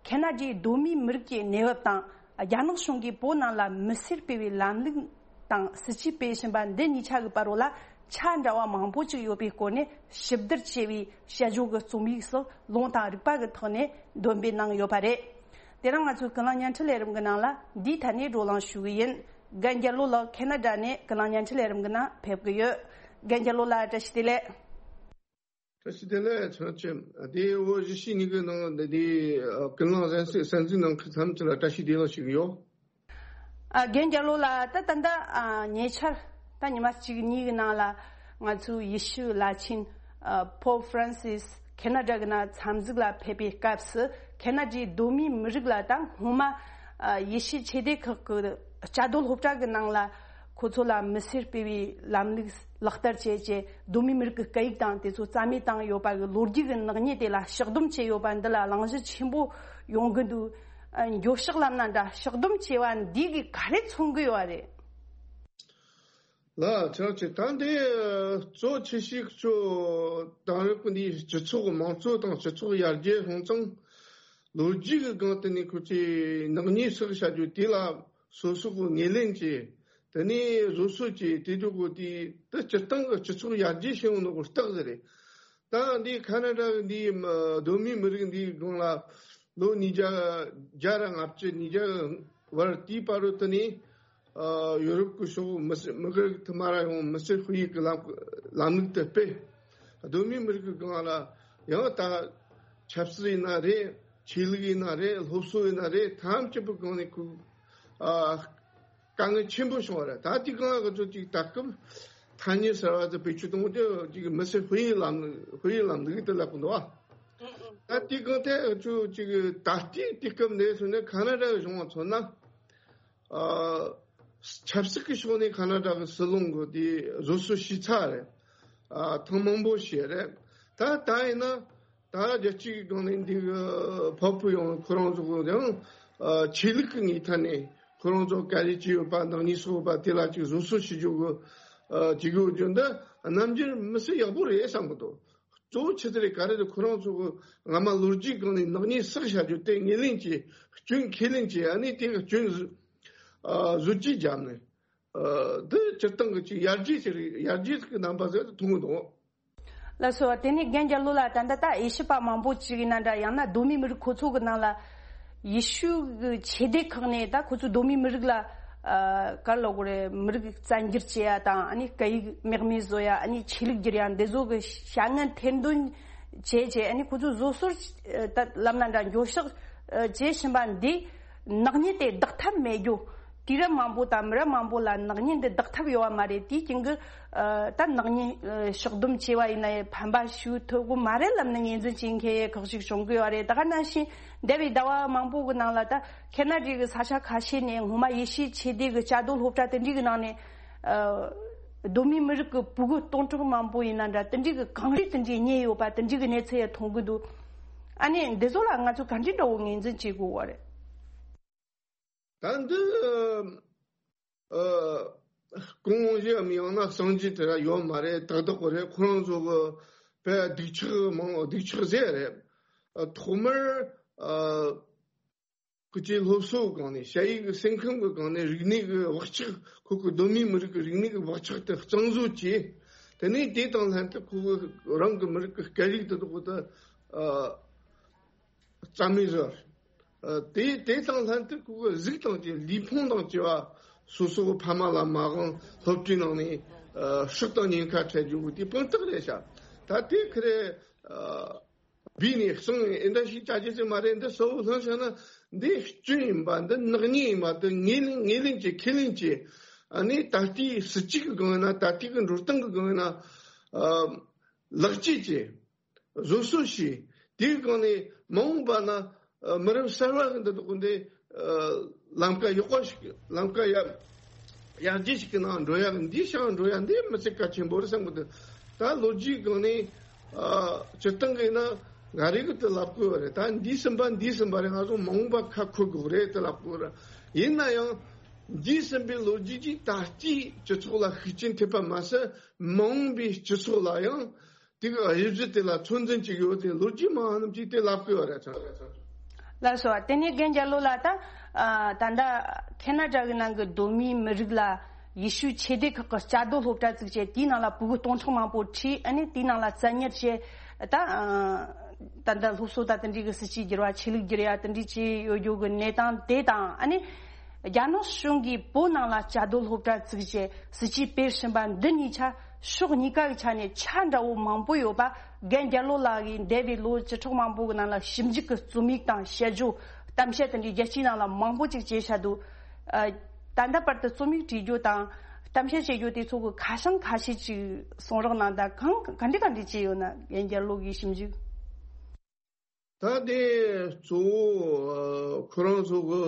ཁེ་ན་ཌའི་གདོད་མའི་མི་རིགས་ཀྱི་གནས་བབ་དང་། རྒྱ་ནག་གཞུང་གིས་བོད་ནང་ལ་མི་སེར་སྤེལ་བའི་ལམ་ལུགས་དང་སྲིད་ཇུས་སྤེལ་བཞིན་པ་འདི་གཉིས་ཆ་གི་བར་རོ་ལ་ཆ་འདྲ་བ་མང་པོ་ཅིག་ཡོད་པའི་སྐོར་ནས་ཞིབ་བསྡུར་བྱས་པའི་དཔྱད་བརྗོད་ཀྱི་རྩོམ་ཡིག་སོགས་ལུང་དང་རིགས་པ་གི་ཐོག་ནས་འདོན་སྤེལ་གནང་ཡོད་པ་རེད། དེ་རིང་ང་ཚོའི་ཀུན་གླེང་བརྙན་འཕྲིན་ལས་རིམ་གྱི་ནང་ལ་འདིའི་ཐད་ནས་བགྲོ་གླེང་ཞུ་གི་ཡིན། རྒན་རྒྱལ་ལོ་ལགས་ཁེ་ན་ཌ་ནས་ཀུན་གླེང་བརྙན་འཕྲིན་ལས་རིམ་གྱི་ནང་ཕེབས་ཀྱི་ཡོད། རྒན་རྒྱལ་ལོ་ལགས་བཀྲ་ཤིས་བདེ་ལེགས། བཀྲ་ཤིས་བདེ་ལེགས། ཚང་ཆེམ་དེ་བོད་གཞིས་བྱེས་གཉིས་ཀྱི་ནང་དེ་དེ་ཀུན་གླེང་གསན་གཟིགས་གསན་གཟིགས་གནང་མཁན་ཐམས་ཅད་ལ་བཀྲ་ཤིས་བདེ་ལེགས་ཞུ་གི་ཡོད། ཨ། རྒན་རྒྱལ་ལོ་ལགས། ད་ད་ལྟ་ཨ་ཉེ་ཆར་ད་ཉི་མ་གཅིག་གཉིས་ཀྱི་ནང་ལ་ང་ཚོའི་ཡེ་ཤུ་བླ་ཆེན་ཨ་Pope Francis་ཁེ་ན་ཌ་གི་ནང་འཚམས་གཟིགས་ལ་ཕེབས་པའི་སྐབས་སུ། ཁེ་ན་ཌའི་གདོད་མའི་མི་རིགས་ལ་ད་སྔོན་མ་ཨ་ཡེ་ཤུ་ཆོས་སྡེ་ཁག་གི་བཅའ་སྡོད་སློབ་གྲྭ་གི་ནང་ལ་ཁོ་ཚོ་ལ་མི་སེར་སྤེལ་བའི་ལམ་ལུགས་ལག་བསྟར་བྱས་རྗེས། གདོད་མའི་མི་རིགས་ཀྱི་སྐད་ཡིག་དང་དེ་ཚོ་རྩ་མེད་བཏང་ཡོད་པ་གི་ལོ་རྒྱུས་ཀྱི་ནག་ཉེས་དེ་ལ་ཕྱག་སྡོམ་བྱས་ཡོད་པ་འདི་ལ་གླེང་གཞི་ཆེན་པོ་ཡོང་གི་འདུག་ཨ། འགྱོད་བཤགས་ལབ་ན་འདྲ། ཕྱག་སྡོམ་བྱས་པ་འདི་གིས་ག་རེ་མཚོན་གི་ཡོད་རེད། ལགས་ཆགས་ཆེ། ད་འདི་གཙོ་ཆེ་ཤོས་ཚོ་དེང་རབས་ཀྱི་འདི་སྤྱི་ཚོགས་དམངས་གཙོ་དང་སྤྱི་ཚོགས་ཡར་རྒྱས་སྲུང་སྐྱོང་ལོ་རྒྱུས་ཀྱི་སྒང་དེ་ནས་ཁོ་ཚོས་ནག་ཉེས་བསགས་བྱ་རྒྱུ་དེ་ལ་སོ་སོ་གི་ངོས་ལེན་བྱས། དེ་ནས་བཟོད་གསོལ་བྱས། དེ་དུས་གོ་དེ་དེ་སྤྱིར་བཏང་གི་སྤྱི་ཚོགས་ཡར་རྒྱས་བྱུང་ནོ་གི་རྟགས་ཟིག་རེད། ད་འདི་ཁ་ན་ཌ་གི་འདི་མ་གདོད་མའི་མི་རིགས་འདིའི་སྒང་ལ་ལོ་ཉིས་བརྒྱ་བརྒྱ་ར་ལྔ་བཅུ་ཉིས་བརྒྱ་བར་དེའི་བར་དུ་ནས་ཨ་ཡོ་རོབ་ཀྱི་ཕྱོགས་མི་སེར་མི་རིགས་དུ་མ་ར་ཡོང་མི་སེར་སྤེལ་ཡིག་གི་ལམ་ལམ་ལུགས་དེ་སྤེལ། གདོད་མའི་མི་རིགས་ཀྱི་སྒང་ལ་ཡང་ད་ཆབ་སྲིད་ཡིན་ན་རེད། ཆོས་ལུགས་ཡིན་ན་རེད། སློབ་གསོ་ཡིན་ན་རེད། ཐམས་ཅད་པོའི་སྒང་ནས་ཁོ་ཨ་དཀའ་ངལ་ཆེན་པོ་བྱུང་བ་རེད། ད་དེའི་སྒང་ང་ཚོ་ཅིག་ད་སྐབས་ཐ་སྙད་གསར་བ་དེ་བེད་སྤྱོད་གཏོང་རྒྱུ་ཅིག་མི་སེར་སྤེལ་ཡིག་ལམ་ལུགས་སྤེལ་ཡིག་ལམ་ལུགས་དེ་ལབ་གི་འདུག་ཨ། ད་དེའི་སྒང་དེ་ང་ཚོ་ཅིག་ད་ལྟའི་དུས་སྐབས་འདི་ཚོ་ནས་ཁ་ན་ཌ་གཞུང་བ་མཚོན་ན། ཨ་ཆབ་སྲིད་ཀྱི་ཕྱོགས་ནས་ཁ་ན་ཌ་གི་སྲིད་བློན་གི་དེ་བཟོད་གསོལ་ཞུས་ཚར་རེད། ཨ་ཐེངས་མང་པོ་བྱས་རེད། ད་ད་ཡིན་ན་ད་རྒྱལ་སྤྱིའི་སྒང་ནས་འདི་གི་ཕོ་བུ་ཡོང་ཁོ་རང་ཚོ་གི་ཡང་ཨ་ཆོས་ལུགས་ཀྱི་ངོས་ཐད་ནས་ཁོ་རང་ཚོ་ག་རེ་བྱས་ཡོད་པ། ནག་ཉེས་བསགས་ཡོད་པ་དེ་ལ་ཅིག་བཟོད་གསོལ་ཞུ་རྒྱུ་གི་ཨ་བྱེད་དགོས་རྒྱུ་འདི་རྣམ་འགྱུར་མི་སྲིད་ཡག་པོ་རེད་བསམ་གི་འདུག་གཙོ་བོ་ཆི་ཟིག་རེད་ག་རེ་རེད། ཁོ་རང་ཚོ་གི་སྔ་མ་ལོ་རྒྱུས་སྒང་ནས་ནག་ཉེས་བསགས་བྱ་རྒྱུ་དེ་ངོས་ལེན་གྱིས་སྐྱོན་ཁས་ལེན་གྱིས། ཨ་ནི་དེ་གི་སྐྱོན་བཟོ་ཨ་བཟོ་བཅོས་བརྒྱབ་ནས་ཨ་འདི་སྤྱིར་བཏང་གི་ཅིག་ཡར་རྒྱས་ཅིག་རེད། ཡར་རྒྱས་ཀྱི་རྣམ་པ་ཟིག་མཐོང་གི་འདུག་ལགས་སོ། དེ་ནས་རྒན་རྒྱལ་ལོ་ལགས། ད་ལྟ་ད་དབྱེ་ཞིབ་པ་མང་པོ་ཅིག་ཡིན་ན་འདྲ། ཡང་ན་གདོད་མའི་མི་རིགས་ཁོ་ཚོ་གི་ནང་ལ་ཡེ་ཤུ་གི་ཆོས་སྡེ་ཁག་ནས་ད་ཁོ་ཚོའི་གདོད་མའི་མི་རིགས་ལ་ཨ་ག་རེ་ལབ་དགོས་རེད། མི་རིགས་བཙན་སྒྱུར་བྱེད་ཡ་དང་། ཨ་ནི་སྐད་ཡིག་མེད་མེད་བཟོ་ཡ། ཨ་ནི་ཆོས་ལུགས་བསྒྱུར་ཡ། འདི་ཚོ་གི་བྱ་ངན་ཐེར་འདོན་བྱས་བྱས། ཨ་ནི་ཁོ་ཚོ་བཟོད་གསོལ་ད་ལབ་ན་འདྲ། འགྱོད་བཤགས་བྱེད་བཞིན་པ་འདི་ནག་ཉེས་དེ་ལྡོག་ཐབས་མེད་རྒྱུ། དུས་རབས་མང་པོ་དང་མི་རབས་མང་པོ་ལ་ནག་ཉེས་འདི་ལྡོག་ཐབས་ཡོད་པ་མ་རེད། དེའི་རྐྱེན་གྱིས་ཨ་ད་ནག་ཉེས་ཨ་ཕྱོགས་བསྡོམས་བྱས་པ་ཡིན་ན་ཕན་པ་ཞིག་ཐོབ་གི་མ་རེད་ལབ་ནས་ངོས་འཛིན་བྱེད་མཁན་ཁག་ཅིག་བྱུང་གི་ཡོད་རེད། ད་ག་ནང་བཞིན་འདས་པའི་ཟླ་བ་མང་པོ་གི་ནང་ལ་ད་ཁེ་ན་ཌའི་གི་ས་ཆ་ཁ་ཤས་ནས་སྔོན་མ་ཡེ་ཤུའི་ཆོས་སྡེ་གི་བཅའ་སྡོད་སློབ་གྲྭ་དེ་འདྲའི་གི་ནང་ནས་ཨ་གདོད་མའི་མི་རིགས་གི་ཕྲུ་གུ་སྟོང་ཕྲག་མང་པོ་ཡིན་ན་འདྲ། དེ་འདྲའི་གི་གངས་རི་དེ་འདྲའི་རྙེད་ཡོད་པ་དེ་འདྲའི་གི་གནས་ཚུལ་ཡང་མཐོང་གི་འདུག་ཨ་ནི་འདི་ཚོ་ལ་ང་ཚོ་ག་འདྲའི་འདྲ་བོ་ངོས་འཛིན་བྱེད་དགོས་པ་རེད། ད་འདི་ཨ་དགོངས་བཞེས་མི་ཡང་ན་གསང་རྒྱུ་དེ་ར་ཡོད་མ་རེད། ཏག་ཏག་གོ་རེད། ཁོ་རང་ཚོ་གི་བས་སྡུག་ཆག་མང་སྡུག་ཆག་ཟེར་རེད། ཨ་ཐོག་མར་ཨ་ཁོ་ཚོའི་སློབ་གསོ་གི་སྒང་ནས་ཞ་ཡིག་གི་སེམས་ཁམས་ཀྱི་སྒང་ནས་རིག་གནས་ཀྱི་བག་ཆགས། ཁོ་ཁོ་གདོད་མའི་མི་རིགས་ཀྱི་རིག་གནས་ཀྱི་བག་ཆགས་དེ་གཙང་བཟོ་བྱས། དེ་ནས་དེ་དང་ལྷན་དུ་ཁོ་གི་རང་གི་མི་རིགས་ཀྱི་སྐད་ཡིག་དེ་དག་དེ་ཨ་རྩ་མེད་བཟོ། ཨ་དེ་དེ་དང་ལྷན་དུ་ཁོ་གི་གཟུགས་དང་བཅས་ལུས་ཕུང་དང་བཅས་པ་སོ་སོ་གི་ཕ་མ་ལ་མ་དབང་། སློབ་གྲྭའི་ནང་ནས་ཨ་སྲོག་དང་ཉེན་ཁ་འཕྲད་རྒྱུ་དེ་དཔང་རྟགས་རེད་ཤག་ད་དེ་ཁེ་རེ་ཨ་བུད་ནས་སོང་ནས་ཨེ་འདྲ་ཞིག་བྱ་རྒྱུ་ཅིག་མ་རེད། འདི་གསལ་བོ་ལྷང་ཤག་ན་འདི་སྐྱོན་ཡིན་པ། འདི་ནག་ཉེས་ཡིན་པ། འདི་ངོས་ལེན་ངོས་ལེན་གྱིས་ཁས་ལེན་གྱིས། ཨ་ནི་ད་ལྟའི་སྲིད་བྱུས་ཀྱི་སྒང་ཡིན་ན། ད་ལྟའི་གི་འགྲོ་སྟངས་ཀྱི་སྒང་ཡིན་ན་ཨ་ལེགས་བཅོས་བྱས། བཟོད་གསོལ་ཞུས། དེའི་སྒང་ནས་མ་འོངས་པ་ན་ཨ་མི་རབས་གསར་བ་གི་འདི་དག་འདི་ཨ་ལམ་ཀ་ཡག་པ་ཞིག་ལམ་ཀ་ཡ་ ཡར་རྒྱས་ཤིག་གི་ནང་འགྲོ་ཡ། འདིའི་ཤང་འགྲོ་ཡ་འདི་མི་ཚེ་གལ་ཆེན་པོ་རེད་བསམ་གི་འདུག་ད་ལོ་རྒྱུས་སྒང་ནས་ཨ་སྤྱིར་བཏང་གི་ན་ང་རེ་གི་དེ་ལབ་དགོས་པ་རེད། ད་འདི་ཟིན་པ་འདི་ཟིན་པ་རེད། ང་ཚོ་མ་འོངས་པ་ཁ་འཁོར་དགོས་རེད་དེ་ལབ་དགོས་རེད། ཡིན་ན་ཡང་འདི་ཟིན་པའི་ལོ་རྒྱུས་ཀྱིས་ད་ལྟའི་སྤྱི་ཚོགས་ལ་ཤུགས་རྐྱེན་ཐེབས་པ་མ་ཟད། མ་འོངས་པའི་སྤྱི་ཚོགས་ལ་ཡང་དེ་གི་དབྱེ་གཞི་དེ་ལ་ཚོད་འཛིན་བྱེད་ཡོད་དེ། ལོ་རྒྱུས་མང་རྣམས་ཀྱིས་དེ་ལབ་དགོས་པ་རེད། ལགས་སོ། དེ་ནས་རྒན་རྒྱལ་ལོ་ལགས། ད་ཨ་ད་ལྟ་ཁེ་ན་ཌ་གི་ནང་གི་གདོད་མའི་མི་རིགས་ལ་ཡེ་ཤུའི་ཆོས་སྡེ་ཁག་གི་བཅའ་སྡོད་སློབ་གྲྭ་བཙུགས་བྱས། དེའི་ནང་ལ་ཕྲུ་གུ་སྟོང་ཕྲག་མང་པོ་ཁྲིད། ཨ་ནི་དེའི་ནང་ལ་བཙན་ཉར་བྱས། ད་ཨ་ད་ལྟ་སློབ་གསོ་དང་དེ་འདྲའི་གི་སྲིད་ཇུས་བསྒྱུར་བ། ཆོས་ལུགས་བསྒྱུར་ཡ་དེ་འདྲའི་བྱས་ཡོད་རྒྱུ་གི་གནས་སྟངས་དེ་དང་། ཨ་ནི་རྒྱ་ནག་གཞུང་གིས་བོད་ནང་ལ་བཅའ་སྡོད་སློབ་གྲྭ་བཙུགས་བྱས་སྲིད་ཇུས་སྤེལ་བཞིན་པ་འདི་གཉིས་ཆ་ཕྱོགས་གཉིས་ཀ་གི་ཆ་ནས་ཆ་འདྲ་བོ་མང་པོ་ཡོད་པ། རྒན་རྒྱལ་ལོ་ལགས་ཀྱིས་འདས་པའི་ལོ་བཅུ་ཕྲག་མང་པོ་གི་ནང་ལ་ཞིབ་འཇུག་གི་རྩོམ་ཡིག་དང་དཔྱད་བརྗོད། གཏམ་བཤད་དེ་འདྲའི་རྒྱལ་སྤྱིའི་ནང་ལ་མང་པོ་ཅིག་བྱས་བཞག་འདུག་ཨ་ད་ལྟ་བར་དུ་རྩོམ་ཡིག་བྲིས་རྒྱུ་དང་གཏམ་བཤད་བྱེད་རྒྱུ་དེ་ཚོ་གི་ཁ་བྱང་ཁ་ཤས་ཅིག་གསུང་རོགས་གནང་དང་། གང་ག་འདྲ་ག་འདྲ་བྱས་ཡོད་ན། རྒན་རྒྱལ་ལོ་གི་ཞིབ་འཇུག་ད་དེ་གཙོ་བོ་ཨ་ཁོ་རང་ཚོ་གི་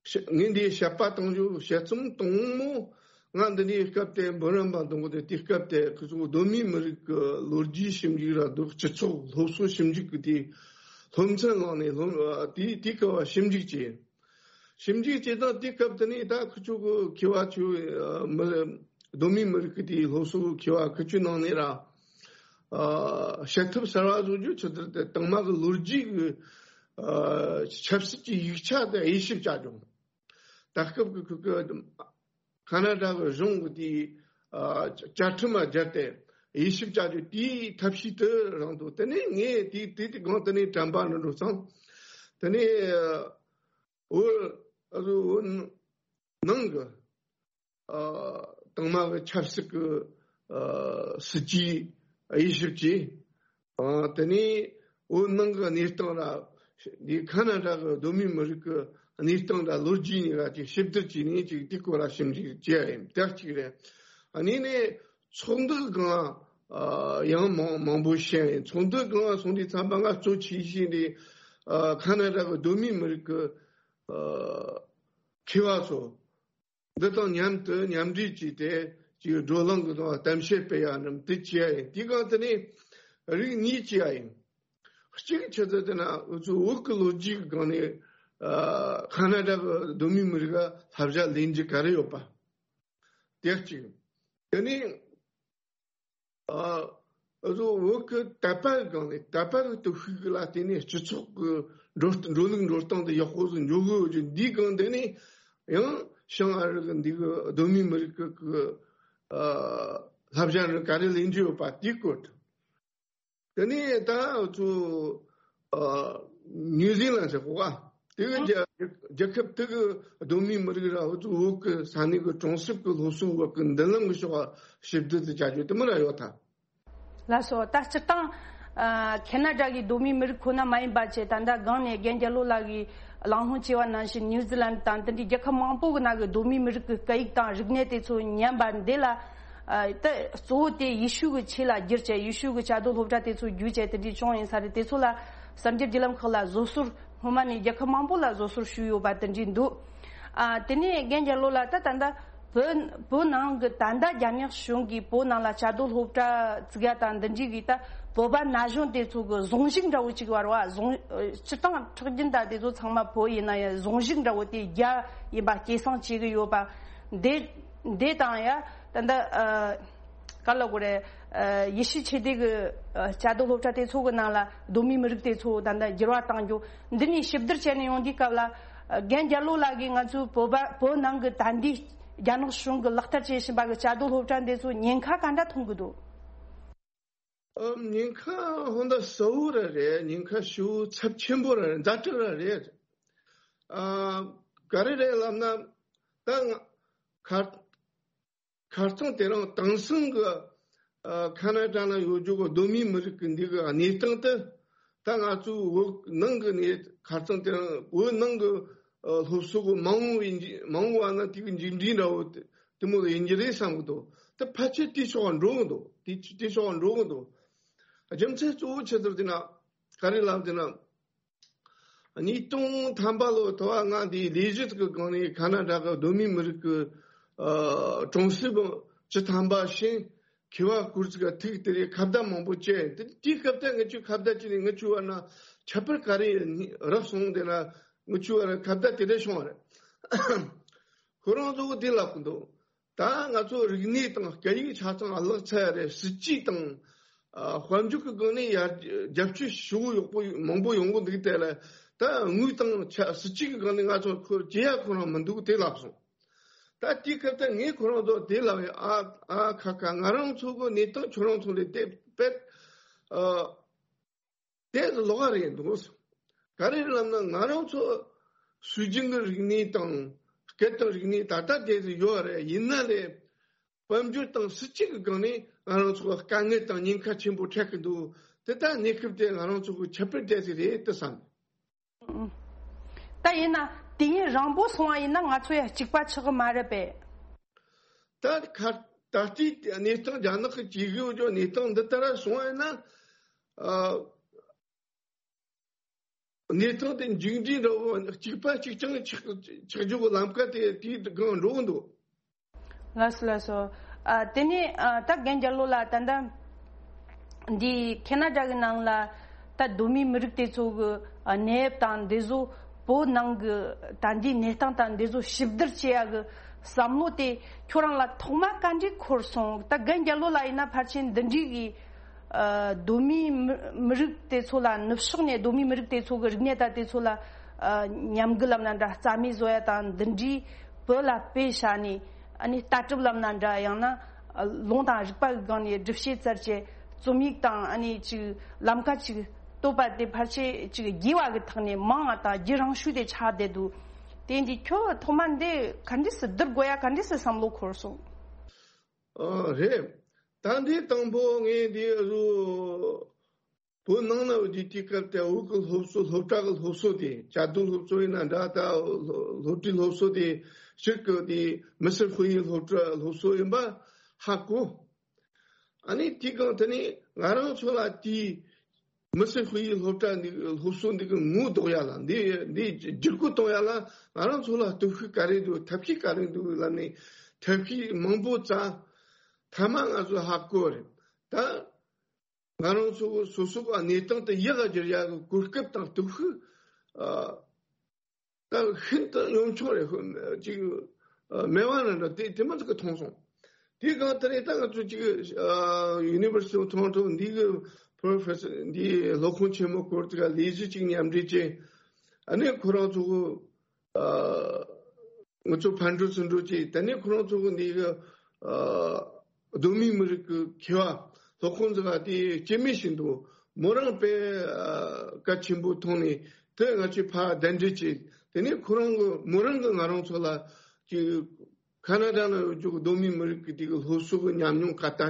ཤ་ངས་འདིའི་བཤད་པ་གཏོང་རྒྱུ། དཔྱད་རྩོམ་དང་པོ་ང་འདི་ནས་སྐབས་དེ་འབུམ་རམས་པ་འདོན་གི་འདུག་དེ་སྐབས་དེ་ཁོ་ཚོ་གདོད་མའི་མི་རིགས་ཀྱི་ལོ་རྒྱུས་ཞིབ་འཇུག་ར་འདུག་སྤྱི་ཚོགས་སློབ་གསོ་ཞིབ་འཇུག་གི་དེ་སློབ་ཚན་བླངས་ནས་སློབ་ཨ་དེ་དེ་སྐབས་ཞིབ་འཇུག་བྱས། ཞིབ་འཇུག་བྱེད་སྟངས་དེ་སྐབས་དེ་ནས་ད་ཁོ་ཚོ་གི་མཁས་པ་ཚོས་ཨ་མི་གདོད་མའི་མི་རིགས་ཀྱི་དེའི་སློབ་གསོ་མཁས་པ་ཁོ་ཚོའི་ནང་ནས་ར་ཨ་བྱེད་ཐབས་གསར་བ་བཟོ་རྒྱུ། ཆི་ཟེར་དེ་དང་མ་གི་ལོ་རྒྱུས་ཀྱི་ཨ་ཆབ་སྲིད་ཀྱི་ཡིག་ཆ་དེ་དབྱེ་ཞིབ་བྱ་རྒྱུ། ད་སྐབས་ཀྱི་ཁོ་ཁོ་ཁ་ན་ཌ་གི་གཞུང་གི་དེའི་ཨ་བཅའ་ཁྲིམས་ལ་སྦྱར་ཏེ་དབྱེ་ཞིབ་བྱ་རྒྱུ་དེའི་ཐབས་ཤེས་དེ་རང་དུ། དེ་ནས་ངས་དེ་དེ་དེ་གང་དེ་ནས་དྲན་པ་འདྲ་འགྲོ་ཙང་། དེ་ནས་ཨ་བོད་ཨ་བོད་ནང་གི་ཨ་དང་མ་གི་ཆབ་སྲིད་ཀྱི་ཨ་སྲིད་ཇུས་དབྱེ་ཞིབ་བྱས། ཨ་དེ་ནས་བོད་ནང་གི་གནས་སྟངས་ལ་འདི་ཁ་ན་ཌ་གི་གདོད་མའི་མི་རིགས་ཀྱི་གནས་སྟངས་ལ་ལོ་རྒྱུས་གཉིས་ཀ་ཅིག་ཞིབ་བསྡུར་བྱས་ནས་ཅིག་དེའི་སྐོར་ལ་ཞིབ་འཇུག་བྱས་ཡིན། དེ་གཅིག་རེད། ཨ་ནི་ནས་ཚོགས་འདུ་གང་ཨ་ཡང་མང་མང་པོ་བཤད་ཡིན། ཚོགས་འདུ་གང་སོང་དུས་ཙམ་པ་ང་གཙོ་ཆེ་ཤོས་འདི་ཨ་ཁ་ན་ཌ་གི་གདོད་མའི་མི་རིགས་ཀྱི་ཨ་མཁས་པ་ཚོ། འདི་དང་མཉམ་དུ་མཉམ་འབྲེལ་བྱས་ཏེ་ཅིག་བགྲོ་གླེང་གི་དང་གཏམ་བཤད་སྤེལ་ཡ་རྣམས་དེ་བྱས་ཡ་ཡིན། དེའི་སྒང་དེ་ནས་རིགས་གཉིས་བྱས་ཡ་ཡིན། གཅིག་ཆི་ཟེར་དེ་ན་འུ་ཚོ་བོད་ཀྱི་ལོ་རྒྱུས་ཀྱི་སྒང་ནས་ཨ་ཁ་ན་ཌ་གི་གདོད་མའི་མི་རིགས་ལ་བསླབ་བྱ་ལེན་རྒྱུ་ག་རེ་ཡོད་པ། དེ་གཅིག་དེ་ནས་ཨ་འུ་ཚོ་བོད་ཀྱི་དད་པ་གི་སྒང་ནས་དད་པ་གི་སྟོབས་ཤུགས་ལ་བརྟེན་ནས་སྤྱི་ཚོགས་ཀྱི་འགྲོ་འགྲོ་ལུགས་འགྲོ་སྟངས་དེ་ཡག་པོ་ཟིག་འགྱོ་གི་ཡོད་རྒྱུ། འདིའི་སྒང་དེ་ནས་ཡང་བྱང་ཨ་རི་གི་འདི་གི་གདོད་མའི་མི་རིགས་ཀྱི་ཀྱི་ཨ་བསླབ་བྱ་རུ་ག་རེ་ལེན་རྒྱུ་ཡོད་པ་དེའི་སྐོར། དེ་ནས་ད་ཚོ་ཨ་ནིའུ་ཛི་ལན་ཟེར་གོ་ག་དེ་གི་རྒྱ་རྒྱལ་ཁབ་དེ་གི་གདོད་མའི་མི་རིགས་ར་འུ་ཚོ་བོད་ཀྱི་ས་གནས་ཀྱི་གྲོང་གསེབ་ཀྱི་སློབ་གསོའི་བར་གྱི་མདུན་ལམ་གྱི་ཕྱོགས་ཞིབ་བསྡུར་དུ་བྱ་རྒྱུ་དེ་མོ་ར་ཡོད་ད། ལགས་སོ། ད་སྤྱིར་བཏང་ཨ་ཁེ་ན་ཌ་གི་གདོད་མའི་མི་རིགས་ཁོ་ན་མ་ཡིན་པ་བྱས། ད་ལྟ་སྒང་ནས་རྒན་རྒྱལ་ལོ་ལགས་ཀྱིས་གླེང་སློང་བྱས་པ་ནང་བཞིན་ནིའུ་ཛི་ལན་དང་དེ་འདྲའི་རྒྱལ་ཁབ་མང་པོ་གི་ནང་གི་གདོད་མའི་མི་རིགས་ཀྱི་སྐད་ཡིག་དང་རིག་གནས་དེ་ཚོ་ཉམས་པ་འདི་ལ། ཨ་ད་གཙོ་བོ་དེ་ཡེ་ཤུ་གི་ཆོས་ལ་བསྒྱུར་བྱས། ཡེ་ཤུ་གི་བཅའ་སྡོད་སློབ་གྲྭ་དེ་ཚོ་བརྒྱུད་བྱས་དེ་འདྲའི་བྱུང་ཡིན་ས་རེད། དེ་ཚོ་ལ་གསར་འགྱུར་བརྒྱུད་ལམ་ཁག་ལ་བཟོ་ཟུར། སྔོན་མ་ནས་རྒྱལ་ཁབ་མང་པོ་ལ་བཟོ་ཟུར་ཞུས་ཡོད་པ་དེ་འདྲའི་འདུག་ཨ་དེ་ནས་རྒན་རྒྱལ་ལོ་ལགས། ད་ད་ལྟ་བོད་བོད་ནང་གི་ད་ལྟ་རྒྱ་ནག་གཞུང་གིས་བོད་ནང་ལ་བཅའ་སྡོད་སློབ་གྲྭ་བཙུགས་ཡ་དང་འདི་འདྲའི་གི་ད་བོད་པ་ན་གཞོན་དེ་ཚོ་གི་ཟུང་ཞིག་འདྲ་བོ་ཅིག་བར་བ་ཟུང་སྤྱིར་བཏང་ཁྲག་རྒྱུན་ད་དེ་ཚོ་ཚང་མ་བོད་ཡིན་ན་ཡང་ཟུང་ཞིག་འདྲ་བོ་དེ་རྒྱ་ཡིན་པ་སྐྱེད་སྲིང་བྱེད་གི་ཡོད་པ། འདི་འདི་དང་ཡ་ད་ལྟ་ཨ་ག་ལ་གོ་རེ། ཨ་ཡེ་ཤུ་ཆོས་སྡེ་གི་ཨ་བཅའ་སྡོད་སློབ་གྲྭ་དེ་ཚོ་གི་ནང་ལ་གདོད་མའི་མི་རིགས་དེ་ཚོ་ད་ལྟ་འགྱུར་བ་བཏང་རྒྱུ། འདི་ནས་ཞིབ་བསྡུར་བྱས་ནས་ཡོང་དུས་སྐབས་ལ། ཨ་རྒན་རྒྱལ་ལོ་ལགས་ཀྱིས་ང་ཚོའི་བོད་པ་བོད་ནང་གི་ད་ལྟའི་རྒྱ་ནག་གཞུང་གིས་ལག་བསྟར་བྱེད་བཞིན་པ་གི་བཅའ་སྡོད་སློབ་གྲྭ་འདི་ཚོ་ཉེན་ཁ་ག་འདྲ་མཐོང་གི་འདུག་ཨ་ཉེན་ཁ་ཧོན་ད་གསལ་བོ་ར་རེད། ཉེན་ཁ་ཞེ་པོ་ཚབས་ཆེན་པོ་ར་རེད། ཛ་དྲག་ར་རེད། ཨ་ག་རེ་རེད་ལབ་ན། ད་ང་ཁ་ཁ་རྩང་དེ་རིང་དེང་སང་གི་ཨ་ཁ་ན་ཌ་ན་ཡོད་རྒྱུ་གི་གདོད་མའི་མི་རིགས་ཀྱི་འདི་གི་གནས་སྟངས་དེ། ད་ང་ཚོའི་བོད་ནང་གི་གནས་ཁ་རྩང་དེ་རིང་བོད་ནང་གི་ཨ་སློབ་གསོ་གི་མ་འོངས་པའི་མ་འོངས་པ་ན་དེ་གི་མཇུག་འབྲས་འདྲ་བོ་དེ་དེ་མོ་ཡིན་གྱི་རེད་བསམ་གི་འདུག་ད་ཕལ་ཆེར་དེ་ཕྱོགས་འགྲོ་གི་འདུག་དེ་དེ་ཕྱོགས་འགྲོ་གི་འདུག་རྒྱུ་མཚན་གཙོ་བོ་ཆི་ཟེར་དེ་ན་ག་རེ་ལབ་དེ་ན། ཉིས་སྟོང་ཐམ་པ་ལོ་ཐོ་བ་ང་འདིའི་ལས་གཞི་གི་སྒང་ནས་ཁ་ན་ཌ་གི་གདོད་མའི་མི་རིགས་ཀྱི་ ཨ་གྲོང་གསེབ་བཅུ་ཐམ་པ་ཤིང་མཁས་པ་སྐོར་ཅིག་ག་ཐུག་དེ་རེད། ཁ་བརྡ་མང་པོ་བྱས། དེ་དེའི་སྐབས་དེ་ང་ཚོས་ཁ་བརྡ་བྱས་ནས་ང་ཚོའི་བར་ན་ཁྱད་པར་ག་རེ་རག་སོང་དེ་ན་ང་ཚོའི་བར་ཁ་བརྡ་དེ་འདྲ་བྱུང་བ་རེད། ཁོ་རང་ཚོ་གིས་དེ་ལབ་ཀྱི་འདུག་ད་ང་ཚོ་རིག་གནས་དང་སྐད་ཡིག་ཆ་ཚང་བརླག་ཚར་རེད། སྲིད་ཇུས་དང་ཨ་དཔལ་འབྱོར་གྱི་སྒང་ནས་ཡར་རྒྱབ་སྐྱོར་ཞུ་ཡག་པོ་མང་པོ་ཡོང་གི་འདུག་དེ་ལ་ད་དངུལ་དང་ཆ་སྲིད་ཇུས་ཀྱི་སྒང་ནས་ང་ཚོ་ཁོ་བྱེད་ཡ་ཁོ་རང་མི་འདུག་དེ་ལབ་སོང་། ད་དེའི་སྐབས་དེ་ངས་ཁོ་རང་ཚོ་དེ་ལབ་ཡ། ཨ་ཨ་ཁ་ཁ། ང་རང་ཚོ་གི་གནས་སྟངས་ཁྱོད་རང་ཚོ་ལས་དེ་དཔེ་ཨ་དེ་ལོགས་ཀ་རེད་འདུག་ག་རེ་རེད་ལབ་ན་ང་རང་ཚོ་སྲོལ་རྒྱུན་གྱི་རིག་གནས་དང་སྐད་དང་རིག་གནས་ད་ལྟ་དེ་ཡོད་རེད། ཡིན་ན་ལས་དཔལ་འབྱོར་དང་སྲིད་ཇུས་ཀྱི་སྒང་ནས་ང་རང་ཚོ་དཀའ་ངལ་དང་ཉེན་ཁ་ཆེན་པོ་འཕྲད་ཀྱི་འདུག་དེ་ད་གནས་སྐབས་དེ་ང་རང་ཚོ་གི་ཁྱད་པར་དེ་ཞིག་རེད་དེ་བསམ། ད་ཡིན་ན་དུས་ཡུན་རིང་པོ་སོང་བ་ཡིན་ན་ང་ཚོ་ཡང་གཅིག་པ་ཆགས་ཀྱི་མ་རེད་པས། ད་ཁ་ད་ལྟའི་གནས་སྟངས་རྒྱ་ནག་གི་བྱེད་དགོས་ཀྱི་གནས་སྟངས་འདི་ལྟར་སོང་བ་ཡིན་ན། ཨ། གནས་སྟངས་དེ་མཇུག་འབྲས་འདྲ་བོ་གཅིག་པ་གཅིག་རྐྱང་ཆགས་ཆགས་རྒྱུ་གི་ལམ་ཀ་དེ་དེའི་སྒང་འགྲོ་གི་འདུག་ལགས་སོ་ལགས་སོ། ཨ་དེ་ནས་ཨ་ད་རྒན་རྒྱལ་ལོ་ལགས། ད་ལྟ་འདི་ཁེ་ན་ཌ་གི་ནང་ལ་ད་གདོད་མའི་མི་རིགས་དེ་ཚོ་གི་ཨ་གནས་བབ་དང་འདི་ཚོ་བོད་ནང་གི་ད་འདིའི་གནས་སྟངས་དང་འདི་ཚོ་ཞིབ་བསྡུར་བྱེད་ཡ་གི་བསམ་བློ་དེ་ཁྱོད་རང་ལ་ཐོག་མ་ག་འདྲས་འཁོར་སོང་། ད་རྒན་རྒྱལ་ལོ་ལགས་ཡིན་ན་ཕལ་ཆེར་འདི་འདྲའི་གི་ཨ་གདོད་མའི་མི་མི་རིགས་དེ་ཚོ་ལ་ནུབ་ཕྱོགས་ནས་གདོད་མའི་མི་རིགས་དེ་ཚོ་གི་རིག་གནས་དང་དེ་ཚོ་ལ་ཨ་ཉམས་རྒུད་ལབ་ན་འདྲ། རྩ་མེད་བཟོ་ཡ་དང་འདི་འདྲའི་བོད་ལ་དཔེ་བཞག་ནས་ཨ་ནི་ལྟ་གྲུབ་ལབ་ན་འདྲ། ཡང་ན་ཨ་ལུང་དང་རིགས་པ་གི་སྒང་ནས་སྒྲུབ་བྱེད་བཙལ་བྱེད་རྩོམ་ཡིག་དང་ཨ་ནི་ཅིག་ལམ་ཁ་ཅིག་བཏོད་པ་དེ་ཕལ་ཆེར་ཅིག་རྒྱས་པ་གི་ཐོག་ནས་མང་བ་དང་རྒྱུན་རིང་ཤོས་དེ་ཆགས་བསྡད་འདུག་དེ་འདི་ཁྱོད་ཐོག་མ་འདི་ག་འདྲས་སེ་བསྡུར་དགོས་ཡ་ག་འདྲས་སེ་བསམ་བློ་འཁོར་སོང་། ཨ་རེད། ད་འདི་དང་པོ་ངས་འདི་རུ་བོད་ནང་ན་འོ་དེ་དུས་སྐབས་དེ་བོད་ཀྱི་སློབ་གསོ། སློབ་གྲྭ་གི་སློབ་གསོ་དེ། བཅའ་སྡོད་སློབ་གསོ་ཡིན་ན་འདྲ། ད་སློབ་གྲྭའི་སློབ་གསོ་དེ་ཕྱིར་གི་དེ་མི་སེར་ཧུའུ་ཡི་སློབ་གྲྭ་སློབ་གསོ་ཡིན་པ་ཧ་གོ། ཨ་ནི་དེའི་སྒང་དེ་ནས་ང་རང་ཚོ་ལ་དེའི་མི་སེར་ཧུའུ་ཡི་སློབ་གྲྭ་འདི་སློབ་གསོ་འདི་གི་ངོ་ལྡོག་ཡ་ལ། འདི་འདི་བསྒྱུར་བཀོད་གཏོང་ཡ་ལ་ང་རང་ཚོ་ལ་སྟོབས་ཤུགས་ག་རེ་འདུག་ཐབས་ཤེས་ག་རེ་འདུག་ལབ་ནས་ཐབས་ཤེས་མང་པོ་བཙལ། མཐའ་མ་ང་ཚོ་ཧ་གོ་རེད། ད་ང་རང་ཚོ་སོ་སོ་གི་གནས་སྟངས་དེ་ཡག་ག་བསྒྱུར་ཡག་གི་གོ་སྐབས་དང་སྟོབས་ཤུགས་ཨ་ད་ཤིན་ཏུ་གཡོན་ཆོག་རེད། ཅིག་ཨ་མེད་པ་ན་འདྲ། དེ་དེ་མ་ཟིག་གི་མཐོང་སོང་། དེ་གང་ལྟར་ད་ང་ཚོ་ཅིག་ཨ་University of Toronto འདི་གི་professor འདི་སློབ་དཔོན་ཆེན་མོ་སྐོར་ཅིག་ལ་ལས་གཞི་ཅིག་མཉམ་འབྲེལ་བྱས། ཨ་ནི་ཁོ་རང་ཚོ་གི་ཨ་ང་ཚོ་ཕར་འགྲོ་ཚུར་འགྲོ་བྱས། དེ་ནས་ཁོ་རང་ཚོ་གི་འདི་གི་ཨ་གདོད་མའི་མི་རིགས་ཀྱི་མཁས་པ་སློབ་དཔོན་ཟེར་བ་དེ་སྐྱེ་དམན་ཞིག་འདུག་མོ་རང་དཔེ་ཨ་གལ་ཆེན་པོ་མཐོང་ནས་དེ་ང་ཚོས་ཕར་གདན་འདྲེན་བྱས། དེ་ནས་ཁོ་རང་གི་མོ་རང་གིས་ང་རང་ཚོ་ལ་ཅིག་ཁ་ན་ཌ་ན་ཡོད་རྒྱུ་གི་གདོད་མའི་མི་རིགས་ཀྱི་དེ་གི་སློབ་གསོ་གི་ཉམས་མྱོང་ག་ད་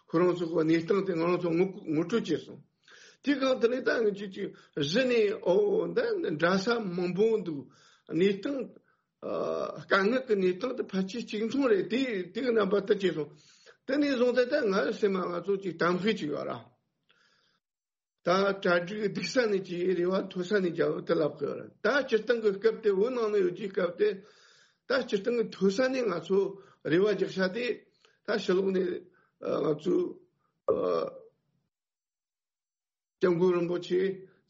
ཁོ་རང་ཚོ་གི་གནས་སྟངས་དེ་ང་རང་ཚོ་ངོ་ངོ་སྤྲོད་བྱས་སོང་། དེ་གང་དེ་ནས་ད་ང་ཚོས་ཅིག་གཞི་ནས་ཨོ་འདི་འདྲ་ས་མང་པོ་འདུག་གནས་སྟངས་ཨ་དཀའ་ངལ་གྱི་གནས་སྟངས་དེ་ཕལ་ཆེར་གཅིག་མཚུངས་རེད། དེ་དེ་གི་རྣམ་པ་ད་བྱས་སོང་། དེ་ནས་བཟུང་སྟེ་ད་ང་སེམས་ལ་ང་ཚོ་ཅིག་གཏམ་དཔེ་ཅིག་ཡོད་ར། ད་གྲ་སྒྲིག་སྡུག་ས་ནས་ཀྱི་རེ་བ་མཐོ་ས་ནས་རྒྱབ་དེ་ལབ་དགོས་ར། ད་སྤྱིར་བཏང་གི་སྐབས་དེ་བོད་ནང་ན་ཡོད་ཀྱི་སྐབས་དེ་ད་སྤྱིར་བཏང་གི་མཐོ་ས་ནས་ང་ཚོ་རེ་བ་རྒྱག་ས་དེ་ད་ཕྱི་ལོགས་ནས་ཨ་ང་ཚོ་ཨ་སྐྱབས་མགོན་རིན་པོ་ཆེ།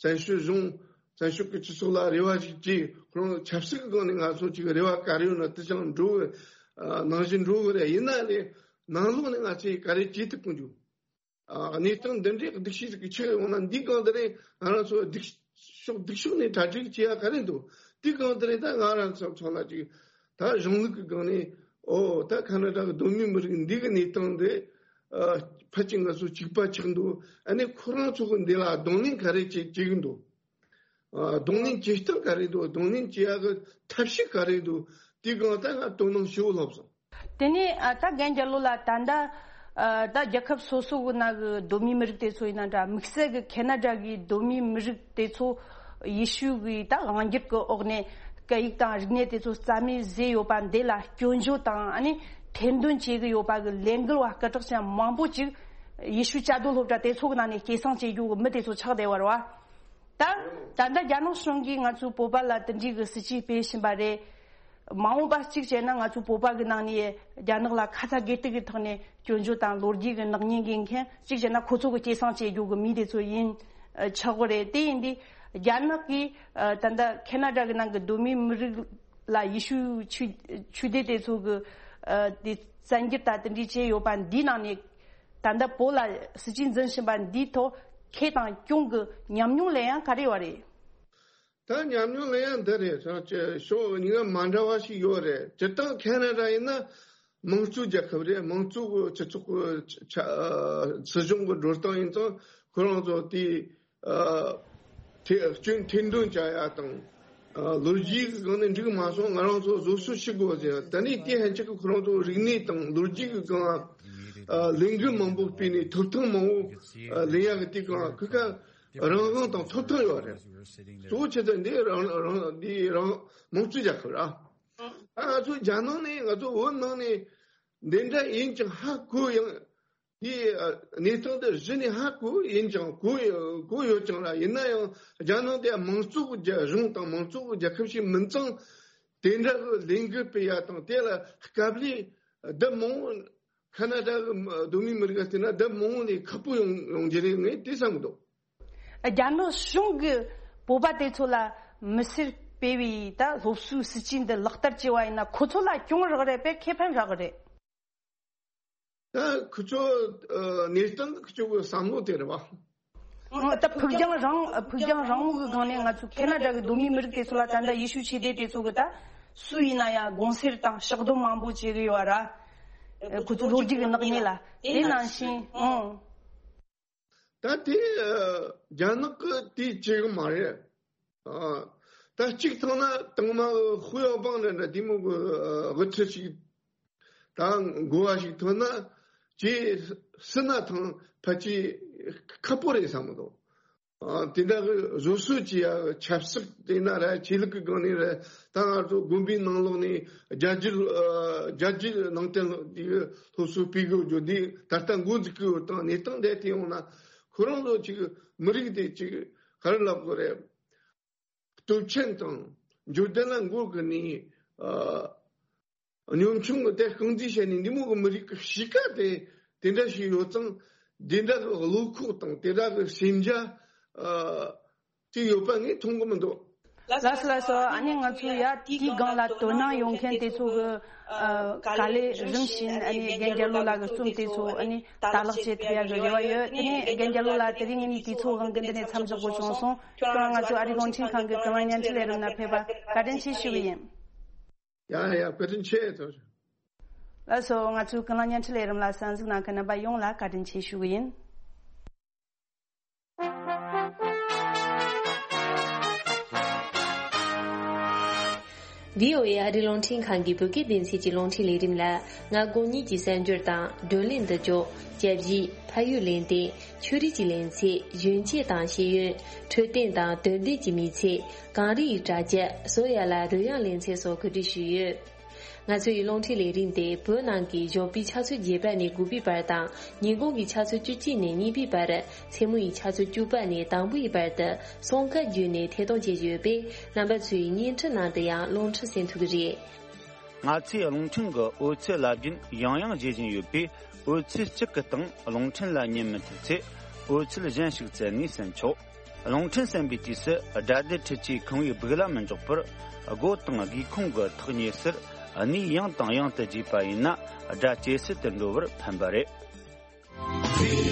བཙན་བྱོལ་གཞུང་། བཙན་བྱོལ་གྱི་སྤྱི་ཚོགས་ལ་རེ་བ་ཞིག་བྱས། ཁོ་རང་ཆབ་སྲིད་ཀྱི་སྒང་ནས་ང་ཚོ་ཅིག་རེ་བ་ག་རེ་ཡོད་ན་དེ་ཅང་འགྲོ་གི་ཨ་ནང་བཞིན་འགྲོ་གི་རེད། ཡིན་ན་ལས་ནང་ལོགས་ནས་ང་ཚོས་ག་རེ་བྱེད་ཐུབ་ཀྱི་འདུག་ཨ་གནས་སྟངས་འདི་འདྲའི་སྡུག་ཤོས་ཤིག་གི་ཆེད་ཡོང་ན་འདིའི་སྒང་དེ་རིང་ང་རང་ཚོ་སྡུག་ཕྱོགས་སྡུག་ཕྱོགས་ནས་གྲ་སྒྲིག་བྱེད་ཡ་ག་རེ་འདུག་དེའི་སྒང་དེ་རིང་ད་ང་རང་ཚོ་ཚོ་ལ་ཅིག་ད་གཞུང་ལུགས་ཀྱི་སྒང་ནས་ཨོ་ད་ཁ་ན་ཌ་གི་གདོད་མའི་མི་རིགས་འདི་གི་གནས་སྟངས་འདི་ཨ་ཕལ་ཆེར་ང་ཚོ་གཅིག་པ་ཆགས་འདུག་ཨ་ནི་ཁོ་རང་ཚོ་གི་འདི་ལ་གདོང་ལེན་ག་རེ་བྱེད་བྱེད་གི་འདུག་ཨ་གདོང་ལེན་བྱེད་སྟངས་ག་རེ་འདུག་གདོང་ལེན་བྱེད་ཡ་གི་ཐབས་ཤེས་ག་རེ་འདུག་དེའི་སྒང་ད་ང་དོ་སྣང་ཞེ་པོ་ལྷག་སོང་། དེ་ནས་ཨ་ད་རྒན་རྒྱལ་ལོ་ལགས། ད་ལྟ་ཨ་ད་རྒྱལ་ཁབ་སོ་སོ་གི་ནང་གི་གདོད་མའི་མི་རིགས་དེ་ཚོ་ཡིན་ན་འདྲ། དམིགས་བསལ་གི་ཁེ་ན་ཌ་གི་གདོད་མའི་མི་རིགས་དེ་ཚོ་ཡེ་ཤུ་གི་ད་དབང་སྒྱུར་གི་འོག་ནས་སྐད་ཡིག་དང་རིག་གནས་དེ་ཚོ་རྩ་མེད་བཟོས་ཡོད་པ་འདི་ལ་སྐྱོན་བརྗོད་དང་ཨ་ནི་ཐེར་འདོན་བྱེད་གི་ཡོད་པ་གི་ལས་འགུལ་བ་སྐད་གྲགས་ཅན་མང་པོ་ཅིག་ཡེ་ཤུ་བཅའ་སྡོད་སློབ་གྲྭ་དེ་ཚོ་གི་ནང་ནས་སྐྱེད་སྲིང་བྱེད་རྒྱུ་གི་མི་དེ་ཚོ་ཆགས་བསྡད་པ་རེད་བ། ད་ད་ལྟ་རྒྱ་ནག་གཞུང་གིས་ང་ཚོའི་བོད་པ་ལ་དེ་འདྲའི་གི་སྲིད་ཇུས་སྤེལ་བཞིན་པ་རེད། མ་འོངས་པ་གཅིག་བྱས་ན་ང་ཚོ་བོད་པ་གི་ནང་ནས་རྒྱ་ནག་ལ་ཁ་ཚ་དགོས་གཏུག་གི་ཐོག་ནས་སྐྱོན་བརྗོད་དང་ལོ་རྒྱུས་ཀྱི་ནག་ཉེས་འགེལ་མཁན་གཅིག་བྱས་ན་ཁོ་ཚོ་གི་སྐྱེད་སྲིང་བྱེད་རྒྱུ་གི་མི་དེ་ཚོ་ཡིན་ཆོག་གི་རེད། དེ་ཡིན་དུས་རྒྱ་ནག་གིས་ད་ལྟ་ཁེ་ན་ཌ་གི་ནང་གི་གདོད་མའི་མི་རིགས་ལ་ཡེ་ཤུ་ཆོས་ཆོས་སྡེ་དེ་ཚོ་གི་དེ་བཙན་འགྱུར་དང་དེ་འདྲའི་བྱས་ཡོད་པ་འདིའི་ནང་ནས་ད་ལྟ་བོད་ལ་སྲིད་ཇུས་འཛིན་བཞིན་པ་འདིའི་ཐོག་ཁེ་དང་གྱོང་གི་ཉམས་མྱོང་ལེན་ཡ་ག་རེ་ཡོད་རེད། ད་ཉམས་མྱོང་ལེན་ཡ་འདི་རེད། ཕྱོགས་གཉིས་ཀ་མ་འདྲ་བ་ཞིག་ཡོད་རེད། སྤྱིར་བཏང་ཁེ་ན་ཌ་ཡིན་ན་དམངས་གཙོའི་རྒྱལ་ཁབ་རེད། དམངས་གཙོ་གི་སྤྱི་ཚོགས་ཀྱི་ཆ་སྲིད་གཞུང་གི་འགྲོ་སྟངས་ཡིན་ཙང་ཁོ་རང་ཚོ་དེ་ཨ་ཐེ་སྐྱོན་ཐེར་འདོན་བྱ་ཡ་དང་། ཨ་ལོ་རྒྱུས་ཀྱི་སྒང་ནས་འགྲིག་མ་སོང་ང་རང་ཚོ་བཟོ་བཅོས་བྱེད་དགོས་ཟེར། ད་ནི་དེ་ཧན་ཆད་ཀྱི་ཁོ་རང་ཚོ་རིག་གནས་དང་ལོ་རྒྱུས་ཀྱི་སྒང་ཨ་ལས་འགུལ་མང་པོ་སྤེལ་ནས་ཐོབ་ཐང་མང་པོ་ཨ་ལེན་ཡ་གི་དེ་གང་ཁུ་ཁ་རང་དབང་དང་ཐོབ་ཐང་ཡོད་རེད། གཙོ་བོ་ཆེ་ཚད་འདི་རང་རང་འདི་རང་དམངས་གཙོའི་རྒྱལ་ཁབ་ར། ཨ་ང་ཚོ་རྒྱ་ནང་ནས་ང་ཚོ་བོད་ནང་ནས་འདི་འདྲ་ཡིན་ཀྱང་ཧ་གོ་ཡང་དེའི་ཨ་གནས་སྟངས་དེ་གཞི་ནས་ཧ་གོ་ཡིན་ཀྱང་གོ་ཡ་གོ་ཡོད་ཀྱང་ར། ཡིན་ན་ཡང་རྒྱ་ནང་དེ་དམངས་གཙོ་གི་རྒྱ་གཞུང་དང་དམངས་གཙོ་གི་རྒྱལ་ཁབ་ཞིག་མིན་ཙང་དེ་འདྲ་གི་ལས་འགུལ་སྤེལ་ཡ་དང་དེ་ལ་སྐབས་རེ་བདུད་མང་བོ་ཁ་ན་ཌ་གི་གདོད་མའི་མི་རིགས་ལ་བལྟས་ན་བདུད་མང་བོ་ནས་ཁག་པོ་ཡོང་ཡོང་རྒྱུ་རེད། ངས་དེ་བསམ་གི་འདུག་རྒྱ་ནག་གཞུང་གིས་བོད་པ་དེ་ཚོ་ལ་མི་སེར་སྤེལ་བའི་ད་སློབ་གསོའི་སྲིད་ཇུས་འདི་ལག་བསྟར་བྱས་པ་ཡིན་ན་ཁོ་ཚོ་ལ་གྱོང་རག་རེད་པས་ཁེ་ཕན་རག་གི་རེད། ད་ཁོ་ཚོ་ཨ་གནས་སྟངས་ཁོ་ཚོ་གི་བསམ་བློ་དེ་རེད་བ། ད་ཕུགས་རྒྱང་རིང་ཕུགས་རྒྱང་རིང་མོ་གི་སྒང་ནས་ང་ཚོ་ཁེ་ན་ཌ་གི་གདོད་མའི་མི་རིགས་དེ་ཚོ་ལ་ད་ལྟ་ཡེ་ཤུ་ཆོས་སྡེ་དེ་ཚོ་གི་ད་སུ་ཡིན་ན་ཡང་དགོངས་སེལ་དང་ཕྱག་རྡོར་མང་པོ་བྱེད་གི་ཡོད་ར། ཁོ་ཚོ་ལོ་རྒྱུས་ཀྱི་ནག་ཉེས་ལ་དེ་ནང་བཞིན་ཨང་། ད་དེ་རྒྱ་ནག་གི་དེ་བྱེད་གི་མ་རེད། ད་གཅིག་ཐང་ན་དང་མ་ཧུ་ཡའོ་པང་ལ་འདྲ་དེ་མོ་གི་དབུ་ཁྲིད་ཞིག་ད་འགོ་བ་ཞིག་ཐོན་ན་ཇེ་སྲིད་ན་ཐང་ཕལ་ཆེར་ཁག་པོ་རེད་བསམ་གི་འདུག་དེ་འདྲ་གི་བཟོ་སྲོལ་གྱི་ཡ་ཆབ་སྲིད་དེ་ན་ར་ཆོས་ལུགས་ཀྱི་སྒང་ནས་ར། ད་ང་ཚོ་དགོན་པའི་ནང་ལོགས་ནས་རྒྱ་རྒྱུད་རྒྱ་རྒྱུད་ནང་བསྟན་སློབ་གསོ་སྤེལ་དགོས་རྒྱུ་འདི་ད་ལྟ་འགོ་འཛུགས་ཀྱི་ཡོད་དང་གནས་སྟངས་འདི་དེ་ཡོང་ན་ཁོ་རང་ཚོ་ཅིག་མི་རིགས་དེ་ཅིག་ག་རེ་ལབ་དགོས་རེད། སྟོབས་ཆེན་དང་འབྱོར་ལྡན་ལ་མགོ་གི་ནས་ཨ་གཉོམ་ཆུང་གི་དེ་རྐང་འཛིན་བྱས་ནས་འདི་མོ་གི་མི་རིགས་ཀྱི་གཤིས་ཀ་དེ་དེ་འདྲ་ཞིག་ཡོད་ཙང་དེ་འདྲ་གི་བློ་ཁོག་དང་དེ་འདྲ་གི་སེམས་རྒྱ་ཨ་དེ་ཡོད་པ་ངས་མཐོང་གི་མི་འདུག་ལགས་སོ་ལགས་སོ། ཨ་ནི་ང་ཚོ་ཡ་དེའི་སྒང་ལ་དོ་སྣང་ཡོང་མཁན་དེ་ཚོ་གི་ཨ་ག་ལེ་རིམ་བཞིན་ཨ་ནི་རྒན་རྒྱལ་ལོ་ལགས་ཀྱི་རྩོམ་དེ་ཚོ་ཨ་ནི་ལྟ་ཀློག་བྱེད་ཐུབ་ཡ་གི་རེ་བ་ཡོད། དེ་ནས་རྒན་རྒྱལ་ལོ་ལགས་དེ་རིང་ངས་དུས་ཚོད་དབང་གིས་འདི་ནས་མཚམས་འཇོག་དགོས་བྱུང་སོང་། ཁྱོད་རང་ང་ཚོ་ཨ་རིའི་རླུང་འཕྲིན་ཁང་གི་ཀུན་གླེང་བརྙན་འཕྲིན་ལས་རིམ་ནང་ཕེབས་པར་བཀའ་དྲིན་ཆེ་ཞུ་གི་ཡིན། ཡ་ཡ་བཀའ་དྲིན་ཆེ་ཐོ། ལགས་སོ། ང་ཚོའི་ཀུན་གླེང་བརྙན་འཕྲིན་ལས་རིམ་ལ་གསན་གཟིགས་གནང་མཁན་རྣམ་པ་ཡོངས་ལ་བཀའ་དྲིན་ཆེ་ཞུ་གི་ཡིན། བྷི་ཨོ་ཨེ་ཨ་རིའི་རླུང་འཕྲིན་ཁང་གི་བོད་སྐད་སྡེ་ཚན་གྱི་རླུང་འཕྲིན་ལས་རིམ་ལ་མངའ་ཁོངས་གཉིས་ཀྱི་གསར་འགྱུར་དང་བགྲོ་གླེང་འདི་ལྕོགས། སྐྱབས་གཞི། ཕ་ཡུལ་གླེང་སྟེགས། ཆོས་རིག་གི་གླེང་ཚད། གཞོན་སྐྱེས་དང་ཤེས་ཡོན། འཕྲོད་བསྟེན་དང་དོན་ལྡན་གྱི་མི་ཚེ། གངས་རི་ཡི་གྲྭ་རྒྱ། བཟོ་ཡ་ལ་རོལ་དབྱངས་གླེང་ཚད་སོགས་གོ་སྒྲིག་ཞུས་ཡོད། ང་ཚོའི་རླུང་འཕྲིན་ལས་རིམ་དེ་བོད་ནང་གི་གཞོགས་པའི་ཆུ་ཚོད་བརྒྱད་པ་ནས་དགུ་པའི་བར་དང་ཉིན་གུང་གི་ཆུ་ཚོད་བཅུ་གཅིག་ནས་གཉིས་པའི་བར། མཚན་མོ་ཡི་ཆུ་ཚོད་བཅུ་པ་ནས་དང་པོའི་བར་དུ་སོང་ཁ་བརྒྱུད་ནས་ཐད་གཏོང་བྱེད་ཀྱི་ཡོད་པས། རྣམ་པ་ཚོས་བརྙན་འཕྲིན་ནང་དུ་ཡང་རླུང་འཕྲིན་གསན་ཐུབ་ཀྱི་རེད། ང་ཚོས་རླུང་འཕྲིན་གྱི་འོད་ཚད་རླབས་རྒྱུན་ཡང་ཡང་བརྗེ་བཞིན་ཡོད་པས། འོད་ཚད་གཅིག་གི་སྟེང་རླུང་འཕྲིན་ལ་ཉན་མི་ཐུབ་ཚེ། འོད་ཚད་གཞན་ཞིག་བཙལ་ནས་གསན་ཆོག་རླུང་འཕྲིན་གསན་པའི་དུས་སུ་སྒྲ་སྡུད་འཕྲུལ་ཆས་ཁང་བའི་སྦུག་ལ་མི་འཇོག་པར། སྒོ་དང་སྒེའུ་ཁུང་གི་ཐག་ཉེ་སར་གནས་ཡང་དང་ཡང་དུ་བརྗེས་པ་ཡིན་ན། སྒྲ་ཇེ་གསལ་དུ་འགྲོ་བར་ཕན་པ་རེད།